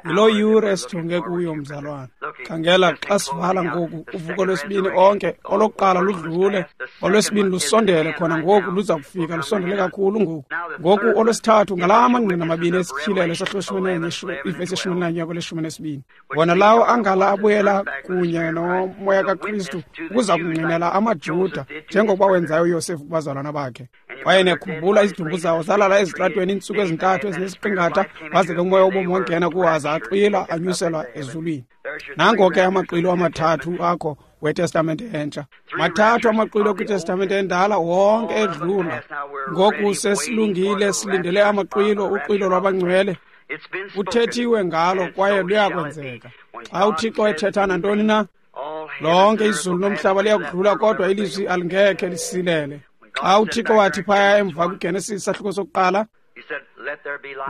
Yiloo yure esijonge kuyo, mzalwana. Khangela xa sivala ngoku uvuko lwesibini onke, olokuqala ludlule, olwesibini lusondele khona ngoku, luza kufika lusondele kakhulu ngoku. Ngoku olwesithathu ngalaa mangqina mabini esityhilelo esahlushumi nenye ivesi yeshumi elinanye kweleshumi nesibini. Wona lawo angala abuyela kunye nomoya kaKristu ukuza kungqinela amaJuda njengokuba wenzayo uYosefu kubazalwana bakhe. Kwaye nekhumbula izidumbu zawo zalala ezitratweni iintsuku ezintathu ezinesiqingatha, waze ke umoya wobomi wangena kuwo aza axwila anyuselwa ezulwini. Nango ke amaxwilo amathathu akho weTestamente entsha. Mathathu amaxwilo kwiTestamente endala, wonke edlula. Ngoku sesilungile, silindele amaxwilo, uxwilo lwabangcwele. Uthethiwe ngalo kwaye luyakwenzeka. Xa uThixo ethetha nantoni na, lonke izulu nomhlaba liyakudlula, kodwa ilizwi alingekhe lisilele. Xa uThixo wathi phaya emva kwiGenesis isahluko sokuqala,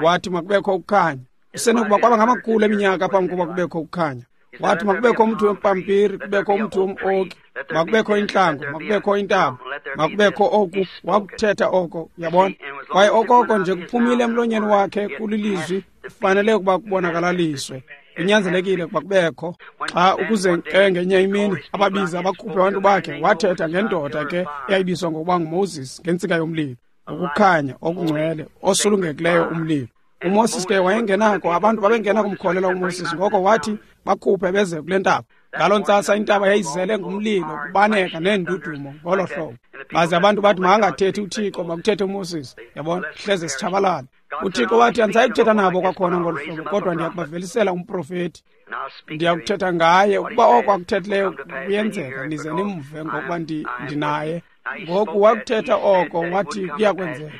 wathi makubekho ukukhanya. Usenokuba kwaba ngamakhulu eminyaka phambi kokuba kubekho ukukhanya. Wathi makubekho umthi wempampiri, kubekho umthi wom-oki, makubekho intlango, makubekho intaba, makubekho oku. Wakuthetha oko, uyabona. Kwaye okoko nje kuphumile emlonyeni wakhe kulilizwi, kufanele ukuba kubonakalaliswe. Kunyanzelekile ukuba kubekho. Xa ukuze ke ngenye imini ababiza abakhuphe abantu bakhe, wathetha ngendoda ke eyayibizwa ngokuba nguMoses ngentsika yomlilo, ukukhanya okungcwele osulungekileyo umlilo. uMoses ke wayengenako, abantu babengena kumkholela uMoses, ngoko wathi bakhuphe beze kule ntaba. Ngaloo ntsasa intaba yayizele ngumlilo, kubaneka neendudumo ngolo hlobo. Baze abantu bathi makangathethi uThixo, makuthethe uMoses. Yabona, hleze sitshabalala. uThixo wathi andisayi kuthetha nabo kwakhona ngolu hlobo, kodwa ndiyakubavelisela umprofeti. Ndiyakuthetha ngaye, ukuba oko akuthethileyo kuyenzeka, nize nimve ngokuba ndinaye. Ngoku wakuthetha oko, wathi kuyakwenzeka.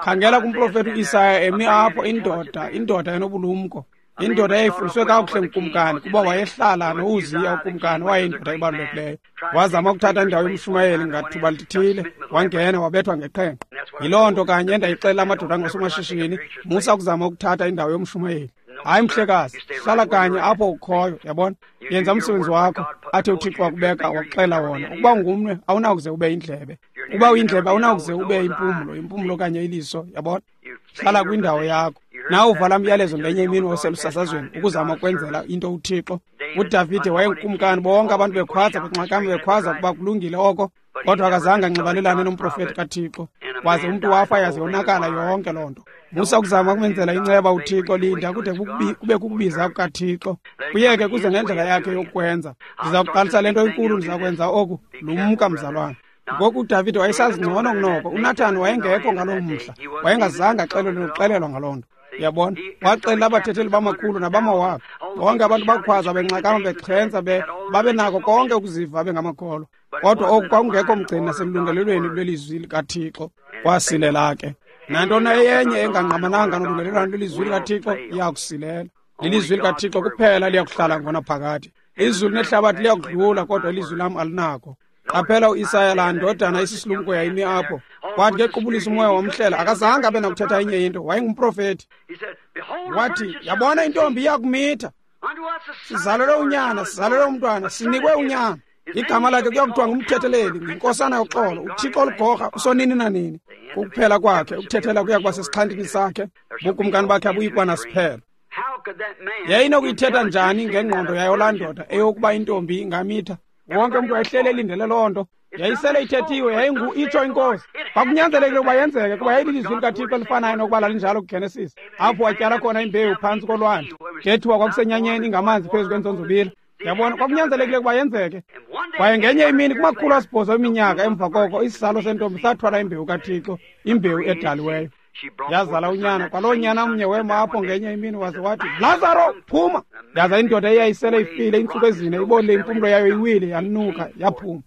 Khangela kumprofeti uIsaya emi apho, indoda, indoda enobulumko, indoda eyayifundiswe kakuhle ngukumkani, kuba wayehlala noUziya ukumkani, wayeyindoda ebalulekileyo. Wazama ukuthatha indawo yomshumayeli ngathuba lithile, wangena wabethwa ngeqhenqa. Yiloo nto kanye endayixelela amadoda angosomashishini, musa ukuzama ukuthatha indawo yomshumayeli. Hayi mhlekazi, hlala kanye apho ukhoyo, yabona. Yenza umsebenzi wakho athe uThixo wakubeka wakuxela wona. Ukuba ungumnwe awunakuze ube yindlebe, ukuba uyindlebe awunakuze ube impumlo, impumlo okanye iliso, yabona. Hlala kwindawo yakho. Nawe uvala umyalezo ngenye imini waselusasazweni ukuzama ukwenzela into uThixo. UDavide wayengukumkani, bonke abantu bekhwaza benxakama bekhwaza ukuba kulungile oko, kodwa akazange anxibalelane nomprofeti kaThixo. Waze umntu wafa yaze yonakala yonke loo nto. Musa ukuzama ukumenzela inceba uThixo, linda kude kube kukubiza kukaThixo. Kuyeke kuze ngendlela yakhe yokwenza. Ndiza kuqalisa le nto inkulu, ndiza kwenza oku. Lumka mzalwana. Ngoku uDavide wayesazi ngcono kunoko. uNathani wayengekho ngaloo mhla, wayengazange axelelwe nokuxelelwa ngaloo nto. Uyabona, waxelela abathetheli bamakhulu nabamawaka. Bonke abantu bakhwaza benxakama bexhentsa, babenako konke ukuziva bengamakholwa. Kodwa oku kwakungekho mgcini naselungelelweni lwelizwi likaThixo. Kwasilela ke. Nantoni eyenye engangqamananga nolungelelwano lwelizwi likaThixo iyakusilela. Lilizwi likaThixo kuphela liyakuhlala ngonaphakade. Izulu nehlabathi liyakudlula, kodwa ilizwi lam alinako. Qaphela uIsaya laa ndodana isisilumko yayimi apho. Kwathi ngequbulisa umoya wamhlela, akazange abe nakuthetha enye into, wayengumprofeti. Wathi, yabona intombi iyakumitha. Sizalelwe unyana, sizalelwe umntwana, sinikwe unyana. Igama lakhe kuyakuthiwa ngumthetheleli, yinkosana yoxolo, uThixo oligorha, usonini nanini. Kukuphela kwakhe, ukuthethela kuya kuba sesixhantini sakhe, bukumkani bakhe abuyikuba nasiphelo. Yayinokuyithetha njani ngengqondo yayo laa ndoda eyokuba intombi ingamitha? Wonke umntu wayehlele elindele loo nto. Yayisele ithethiwe, yayingu itsho inkosi. Kwakunyanzelekile ukuba yenzeke, kuba yayililizwi likaThixo elifanayo nokuba lalinjalo kuGenesis, apho watyala khona imbewu phantsi kolwandle. Ngethuba kwakusenyanyeni ingamanzi phezu kwenzonzobila. Yabona, kwakunyanzelekile ukuba yenzeke. Kwaye ngenye imini kumakhulu asibhozo eminyaka emva koko, isizalo sentombi sathwala imbewu kaThixo, imbewu edaliweyo. Yazala unyana, kwaloo nyana mnye wema apho ngenye imini waze wathi, Lazaro, phuma! Yaza indoda eyayisele ifile iintsuku ezine, ibonile impumlo yayo iwile, yanuka, yaphuma.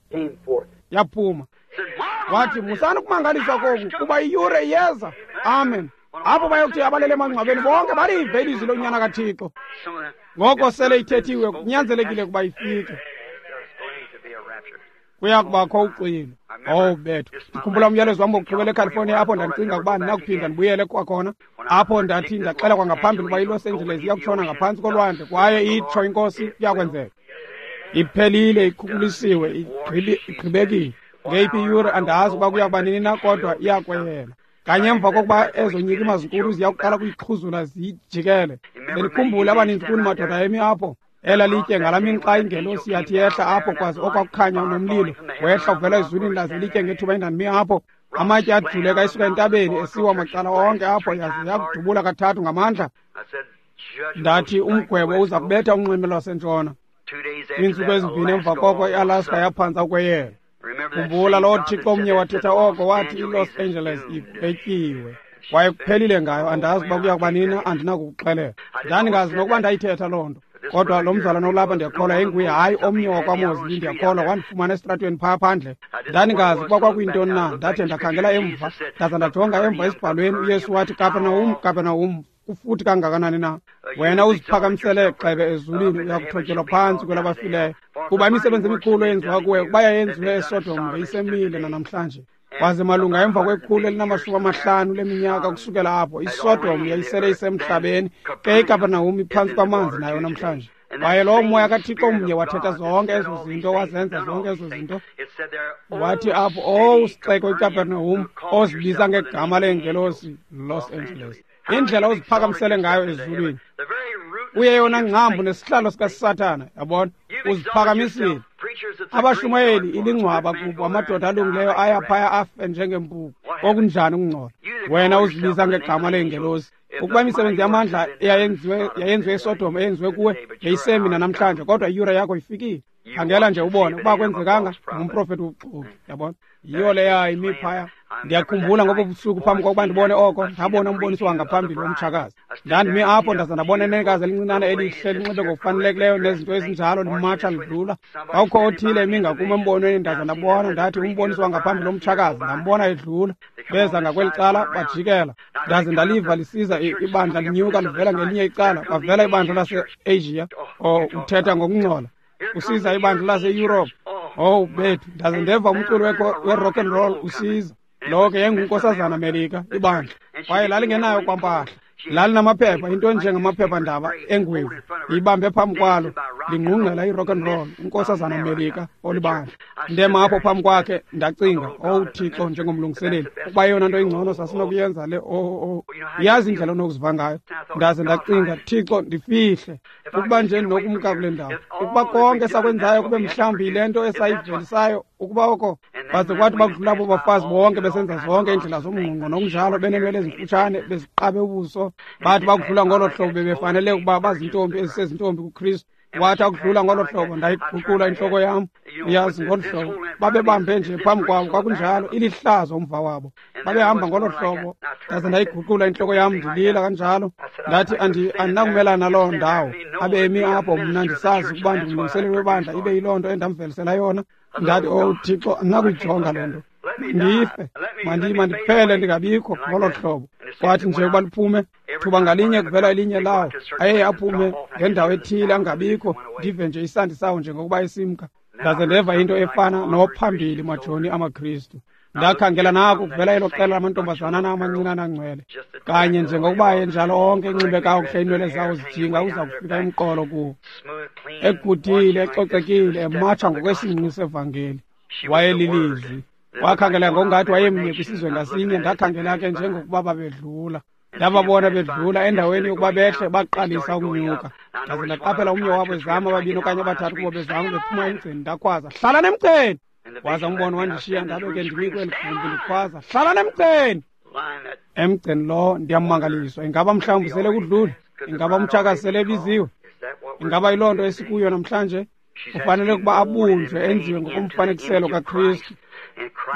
Yaphuma. Wathi, musani ukumangaliswa koku, kuba iyure iyeza. Amen. Apho bayokuthi abalele emangcwabeni bonke balive ilizwi lonyana kaThixo. Ngoko sele ithethiwe, kunyanzelekile ukuba ifike. Kuya kubakho uxwilo. Oh bethu, ndikhumbula umyalezo wam wokugqibela eCalifornia, apho ndandicinga ukuba ndinakuphinda ndibuyele kwakhona. Apho ndathi ndaxela kwangaphambili ukuba iLos Angeles iyakutshona ngaphantsi kolwandle, kwaye itsho inkosi kuyakwenzeka. Iphelile, ikhukulisiwe, igqibekile. Ngeyiphi iyure andazi ukuba kuya kuba nini na, kodwa iyakweyela. Kanye emva kokuba ezo nyikima zinkulu ziya kuqala kuyixhuzula ziyijikele. Bendikhumbule abaninzi kuni madoda emi apho. Ela litye ngalaa mini xa ingelosi yathi yehla apho kwaze okwakukhanya nomlilo wehla uvela ezulwini laze litye ngethuba endandimi apho. Amatye ajuleka esuka entabeni esiwa macala onke apho yaze yakudubula kathathu ngamandla. Ndathi umgwebo uza kubetha unxweme lwasentshona. Iintsuku ezimbini emva koko iAlaska yaphantsa ukweyela. Khumbula loo Thixo omnye wathetha oko, wathi iLos Angeles igwetyiwe. Kwaye kuphelile ngayo, andazi uba kuya kuba nini, andinakukuxelela. Ndandingazi nokuba ndayithetha loo nto. Kodwa lo mzalwana olapha ndiyakholwa yayinguye, hayi omnye wakwaMozli, ndiyakholwa wandifumana esitratweni phaa phandle. Ndandingazi ukuba kwakuyintoni na, ndathi ndakhangela emva, ndaza ndajonga emva esibhalweni. UYesu wathi, Kapernahum, Kapernahum, kufuthi kangakanani na? Wena uziphakamisele gxebe ezulwini, uyakuthotyelwa phantsi kwelabafileyo. Kuba imisebenzi emikhulu eyenziwa kuwe, ukuba yayenziwe eSodom ngeyisemile nanamhlanje. Kwaze malunga emva kwekhulu elinamashumi amahlanu leminyaka kusukela apho, iSodom yayisele isemhlabeni, ke iKapernahum iphantsi kwamanzi nayo namhlanje. Kwaye lowo moya kaThixo mnye wathetha zonke ezo zinto, wazenza zonke ezo zinto. Wathi apho, owu sixeko iKapernahum, ozibiza ngegama leengelosi, Los Angeles. Indlela oziphakamisele ngayo ezulwini, uyeyona ngcambu nesihlalo sikaSathana, yabona, uziphakamisile. Abashumayeli ilingcwaba kubo, amadoda alungileyo aya phaya afe njengempuku. Okunjani ukungcola! Wena uzibiza ngegama leengelosi. Ukuba imisebenzi yamandla eyayenziwe yayenziwe eSodom eyenziwe kuwe yayisemi namhlanje, kodwa iyure yakho ifikile. Khangela nje ubone ukuba kwenzekanga, ngumprofeti wobuxoki, yabona. Yiyo leya imi phaya. Ndiyakhumbula ngobo busuku phambi kokuba ndibone oko, ndabona umboniso wangaphambili womtshakazi. Ndandimi apho ndaza ndabona inenekazi elincinane elihle linxibe ngokufanelekileyo nezinto ezinjalo limatsha lidlula. Kwakukho othile emi ngakum embonweni, ndaza ndabona, ndathi umboniso wangaphambili womtshakazi, ndambona edlula. Beza ngakweli cala bajikela. Ndaze ndaliva lisiza ibandla linyuka livela ngelinye icala, kwavela ibandla lase-Asia. Oh, uthetha ngokungcola. Usiza ibandla lase-Europe. Oh, bethu, ndaze ndeva umculo we-rock and roll usiza. Lo ke yayingunkosazana Melika, ibandla. Kwaye lalingenayo kwampahla. Lalinamaphepha, into enjengamaphephandaba engwevu. Ibambe phambi kwalo, lingqungqela i-rock and roll, unkosazana Melika olibandla. Ndema apho phambi kwakhe, ndacinga, oh Thixo, njengomlungiseleli, ukuba eyona nto ingcono sasinokuyenza le, oh, oh. Yazi indlela onokuziva ngayo. Ndaze ndacinga, Thixo, ndifihle. Ukuba nje ndinokumka kule ndawo. Ukuba konke sakwenzayo kube mhlawumbi yile nto esayivelisayo, ukuba oko. Baze kwathi bakudlula abo bafazi bonke besenza zonke iindlela zomngqungqo nokunjalo, beneenwele ezimfutshane, beziqabe ubuso. Bathi bakudlula ngolo hlobo bebefanele ukuba bazintombi ezisezintombi kuKristu. Wathi akudlula ngolo hlobo, ndayiguqula intloko yam. Uyazi, ngolu hlobo babebambe nje phambi kwabo, kwakunjalo, ilihlazo umva wabo. Babehamba ngolo hlobo, ndaze ndayiguqula intloko yam ndilila kanjalo. Ndathi andinakumelana naloo ndawo. Abe emi apho mna ndisazi ukuba ndingumlungiseleli webandla, ibe yiloo nto endamvelisela yona. Ndathi, oh Thixo, andinakuyijonga le nto. Ndife, mandiphele ndingabikho ngolo hlobo. Kwathi nje ukuba liphume, thuba ngalinye kuvela elinye lawo, aye aphume ngendawo ethile angabikho, ndive nje isandi sawo njengokuba esimka. Ndaze ndeva into efana nophambili majoni amaKristu. Ndakhangela nako kuvela elo qela lamantombazana amancinane angcwele, kanye njengokuba enjalo onke enxibe kakuhle, iinwele zawo zijinga uza kufika emqolo kuwo, egudile, ecocekile, ematsha ngokwesingqi sevangeli. Wayelilizwi. Wakhangela ngokungathi wayemnye kwisizwe ngasinye. Ndakhangela ke njengokuba babedlula. Ndababona bedlula endaweni yokuba behle, baqalisa ukunyuka. Ndaze ndaqaphela omnye wabo ezama, ababini okanye abathathu kubo bezama bephuma emgceni. Ndakhwaza, hlalani emgceni! Waza umbono wandishiya, ndabe ke ndimi kweli gumbi ndikhwaza, hlalani emgceni! Emgceni lo ndiyamangaliswa. Ingaba mhlawumbi sele kudlule? Ingaba umtshakazi sele ebiziwe? Ingaba yiloo nto esikuyo namhlanje? Kufanele ukuba abunjwe, enziwe ngokomfanekiselo kaKristu.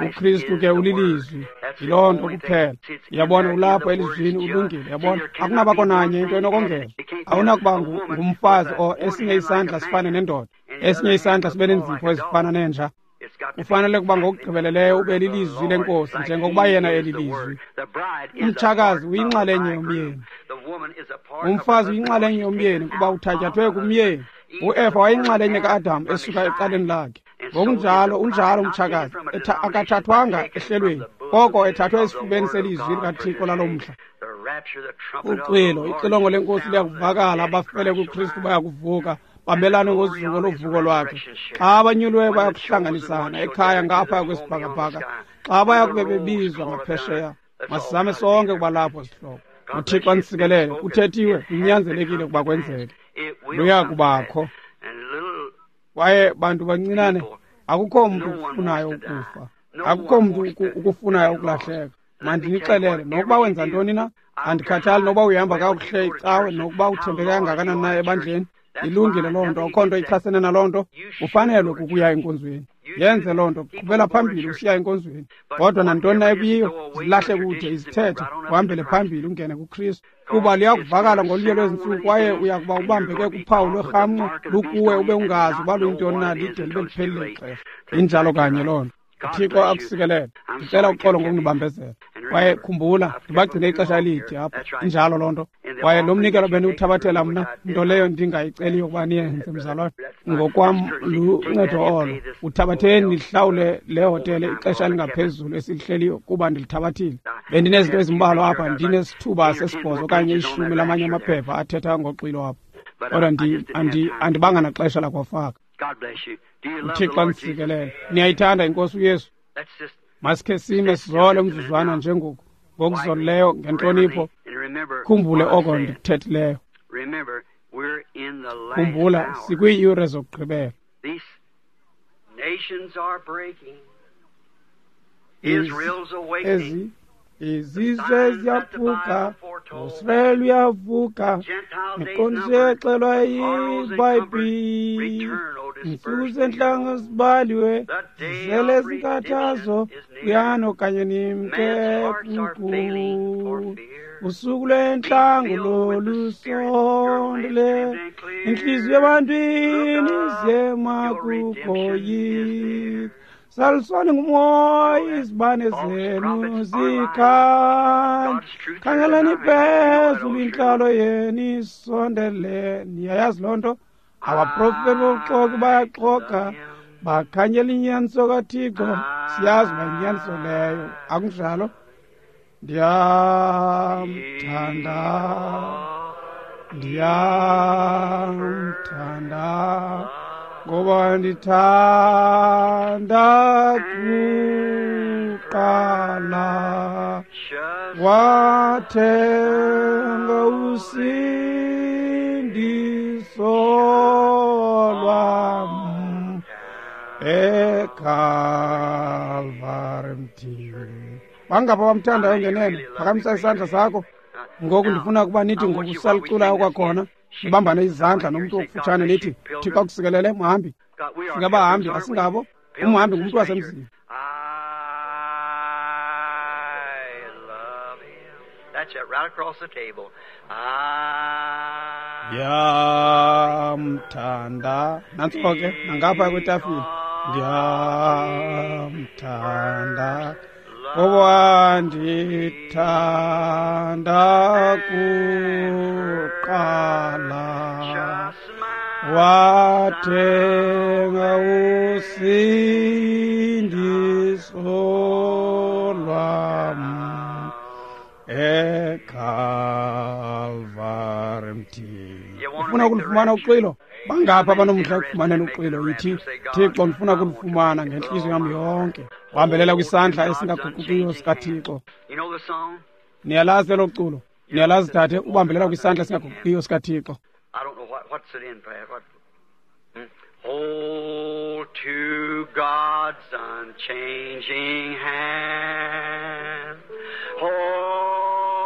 UKristu ke ulilizwi, yiloo nto kuphela. Uyabona, ulapho elizwini, ulungile. Uyabona, akunabakho nanye into enokongeza. Awunakuba ngumfazi o esinye isandla sifane nendoda, esinye isandla sibe nenzipho ezifana nenja. Kufanele ukuba ngokugqibeleleyo ube lilizwi lenkosi, njengokuba yena elilizwi. Umtshakazi uyinxalenye yomyeni, umfazi uyinxalenye yomyeni, kuba uthatyathwe kumyeni. UEva wayinxalenye ka-Adam esuka ecaleni lakhe. Ngokunjalo unjalo umtshakazi, akathathwanga ehlelweni, koko ethathwe esifubeni selizwi likaThixo lalo mhla. Uxwilo, ixilongo lenkosi liyakuvakala, abafele kuKristu bayakuvuka Babelane ngozuko lovuko lwakhe. Xa abanyuliweyo bayakuhlanganisana ekhaya ngaphaya kwesibhakabhaka, xa baya kube bebizwa ngaphesheya, masizame sonke ukuba lapho sihlobo. UThixo anisikelele. Kuthethiwe, kunyanzelekile ukuba kwenzeke. Luya kubakho. Kwaye bantu bancinane, akukho mntu ukufunayo ukufa, akukho mntu ukufunayo ukulahleka. Mandinixelele, nokuba wenza ntoni na, andikhathali nokuba uyihamba kakuhle icawe, nokuba uthembeke kangakanani na ebandleni, ilungile loo nto, akukho nto ichasene naloo nto. Ufanelwe kukuya enkonzweni, yenze loo nto, qhubela phambili usiya enkonzweni. Kodwa nantoni na ekuyiyo, zilahle kude izithethe, uhambele phambili ungene kuKristu. Kuba liyakuvakala ngolunye lwezintsuku, kwaye uyakuba ubambeke kuphawu lwerhamncwa lukuwe, ube ungazi uba luyintoni na lide libe liphelile ixesha. Injalo kanye loo nto. UThixo akusikelele. Ndicela uxolo ngokunibambezela. Kwaye khumbula, ndibagcine ixesha elide apha. Injalo loo nto. Kwaye lo mnikelo bendiwuthabathela mna, nto leyo ndingayiceliyo ukuba niyenze, mzalwane. Ngokwam luncedo olo. Uthabatheni nihlawule le hotele ixesha elingaphezulu esilihleliyo, kuba ndilithabathile. Bendinezinto ezimbalwa apha, ndinesithuba sesibhozo okanye ishumi lamanye amaphepha athetha ngoxwilo apha. Kodwa andibanga naxesha lakwafaka. UThixo anisikelele. Niyayithanda iNkosi uYesu? Masikhe sime sizole umzuzwana njengoku, ngokuzolileyo, ngentlonipho. Khumbule oko ndikuthethileyo. Khumbula, sikwiiyure zokugqibela. Ezi izizwe ziyaphuka, uSirayeli uyavuka, miqondiso exelwa yiBhayibhile. Iintsuku zentlanga zibaliwe, zizele zinkathazo, uyani okanye nimke kuku. Usuku lwentlango lolusondele, intliziyo ebantwini izema kukoyika. Salisoni ngumoya, izibane zenu zikhanya. Khangelani phezulu, intlalo yenu isondele. Niyayazi loo nto? Abaprofeti bobuxoki bayaxoka, bakhanyela inyaniso kaThixo. Siyazi uba yinyaniso leyo, akunjalo? Ndiyamthanda, ndiyamthanda, ngoba ndithanda kuqala. Wathenga usindiso lwam eKalvari mthini. Bangapha bamthandayo ngenene, phakamisa isandla sakho. Ngoku ndifuna ukuba nithi ngokusaliculayo kwakhona, nibambane izandla nomntu okufutshane, nithi, Thixo akusikelele, mhambi. Singabahambi, asingabo. Umhambi ngumntu wasemzini. Ndiyamthanda. Nantso ke, nangapha kwetafile. Ndiyamthanda, ngoba ndithanda kuqala. Wathenga usindiso lwam eKalvari mthini. Ufuna ukulufumana uxwilo? Bangapha abanomdla ekufumaneni uxwilo? Yithi, Thixo, ndifuna ukulufumana ngentliziyo yam yonke. Bambelela kwisandla esingaguqukiyo sikaThixo. Niyalazi elo culo? Niyalazi, dade? Ubambelela kwisandla esingaguqukiyo sikaThixo. Hold to God's unchanging hand. Hold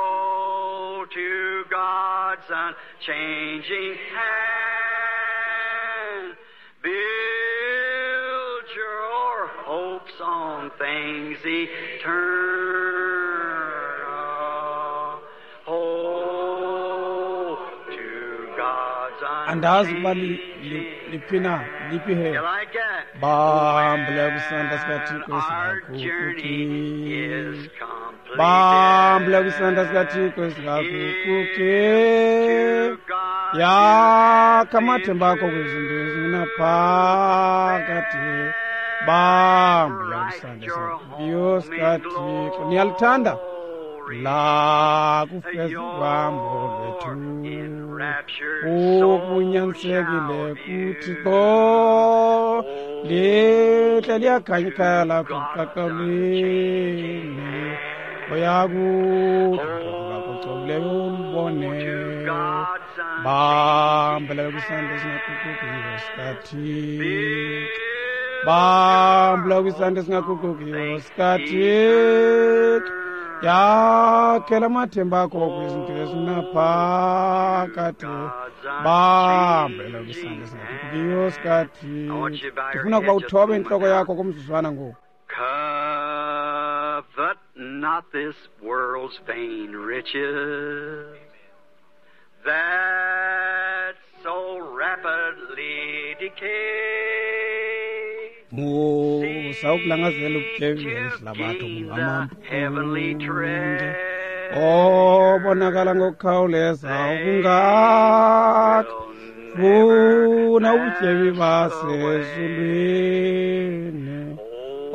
to God's unchanging hand. Build your hopes on things eternal. Hold to God's Andazi ukuba unchanging. liphi na, liphi he. Bambelela kwisandla sikaThixo esingaguquki. Bambelela kwisandla sikaThixo esingaguquki. Yakha amathemba akho kwizinto ezingunaphakade. Bambelela kwisandla esingaguqukiyo sikaThixo. Niyalithanda? Lakufeza uhambo lwethu okunyanzekile kuThixo lihle liyakhanya ikhaya lakho kuqaqawulini oyakuthi ulubone bambelela kwisandla esingaguqukiyo sikaThixo bambelela kwisandla esingaguqukiyo sikaThixo yakhela amathemba akho kwizinto ezinaphakade bambelela kwisandla esingaguqukiyo sikaThixo. Ndifuna ukuba uthobe intloko yakho kumzuzwana ngoku. Covet not this world's vain riches that so rapidly decay. Musa ukulangazela ubutyebi behlabathi obungamampunge obonakala ngokukhawuleza ukungaka. Funa ubutyebi basezulwini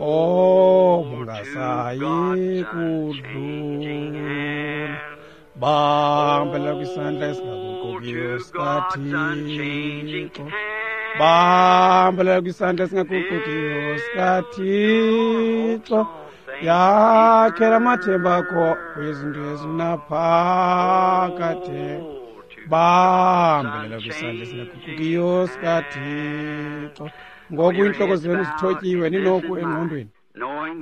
obungasayi kudlula. Bambelela kwisandla esingaguqukiyo sikaThixo bambelela kwisandla esingaguqukiyo sikaThixo yakhela amathemba akho kwizinto ezinaphakade bambelela kwisandla esingaguqukiyo sikaThixo. Ngoku iintloko zenu zithotyiwe ninoku engqondweni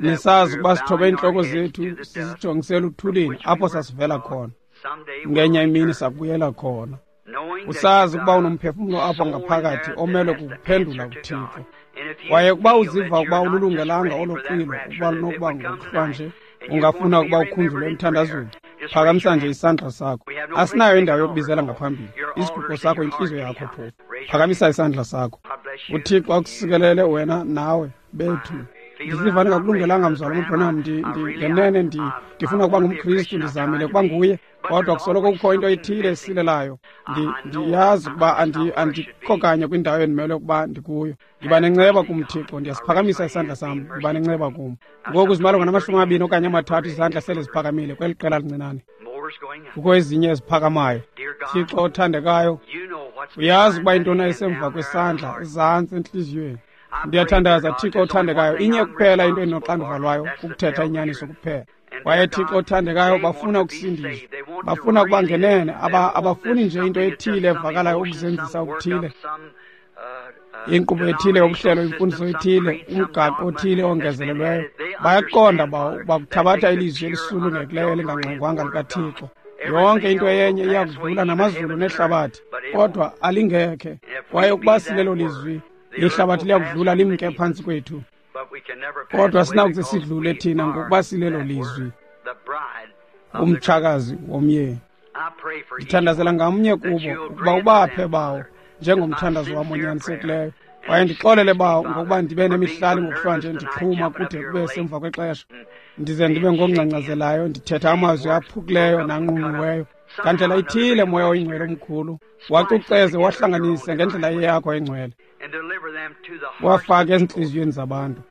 nisazi ukuba sithobe iintloko zethu sizijongisela uthulini apho sasivela khona. Ngenye imini sabuyela khona. Usazi ukuba unomphefumlo apho ngaphakathi omelwe kukuphendula kuThixo. Kwaye ukuba uziva ukuba ululungelanga olo xwilo ukuba lunokuba ngokuhlwa nje ungafuna ukuba ukhunjulwe emthandazweni, phakamisa nje isandla sakho. Asinayo indawo yokubizela ngaphambili. Isiguqo sakho intliziyo yakho phofu. Phakamisa isandla sakho. UThixo akusikelele wena nawe bethu. Ndiziva ndingakulungelanga mzalwana uBranham, ngenene ndifuna ukuba ngumKristu, ndizamile ukuba nguye, kodwa kusoloko kukho into ethile esilelayo. Ndiyazi ukuba andikho kanye kwindawo endimelwe ukuba ndikuyo. Ndiba nenceba kum Thixo, ndiyasiphakamisa isandla sam, ndiba nenceba kum. Ngoku zimalunga namashumi amabini okanye amathathu izandla sele ziphakamile kweli qela lincinane. Kukho ezinye eziphakamayo. Thixo othandekayo, uyazi ukuba intoni esemva kwesandla ezantsi entliziyweni. Ndiyathandaza Thixo othandekayo, inye kuphela into endinoxanduva lwayo, kukuthetha inyaniso kuphela. Kwaye Thixo othandekayo, bafuna ukusindiswa, bafuna ukuba ngenene, abafuni nje into ethile evakalayo ukuzenzisa okuthile, inkqubo ethile yobuhlelo, imfundiso ethile, umgaqo othile ongezelelweyo. Bayaqonda uba kuthabatha ilizwi elisulungekileyo elingangxengwanga likaThixo. Yonke into eyenye iyakudlula namazulu nehlabathi, kodwa alingekhe. Kwaye ukuba silelo lizwi, ihlabathi liyakudlula limke phantsi kwethu, kodwa sinakuze sidlule thina ngokuba silelo lizwi, umtshakazi womyeni. Ndithandazela ngamnye kubo ukuba ubaphe bawo njengomthandazo wam onyanisekileyo. Kwaye ndixolele bawo ngokuba ndibe nemihlali ngokuhlwa nje ndixhuma kude kube semva kwexesha, ndize ndibe ngongcangcazelayo, ndithetha amazwi aphukileyo nanqunqiweyo. Ngandlela ithile, Moya oyingcwele omkhulu, wacuceze wahlanganise ngendlela yakho engcwele, wafake ezintliziyweni zabantu.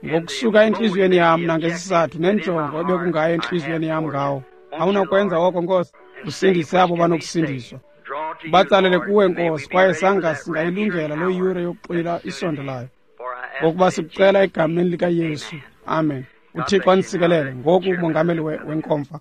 Ngokusuka entliziyweni yam nangesizathu nenjongo ebekungayo entliziyweni yam ngawo, awunakwenza oko Nkosi, usindise abo banokusindiswa. Batsalele kuwe Nkosi, kwaye sanga singayilungela loo yure yokuxwila isondelayo. Ngokuba sikucela egameni likaYesu, amen. UThixo anisikelele. Ngoku umongameli wenkomfa.